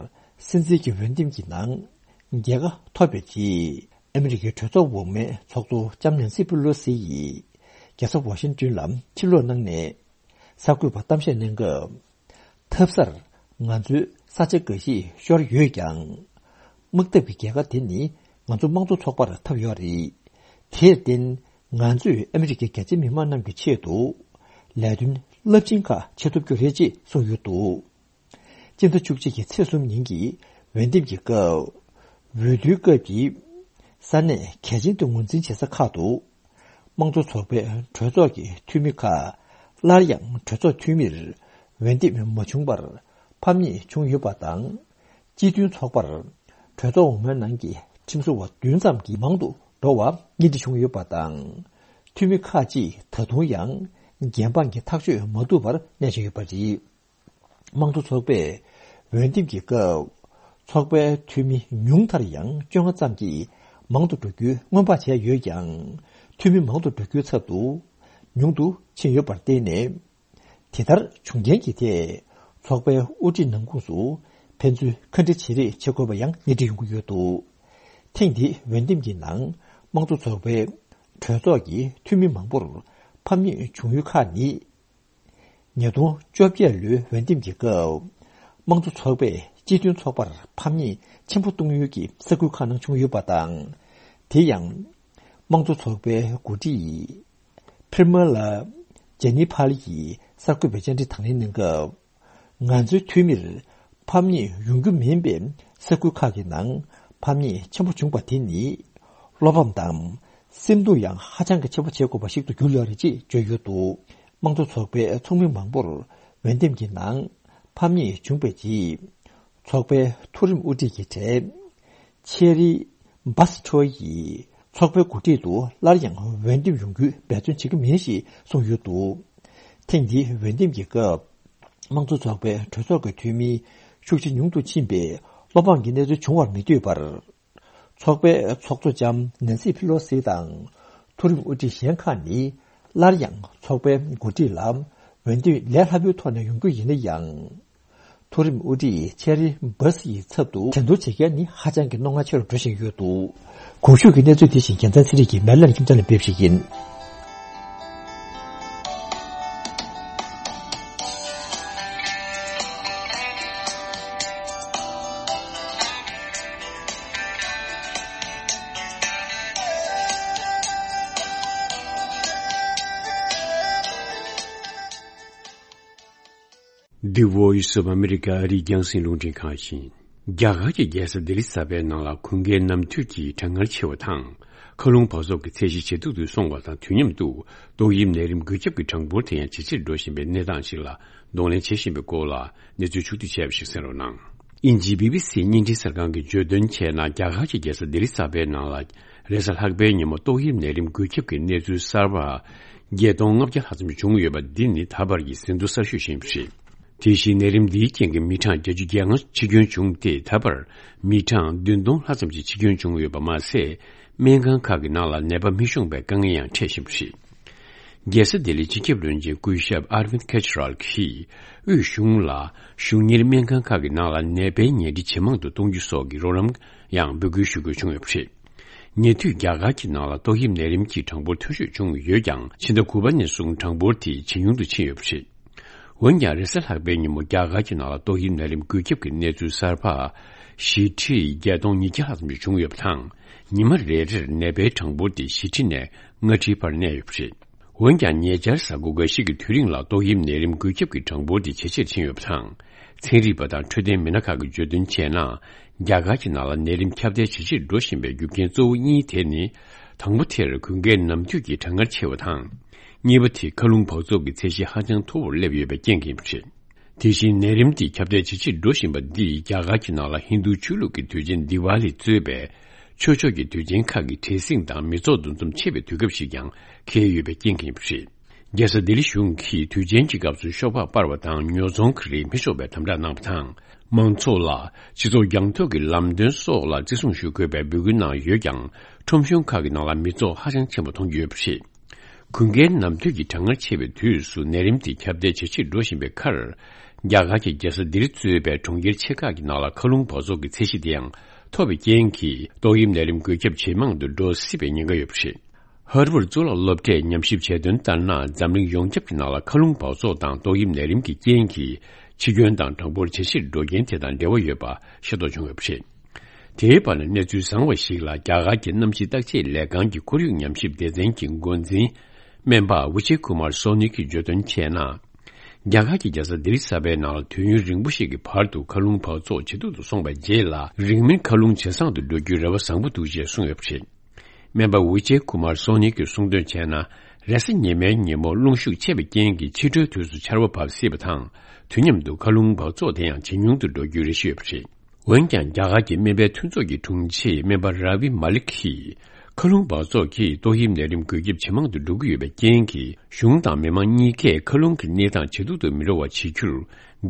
སྲིད་འཛིན་གྱི་འོས་འདེམས་ཀྱི་ནང་རྒྱལ་ཁ་ཐོབ་པའི་རྗེས། ཨ་མི་རི་ཀའི་གྲོས་ཚོགས་འོག་མའི་ཚོགས་གཙོ་ལྕམ་ནན་སི་པི་ལོ་སི་ཡིས་རྒྱལ་ས་ཝ་ཤིང་ཏོན་ལ་ཕྱིར་ལོག་གནང་ནས། གསར་འགོད་པར་གཏམ་བཤད་གནང་སྐབས། ཐབས་གསར་ང་ཚོའི་ས་ཆ་འགའ་ཞིག་ཤོར་ཡོད་ཀྱང་། དམག་འཐབ་ཀྱི་རྒྱལ་ཁ་དེ་ནི་ང་ཚོ་དམངས་གཙོ་ཚོགས་པར་ཐོབ་ཡོད་རེད། དེར་བརྟེན། ང་ཚོས་ཨ་མི་རི་ཀའི་རྒྱ་ཆེ་མི་མང་རྣམས་ཀྱི་ཆེད་དུ་ལས་དོན་རླབས་ཆེན་ཁག་བྱེད་ཐུབ་རྒྱུ་རེད་ཅེས་གསུངས་ཡོད་འདུག། སྤྱི་ཟླ་བཅུ་གཅིག་གི་ཚེས་གསུམ་ཉིན་གྱི་འོས་འདེམས་ཀྱི་སྐབས། འོས་བསྡུའི་སྐབས་ཀྱི་ས་གནས་གལ་ཆེན་དུ་ངོས་འཛིན་བྱེད་ས་ཁག་ཏུ། དམངས་གཙོ་ཚོགས་པའི་གྲོས་ཚོགས་ཀྱི་འཐུས་མི་ཁག་སླར་ཡང་གྲོས་ཚོགས་འཐུས་མིར་འོས་འདེམས་མ་བྱུང་བར་ཕམ་ཉེས་བྱུང་ཡོད་པ་དང་། སྤྱི་མཐུན་ཚོགས་པར་གྲོས་ཚོགས་འོག་མའི་ནང་གི་ཁྲིམས་བཟོ་བ་བདུན་ཙམ་གྱིས་མང་དུ་འགྲོ་བ་གཉེན་སྒྲིག་བྱུང་ཡོད་པ་དང་། འཐུས་མི་ཁག་ཅིག་ད་དུང་ཡང་འགན་འཕངས་ཀྱི་ཐག་གཅོད་མ་ཐུབ་པར་གནས་བཞིན་ཡོད་པ་རེད། དམངས་གཙོ་ཚོགས་པས་འོས་འདེམས་ཀྱི་སྐབས་ཚོགས་པའི་འཐུས་མི་ཉུང་མཐར་ཡང་བཅོ་ལྔ་ཙམ་གྱིས་མང་དུ་འགྲོ་རྒྱུའི་སྔོན་དཔག་བྱས་ཡོད་ཀྱང་། འཐུས་མི་མང་དུ་འགྲོ་རྒྱུའི་ཚབ་ཏུ་ཉུང་དུ་ཕྱིན་ཡོད་པར་བརྟེན་ནས། དེ་ལྟར་བྱུང་རྐྱེན་གྱི་ཐད་ཚོགས་པའི་དབུ་ཁྲིད་ནང་ཁོངས་སུ་ཕན་ཚུན་ཁ་འདྲི་བྱེད་རེས་བྱེད་དགོས་པ་ཡང་གནས་འདྲི་ཡོང་གི་ཡོད་འདུག། ཐེངས་འདིའི་འོས་འདེམས་ཀྱི་ནང་དམངས་གཙོ་ཚོགས་པའི་གྲོས་ཚོགས་ཀྱི་འཐུས་མི་མང་པོར་ཕམ་ཉེས་བྱུང་ཡུལ་ཁག་ནི། ཉིས་སྟོང་བཅོ་བརྒྱད་ལོའི་འོས་འདེམས་ཀྱི་སྐབས། དམངས་གཙོ་ཚོགས་པས་སྤྱི་མཐུན་ཚོགས་པར་ཕམ་ཉེས་ཆེན་པོ་གཏོང་ཡུལ་གྱི་ས་ཁུལ་ཁག་ནང་བྱུང་ཡོད་པ་དང་། དེ་ཡང་། དམངས་གཙོ་ཚོགས་པའི་འགོ་ཁྲིད་ཕིར་མ་ལ་ཇེ་ནི་ཕལ་གྱིས་གསར་འགོད་པའི་བཅར་འདྲི་དང་ལེན་གནང་སྐབས། ང་ཚོའི་འཐུས་མིར་ཕམ་ཉེས་ཡོང་རྒྱུ་མིན་པའི་ས་ཁུལ་ཁག་གི་ནང་ཕམ་ཉེས་ཆེན་པོ་བྱུང་བ་དེ་ནི། བློ་ཕམ་དང་། སེམས་སྡུག་ཡང་ཧ་ཅང་གི་ཆེན་པོ་བྱེད་དགོས་པ་ཞིག་ཏུ་གྱུར་ཡོད་རེད་ཅེས་བརྗོད་ཡོད་འདུག། དམངས་གཙོ་ཚོགས་པའི་ཚོགས་མི་མང་པོར་འོས་འདེམས་ཀྱི་ནང་ཕམ་ཉེས་བྱུང་བའི་རྗེས། ཚོགས་པའི་མཐོ་རིམ་དབུ་ཁྲིད་ཀྱི་གྲས་ཆེ་རི་བྷ་སི་ཁྲོ་ཡིས་ཚོགས་པའི་འགོ་ཁྲིད་དུ་སླར་ཡང་འོས་འདེམས་ཡོང་རྒྱུའི་འབད་བརྩོན་བྱེད་ཀྱི་མིན་ཞེས་གསུངས་ཡོད་འདུག། ཐེངས་འདིའི་འོས་འདེམས་ཀྱི་སྐབས། དམངས་གཙོ་ཚོགས་པའི་གྲོས་ཚོགས་ཀྱི་འཐུས་མི་ཤུགས་ཆེ་ཉུང་དུ་ཕྱིན་པའི་བློ་ཕམ་གྱི་གནས་ཚུལ་བྱུང་བར་མི་འདོད་པར། ཚོགས་པའི་ཚོགས་གཙོ་ལྕམ་ནན་སི་ཕི་ལོ་སི་དང་མཐོ་རིམ་དབུ་ཁྲིད་གཞན་ཁག་ནི་སླར་ཡང་ཚོགས་པའི་འགོ་ཁྲིད་ལ་འོས་འདེམས་ལས་སླ་པོའི་ཐོག་ནས་ཡོང་རྒྱུ་ཡིན་ན་ཡང་། མཐོ་རིམ་དབུ་ཁྲིད་ཆེ་རི་བྷ་སི་ཡི་ཚབ་ཏུ་དྲན་གསོ་བྱེད་མཁན་ནི་ཧ་ཅང་གི་རྣོ་ངར་ཆེ་རུ་འགྲོ་བཞིན་ཡོད་འདུག། གོང་ཞུས་ཀྱི་གནས་ཚུལ་དེ་བཞིན་རྒྱལ་མཚན་ཚེ་རིང་གིས་མེ་ལན་ཁྱིམ་ཚང་ནས་ཕེབས་ཤིག་ཡིན། The Voice of America ཨ་རིའི་རྒྱང་སྲིང་རླུང་འཕྲིན་ཁང་ཡིན། རྒྱ་གར་གྱི་རྒྱལ་ས་ལྡི་ལི་གསར་པའི་ནང་ལ་དགུན་ཁའི་ནམ་དུས་ཀྱི་གྲང་ངར་ཆེ་བ་དང་། མཁའ་རླུང་འབག་བཙོག་གི་ཚད་གཞི་ཇེ་སྡུག་ཏུ་སོང་བ་དང་དུས་མཉམ་དུ། ཏོག་དབྱིབས་ནད་རིམས་འགོས་ཁྱབ་ཀྱི་གྲངས་འབོར་དེ་ཡང་ཇེ་ཆེར་འགྲོ་བཞིན་པའི་གནས་སྟངས་ཤིག་ལ་གདོང་ལེན་བྱེད་བཞིན་པའི་སྐོར་ལ་གནས་ཚུལ་ཕྱོགས་བསྡུས་བྱས་པ་ཞིག་གསན་རོགས་གནང་། དབྱིན་ཇིའི་བི་བི་སི་བརྙན་འཕྲིན་གསར་ཁང་གིས་བརྗོད་དོན་བྱས་ན། རྒྱ་གར་གྱི་རྒྱལ་ས་ལྡི་ལི་གསར་པའི་ནང་ལ། རེས་གཟའ་ལྷག་པའི་ཉིན་མོ་ཏོག་དབྱིབས་ནད་རིམས་འགོས་ཁྱབ་ཀྱི་གནས་ཚུལ་གསར་པ་བརྒྱད་སྟོང་ལྔ་བརྒྱ་ལྷག་ཙམ་བྱུང་ཡོད་པ་འདི་ནི་ད་བར་གྱི་ཟིན་ཐོ་གསར་ཤོས་ཤིག་ཡིན་པ་རེད། དེ་བཞིན་ནད་རིམས་འདིའི་རྐྱེན་གྱིས་མི་གྲངས་བརྒྱད་ཅུ་གྱ་ལྔ་འཆི་སྐྱོན་བྱུང་སྟེ། ད་བར་མི་གྲངས་བདུན་སྟོང་ལྷག་ཙམ་ཞིག་འཆི་སྐྱོན་བྱུང་ཡོད་པ་མ་ཟད། སྨན་ཁང་ཁག་གི་ནང་ལ་ནད་པ་མི་ཤོང་པའི་དཀའ་ངལ་ཡང་འཕྲད་བཞིན་པ་རེད། རྒྱལ་ས་ལྡི་ལིའི་སྤྱི་ཁྱབ་བློན་ཆེན་སྐུ་ཞབས་ཨར་ཝིན་ཁེ་ཇི་རལ་གྱིས་དབུས་གཞུང་ལ་གཞུང་གཉེར་སྨན་ཁང་ཁག་གི་ནང་ལ་ནད་པའི་ཉལ་ཁྲི་ཇེ་མང་དུ་གཏོང་རྒྱུ་སོགས་ཀྱི་རོགས་རམ་ཡང་འབོད་སྐུལ་ཞུ་དགོས་བྱུང་ཡོད་པ་རེད། ཉེ་དུས་རྒྱ་གར་གྱི་ནང་ལ་ཏོག་དབྱིབས་ནད་རིམས་ཀྱི་གྲངས་འབོར་མཐོ་ཤོས་བྱུང་ཡོད་ཀྱང་། ཕྱི་ཟླ་དགུ་པ་ནས་བཟུང་གྲངས་འབོར་དེ་ཇེ་ཉུང་དུ་ཕྱིན་ཡོད་པ་རེད། འོན་ཀྱང་། རེས་གཟའ་ལྷག་པའི་ཉིན་མོ་རྒྱ་གར་གྱི་ནང་ལ་ཏོག་དབྱིབས་ནད་རིམས་འགོས་ཁྱབ་ཀྱི་གནས་ཚུལ་གསར་པ་བཞི་ཁྲི་བརྒྱད་སྟོང་ཉིས་བརྒྱ་ལྷག་ཙམ་ཞིག་བྱུང་ཡོད་པ་དང་། ཉི་མ་རེ་རེར་ནད་པའི་གྲངས་འབོར་དེ་བཞི་ཁྲི་ནས་ལྔ་ཁྲིའི་བར་གནས་ཡོད་པ་རེད། འོན་ཀྱང་། ཉེ་ཆར་གཟའ་འཁོར་འགའ་ཞིག་གི་དུས་རིང་ལ་ཏོག་དབྱིབས་ནད་རིམས་འགོས་ཁྱབ་ཀྱི་གྲངས་འབོར་དེ་ཇེ་ཆེར་ཕྱིན་ཡོད་པ་དང་། ཚན་རིག་པ་དང་འཕྲོད་བསྟེན་མི་སྣ་ཁག་གིས་བརྗོད་དོན་བྱས་ན། རྒྱ་གར་གྱི་ནང་ལ་ནད་རིམས་ཁྱབ་གདལ་ཇེ་ཆེར་འགྲོ་བཞིན་པའི་རྒྱུ་རྐྱེན་གཙོ་བོ་གཉིས་དེ་ནི། དང་པོ་དེར་གུང་ཁྲན་ནམ་དུས་ཀྱི་གྲང་ངར་ཆེ་བ་དང་། གཉིས་པ་དེ་མཁའ་རླུང་འབག་བཙོག་གི་ཚད་གཞི་ཧ་ཅང་མཐོ་བོར་སླེབས་ཡོད་པའི་རྐྱེན་གྱིས་ཡིན་པ་རེད། དེ་བཞིན། ནད་རིམས་འདི་ཁྱབ་གདལ་ཇེ་ཆེར་འགྲོ་བཞིན་པ་འདིས་རྒྱ་གར་གྱི་ནང་ལ་ཧིན་རྡུ་ཆོས་ལུགས་ཀྱི་དུས་ཆེན་དི་ཝཱ་ལི་གཙོས་པའི་ཆོས་ཕྱོགས་ཀྱི་དུས་ཆེན་ཁག་གི་བྲེལ་ཟིང་དང་མི་ཚོགས་འདུ་འཛོམས་ཆེ་བའི་དུས་སྐབས་ཤིག་ཀྱང་འཁེལ་ཡོད་པའི་རྐྱེན་གྱིས་ཡིན་པ་རེད། རྒྱལ་ས་ལྡི་ལི་གཞུང་གིས་དུས་ཆེན་གྱི་སྐབས་སུ་ཤོག་སྦག་སྤར་བ་དང་ཉོ་ཚོང་གི་རིགས་མི་ཤོར་བའི་དམ་དྲག་གནང་བ་དང་། མང་ཚོགས་ལ་སྤྱི་ཚོགས་རྒྱང་མཐོང་གི་ལམ་སྟོན་སོགས་ལ་བརྩི་སྲུང་ཞུ་དགོས་པའི་འབོད་སྐུལ་གནང་ཡོད་ཀྱང་། ཁྲོམ་གཞུང་ཁག་གི་ནང་ལ་མི་ཚོགས་ཧ་ཅང་ཆེན་པོ་མཐོང་རྒྱུ་ཡོད་པ་རེད། གུང་ཁྲན་ནམ་དུས་ཀྱི་གྲང་ངར་ཆེ་བའི་དུས་སུ་ནད་རིམས་དེ་ཁྱབ་གདལ་ཇེ་ཆེར་འགྲོ་བཞིན་པའི་ཁར། རྒྱ་གར་གྱི་རྒྱལ་ས་ལྡི་ལི་གཙོས་པའི་གྲོང་ཁྱེར་ཆེ་ཁག་གི་ནང་ལ་མཁའ་རླུང་འབག་བཙོག་གི་ཚད་གཞི་དེ་ཡང་མཐོ་བའི་རྐྱེན་གྱིས། ཏོག་དབྱིབས་ནད་རིམས་འགོས་ཁྱབ་ཇེ་མང་དུ་འགྲོ་སྲིད་པའི་ཉེན་ཁ་ཡོད་པ་རེད། ཧར་ཝརཌ་གཙུག་ལག་སློབ་གྲྭས་ཉམས་ཞིབ་བྱས་དོན་ལྟར་ན། འཛམ་གླིང་ཡོངས་ཁྱབ་ཀྱི་ནང་ལ་མཁའ་རླུང་འབག་བཙོག་དང་ཏོག་དབྱིབས་ནད་རིམས་ཀྱི་རྐྱེན་གྱིས་འཆི་སྐྱོན་དང་གྲངས་འབོར་ཇེ་ཆེར་འགྲོ་རྐྱེན་དེ་དང་འབྲེལ་བ་ཡོད་པ་ཤེས་རྟོགས་བྱུང་ཡོད་པ་རེད། དེའི་བར་ན། གནས་ཚུལ་བཟང་བ་ཞིག་ལ། རྒྱ་གར་གྱི་གནམ་གཤིས་བརྟག་དཔྱད་ལས་ཁང་གི་ཁོར་ཡུག་ཉམས་ཞིབ་སྡེ་ཚན་གྱི་འགོ་འཛིན་སྨན་པ་ཝི་ཇེ་ཀུ་མར་སོ་ནི་གིས་བརྗོད་དོན་བྱས་ན། རྒྱ་གར་གྱི་རྒྱལ་ས་ལྡི་ལི་གསར་པའི་ནང་ལ་དུས་ཡུན་རིང་པོ་ཞིག་གི་བར་དུ་མཁའ་རླུང་འབག་བཙོག་ཇེ་སྡུག་ཏུ་སོང་བའི་རྗེས་ལ། རིང་མིན་མཁའ་རླུང་ཇེ་བཟང་དུ་འགྲོ་རྒྱུའི་རེ་བ་བཟང་པོ་འདུག་ཅེས་གསུངས་ཡོད་པ་རེད། སྨན་པ་ཝི་ཇེ་ཀུ་མར་སོ་ནི་གིས་གསུངས་དོན་བྱས་ན། རེས་གཟའ་ཉི་མའི་ཉིན་མོ་རླུང་ཤུགས་ཆེ་བའི་རྐྱེན་གྱིས་ཕྱི་དྲོའི་དུས་སུ་ཆར་པ་བབས་སྲིད་པ་དང་། དུས་མཉམ་དུ་མཁའ་རླུང་འབག་བཙོག་དེ་ཡང་ཇེ་ཉུང་དུ་འགྲོ་རྒྱུའི་རེ་ཞུ་ཡོད་པ་རེད། འོན་ཀྱང་། རྒྱ་གར་གྱི་སྨན་པའི་མཐུན་ཚོགས་ཀྱི་དྲུང་ཆེ་སྨན་པ་ར་བི་མ་ལིག་གིས། མཁའ་རླུང་འབག་བཙོག་གིས་ཏོག་དབྱིབས་ནད་རིམས་འགོས་ཁྱབ་ཇེ་མང་དུ་འགྲོ་གི་ཡོད་པའི་རྐྱེན་གྱིས། གཞུང་དང་མི་མང་གཉིས་ཀས་མཁའ་རླུང་གི་གནས་སྟངས་ཇེ་སྡུག་ཏུ་མི་འགྲོ་བ་བྱེད་རྒྱུར་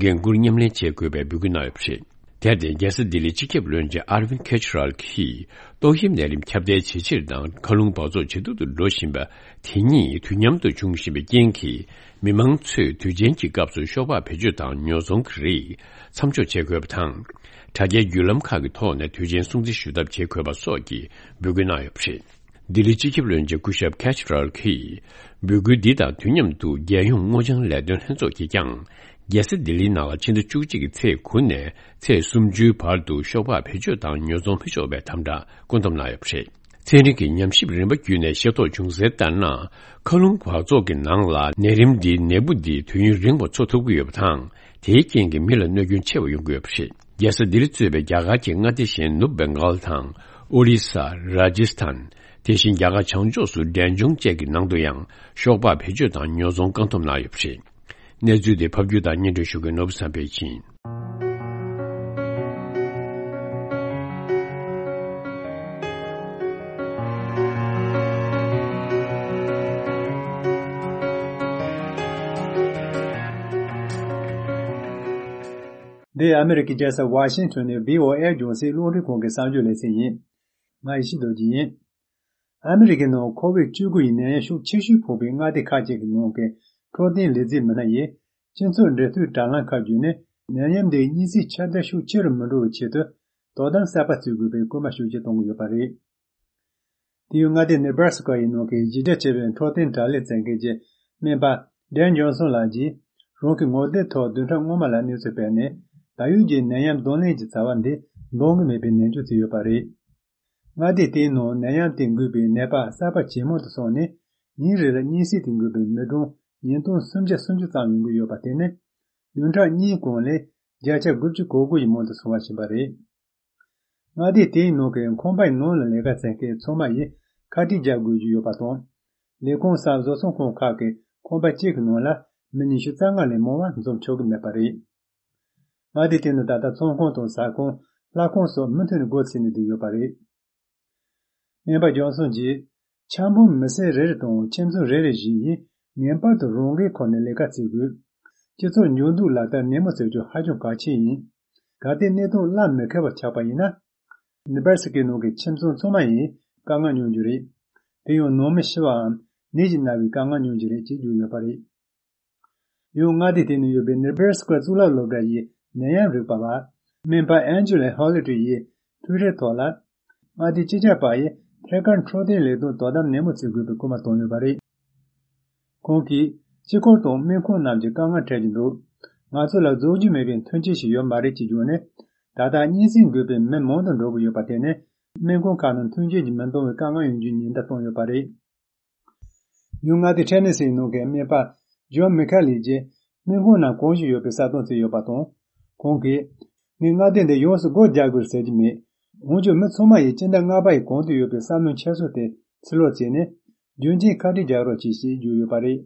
འགན་འཁུར་མཉམ་ལེན་བྱེད་དགོས་པའི་འབོད་སྐུལ་གནང་ཡོད་པ་རེད། དེར་བརྟེན། རྒྱལ་ས་ལྡི་ལིའི་སྤྱི་ཁྱབ་བློན་ཆེན་ཨར་ཝིན་ཁེ་ཇི་རལ་གྱིས། ཏོག་དབྱིབས་ནད་རིམས་ཁྱབ་གདལ་ཇེ་ཆེར་དང་མཁའ་རླུང་འབག་བཙོག་ཇེ་སྡུག་ཏུ་འགྲོ་བཞིན་པ་དེ་གཉིས་དུས་མཉམ་དུ་འབྱུང་བཞིན་པའི་རྐྱེན་གྱིས། མི་མང་ཚོས་དུས་ཆེན་གྱི་སྐབས་སུ་ཤོག་སྦག་བེད་སྤྱོད་དང་ཉོ་ཚོང་གི་རིགས་མཚམས་འཇོག་བྱེད་དགོས་པ་དང་། དྲ་རྒྱའི་བརྒྱུད་ལམ་ཁག་གི་ཐོག་ནས་དུས་ཆེན་སྲུང་བརྩི་ཞུ་ཐབས་བྱེད་དགོས་པ་སོགས་ཀྱི་འབོད་སྐུལ་གནང་ཡོད་པ་རེད། ལྡི་ལིའི་སྤྱི་ཁྱབ་བློན་ཆེན་སྐུ་ཞབས་ཁེ་ཇི་རལ་གྱིས། འབོད་སྐུལ་འདི་དང་དུས་མཉམ་དུ། རྒྱལ་ཡོངས་སྔོ་ལྗང་ལས་དོན་ལྷན་ཚོགས་ཀྱིས་ཀྱང་། རྒྱལ་ས་ལྡི་ལིའི་ནང་ལ་ཕྱི་ཟླ་བཅུ་གཅིག་གི་ཚེས་དགུ་ནས་ཚེས་སུམ་ཅུའི་བར་དུ་ཤོག་སྦག་བེད་སྤྱོད་དང་ཉོ་ཚོང་མི་ཆོག་པའི་དམ་དྲག་བཀོད་འདོམས་གནང་ཡོད་པ་རེད། ཚན་རིག་གི་ཉམས་ཞིབ་རིམ་པ་བརྒྱུད་ནས་ཤེས་རྟོགས་བྱུང་གསལ་ལྟར་ན། མཁའ་རླུང་འབག་བཙོག་གི་ནང་ལ་ནད་རིམས་འདིའི་ནད་འབུ་འདི་དུས་ཡུན་རིང་བ་འཚོ་ཐུབ་ཀྱི་ཡོད་པ་དང་། དེའི་རྐྱེན་གྱིས་མི་ལ་གནོད་སྐྱོན་ཆེ་བ་ཡོང་གི་ཡོད་པ་རེད། རྒྱལ་ས་ལྡི་ལི་གཙོས་པའི་རྒྱ་གར་གྱི་མངའ་སྡེ་གཞན་ནུབ་བེང་གཱལ་དང་། ཨོ་རི་ས། ར་ཇི་སི་ཐན། དེ་བཞིན་རྒྱ་གར་བྱང་ཕྱོགས་སུ་འབྲས་ལྗོངས་བཅས་ཀྱི་ནང་དུ་ཡང་ཤོག་སྦག་བེད་སྤྱོད་དང་ཉོ་ཚོང་བཀག་སྡོམ་གནང་ཡོད་པ་རེད། གནས་ཚུལ་དེ་ཕབ་སྒྱུར་དང་སྙན་སྒྲོན་ཞུ་མཁན་ནོར་བུ་བསམ་འཕེལ་ཡིན། འདི་ཨ་མི་རི་ཀའི་རྒྱལ་ས་ཝ་ཤིང་ཊོན་ནས་བྷི་ཨོ་ཨེ་རྒྱང་སྲིང་རླུང་འཕྲིན་ཁང་གི་གསར་འགྱུར་ལེ་ཚན་ཡིན། ང་ཡེ་ཤེས་རྡོ་རྗེ་ཡིན། ཨ་མི་རི་ཀའི་ནང་ཁོ་བིད་བཅུ་དགུ་ཡི་ནད་ཡམས་ཤུགས་ཆེ་ཤོས་ཕོག་པའི་མངའ་སྡེ་ཁག་ཅིག་གི་ནང་གི་འཕྲོད་བསྟེན་ལས་བྱེད་མི་སྣ་ཡིས་སྤྱི་ཚོགས་འབྲེལ་མཐུད་དྲ་ལམ་ཁག་བརྒྱུད་ནས་ནད་ཡམས་འདིའི་གཉན་སྲིད་ཁྱབ་གདལ་ཤུགས་ཆེ་རུ་མི་འགྲོ་བའི་ཆེད་དུ་དོ་དམ་གསར་པ་བརྩི་དགོས་པའི་སྐུལ་མ་ཤུགས་ཆེ་གཏོང་གི་ཡོད་པ་རེད། དེ་ཡང་མངའ་སྡེ་ནེ་བྷ་ར་སི་ཀ་ཡི་ནང་གི་གཞི་རྒྱ་ཆེ་བའི་འཕྲོད་བསྟེན་དྲ་ལམ་བཙན་མཁན་གྱི་སྨན་པ་ཌེན་ཇོན་སོན་ལགས་ཀྱིས་རང་གི་ངོ་དེབ་ཐོག་བདུན་ཕྲག་སྔོན་མ་ལ་གནས་ཚུལ་སྤེལ་ནས། ད་ཡོད་ཀྱི་ནད་ཡམས་གདོང་ལེན་གྱི་བྱ་བ་འདི་འདང་གི་མེད་པའི་ནན་བརྗོད་བྱས་ཡོད་པ་རེད། མངའ་སྡེ་དེའི་ནང་ནད་ཡམས་དེ་འགོས་པའི་ནད་པ་གསར་པ་ཇེ་མང་དུ་སོང་ནས། ཉིན་རེ་ལ་གཉན་སྲིད་དེ་འགོས་པའི་མི་གྲངས་ཉིས་སྟོང་སུམ་བརྒྱ་སུམ་ཅུ་ཙམ་ཡོང་གི་ཡོད་པ་དེ་ནི་བདུན་ཕྲག་གཉིས་གོང་ལས་བརྒྱ་ཆ་དགུ་བཅུ་གོ་དགུ་ཡི་མང་དུ་སོང་བ་ཕྱིན་པ་རེད། མངའ་སྡེ་དེའི་ནང་གི་ཁང་པའི་ནང་ལ་ལས་ཀ་བྱེད་མཁན་ཚང་མ་ཡིས་ཁ་དཀྲིས་རྒྱག་དགོས་ཀྱི་ཡོད་པ་དང་། ལས་ཁུངས་སམ་བཟོ་ཚོང་ཁང་ཁག་གི་ཁང་པ་གཅིག་གི་ནང་ལ་མི་ཉི་ཤུ་རྩ་ལྔ་ལས་མང་བ་འཛོམས་ཆོག་གི་མེད་པ་རེད། མངའ་སྡེ་དེ་ནི་ད་ལྟ་ཚོང་ཁང་དང་ཟ་ཁང་། ལྷ་ཁང་སོགས་མུ་མཐུད་ནས་སྒོ་ཕྱེ་ནས་བསྡད་ཡོད་པ་རེད། སྨན་པ་ཇོན་སོན་གྱིས། འཆར་འབུམ་མི་སེར་རེ་རེ་དང་ཁྱིམ་ཚང་རེ་རེ་བཞིན་ཡིན་ངེས་པར་དུ་རང་འགན་འཁུར་ནས་ལས་ཀ་བྱེད་དགོས། སྤྱི་ཚོགས་འགྱུར་ལྡོག་ལག་བསྟར་ནན་མོ་བྱེད་རྒྱུ་ཧ་ཅང་གལ་ཆེན་ཡིན། གལ་ཏེ་གནས་སྟངས་སླར་མི་འཁེལ་བ་ཆགས་པ་ཡིན་ན། ནེ་བྷ་ར་སི་ཀའི་ནང་གི་ཁྱིམ་ཚང་ཚང་མ་ཡིས་དཀའ་ངལ་མྱོང་རྒྱུ་རེད། དེ་ཡང་ནང་མི་ཤི་བའམ་ ནད་ཀྱིས་མནར་བའི་དཀའ་ངལ་མྱོང་གི་རེད་ཅེས་བརྗོད་ཡོད་པ་རེད། ཡང་མངའ་སྡེ་དེ་ནང་ཡོད་པའི་ནེ་བྷ་ར་སི་ཀ་གཙུག་ལག་སློབ་གྲྭ་ཡི་ནད་ཡམས་རིག་པ་བ་སྨན་པ་ཨན་ཇི་ལ་ཧོ་ལི་ཏྲི་ཡིས་ཊུའི་ཊར་ཐོག་ལ། མངའ་སྡེ་སྤྱི་ཁྱབ་པ་ཡིས་ཐད་ཀར་འཕྲོད་བསྟེན་ལས་དོན་དོ་དམ་ནན་མོ་བྱེད་དགོས་པའི་སྐུལ་མ་བཏང་ཡོད་པ་རེད། ཁོང་གིས་སྤྱི་འཁོར་དང་སྨན་ཁང་རྣམས་ཀྱི་དཀའ་ངལ་འཕྲད་ཀྱི་འདུག་ང་ཚོ་ལ་རྫོགས་རྒྱུ་མེད་པའི་མཐུན་རྐྱེན་ཞིག་ཡོད་མ་རེད་ཅེས་བརྗོད་ནས། ད་ལྟ་སྙན་སེང་དགོས་པའི་མི་མང་དུ་འགྲོ་གི་ཡོད་པ་དེ་ནི་སྨན་ཁང་ཁག་ནང་མཐུན་རྐྱེན་གྱིས་མི་འདང་བའི་དཀའ་ངལ་ཡོང་རྒྱུའི་ཉེན་བརྡ་བཏང་ཡོད་པ་རེད། ཡང་མངའ་སྡེ་ཊེ་ནེ་སིའི་ནང་གི་སྨན་པ་ཇོན་མི་ཁ་ལི་ཡིས་སྨན་ཁང་རྣམས་གང་བྱུང་ཡོད་པའི་ས་སྟོང་བརྩིས་ཡོད་པ་དང་། ཁོང་གིས། ངས་མངའ་སྡེ་འདི་ཡོངས་སུ་སྒོ་རྒྱག་དགོས་ཟེར་གྱི་མེད། འོན་ཀྱང་མི་ཚང་མ་ཡིས་སྤྱི་ཟླ་ལྔ་པ་ཡི་གོང་དུ་ཡོད་པའི་བསམ་བློའི་འཁྱེར་སོ་དེ་ཕྱིར་ལོག་བྱས་ནས། རྒྱུན་གཅིག་ཁ་བྲལ་རྒྱག་རོགས་གྱིས་ཞེས་བརྗོད་ཡོད་པ་རེད།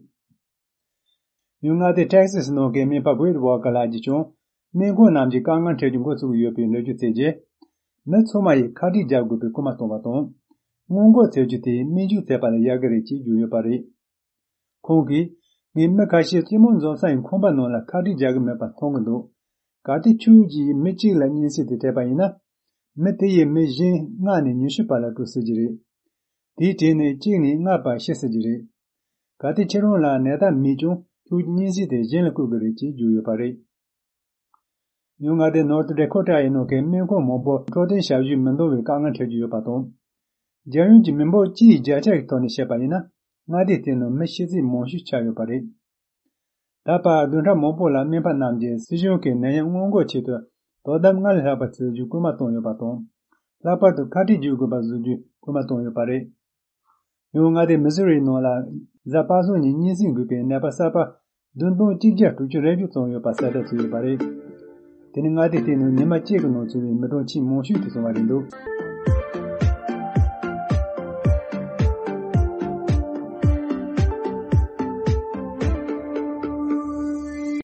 ཡང་མངའ་སྡེ་ཊེག་སཱས་ནང་གི་སྨན་པ་ཝེད་ཝོ་ཀར་ལགས་ཀྱིས་ཀྱང་སྨན་ཁང་རྣམས་ཀྱི་དཀའ་ངལ་འཕྲད་རྒྱུ་འགོ་ཚུགས་ཀྱི་ཡོད་པའི་ལོ་རྒྱུས་བཙལ་རྗེས། མི་ཚང་མ་ཡིས་ཁ་བྲལ་རྒྱག་དགོས་པའི་སྐུལ་མ་བཏང་བ་དང་། སྔོན་འགོག་བྱེད་རྒྱུ་དེ་སྨན་བཅོས་བྱས་པ་ལས་ཡག་གི་རེད་ཅེས་བརྗོད་ཡོད་པ་རེད། ཁོང་གིས། ངས་མི་ཁ་ཤས་སྤྱི་དམངས་འཛོམས་ས་ཡི་ཁང་པ་ནང་ལ་ཁ་བྲལ་རྒྱག་གི་མེད་པ་མཐོང་གི་འདུག་གལ་ཏེ་ཁྱོད་ཀྱིས་མི་གཅིག་ལ་སྙན་སེང་དེ་སྤྲད་པ་ཡིན་ན། མི་དེ་ཡིས་མི་གཞན་ལྔ་ནས་ཉི་ཤུ་བར་ལ་འགྲོ་སྲིད་ཀྱི་རེད། དེའི་གྲས་ནས་གཅིག་ནས་ལྔ་བར་ཤི་སྲིད་ཀྱི་རེད། གལ་ཏེ་ཁྱེད་རང་ལ་ནད་རྟགས་མེད་ཀྱང་ཁྱོད་ཀྱིས་སྙན་སེང་དེ་གཞན་ལ་བསྐུར་དགོས་རེད་ཅེས་བརྗོད་ཡོད་པ་རེད། ཡང་མངའ་སྡེ་ནོར་ཐི་ཌེ་ཁོ་ཊ་ཡི་ནང་གི་སྨན་ཁང་མང་པོར་འཕྲོད་བསྟེན་ཞབས་ཞུ་མི་འདང་བའི་དཀའ་ངལ་འཕྲད་ཀྱི་ཡོད་པ་དང་། རྒྱལ་ཡོངས་ཀྱི་མི་འབོར་སྤྱིའི་བརྒྱ་ཆ་ཡི་ཐོག་ནས་བཤད་པ་ཡིན་ན། མངའ་སྡེ་དེའི་ནང་མི་ཤི་ཚད་མང་ཤོས་ཆགས་ཡོད་པ་རེད། ད་བར་བདུན་ཕྲག་མང་པོ་ལ་སྨན་པ་རྣམས་ཀྱིས་སྲིད་གཞུང་གིས་ནད་ཡམས་སྔོན་འགོག་ཆེད་དུ་དོ་དམ་སྔར་ལས་ལྷག་པ་བྱེད་རྒྱུའི་སྐུལ་མ་བཏང་ཡོད་པ་དང་། ལྷག་པར་དུ་ཁ་བྲལ་བྱེད་དགོས་པ་བཟོ་རྒྱུའི་སྐུལ་མ་བཏང་ཡོད་པ་རེད། ཡང་མངའ་སྡེ་མི་སུ་རིའི་ནང་ལ་གཟའ་པ་སངས་ཉིན་སྙན་སེང་དགོས་པའི་ནད་པ་གསར་པ་བདུན་སྟོང་གཅིག་བརྒྱ་དྲུག་ཅུ་རེ་བཞི་ཙམ་ཡོད་པ་གསལ་བསྒྲགས་བྱས་ཡོད་པ་རེད། དེ་ནི་མངའ་སྡེ་དེའི་ནང་ཉི་མ་གཅིག་གི་ནང་ཚོར་བའི་མི་གྲངས་ཆེས་མང་ཤོས་དེ་སོང་བ་རེད་འདུག་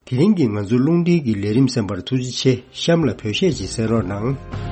དེ་རིང་གི་ང་ཚོའི་རླུང་འཕྲིན་གྱི་ལས་རིམ་གསན་པར་ཐུགས་རྗེ་ཆེ། གཤམ་ལ་བོད་གཞས་ཅིག་གསན་རོགས་གནང་།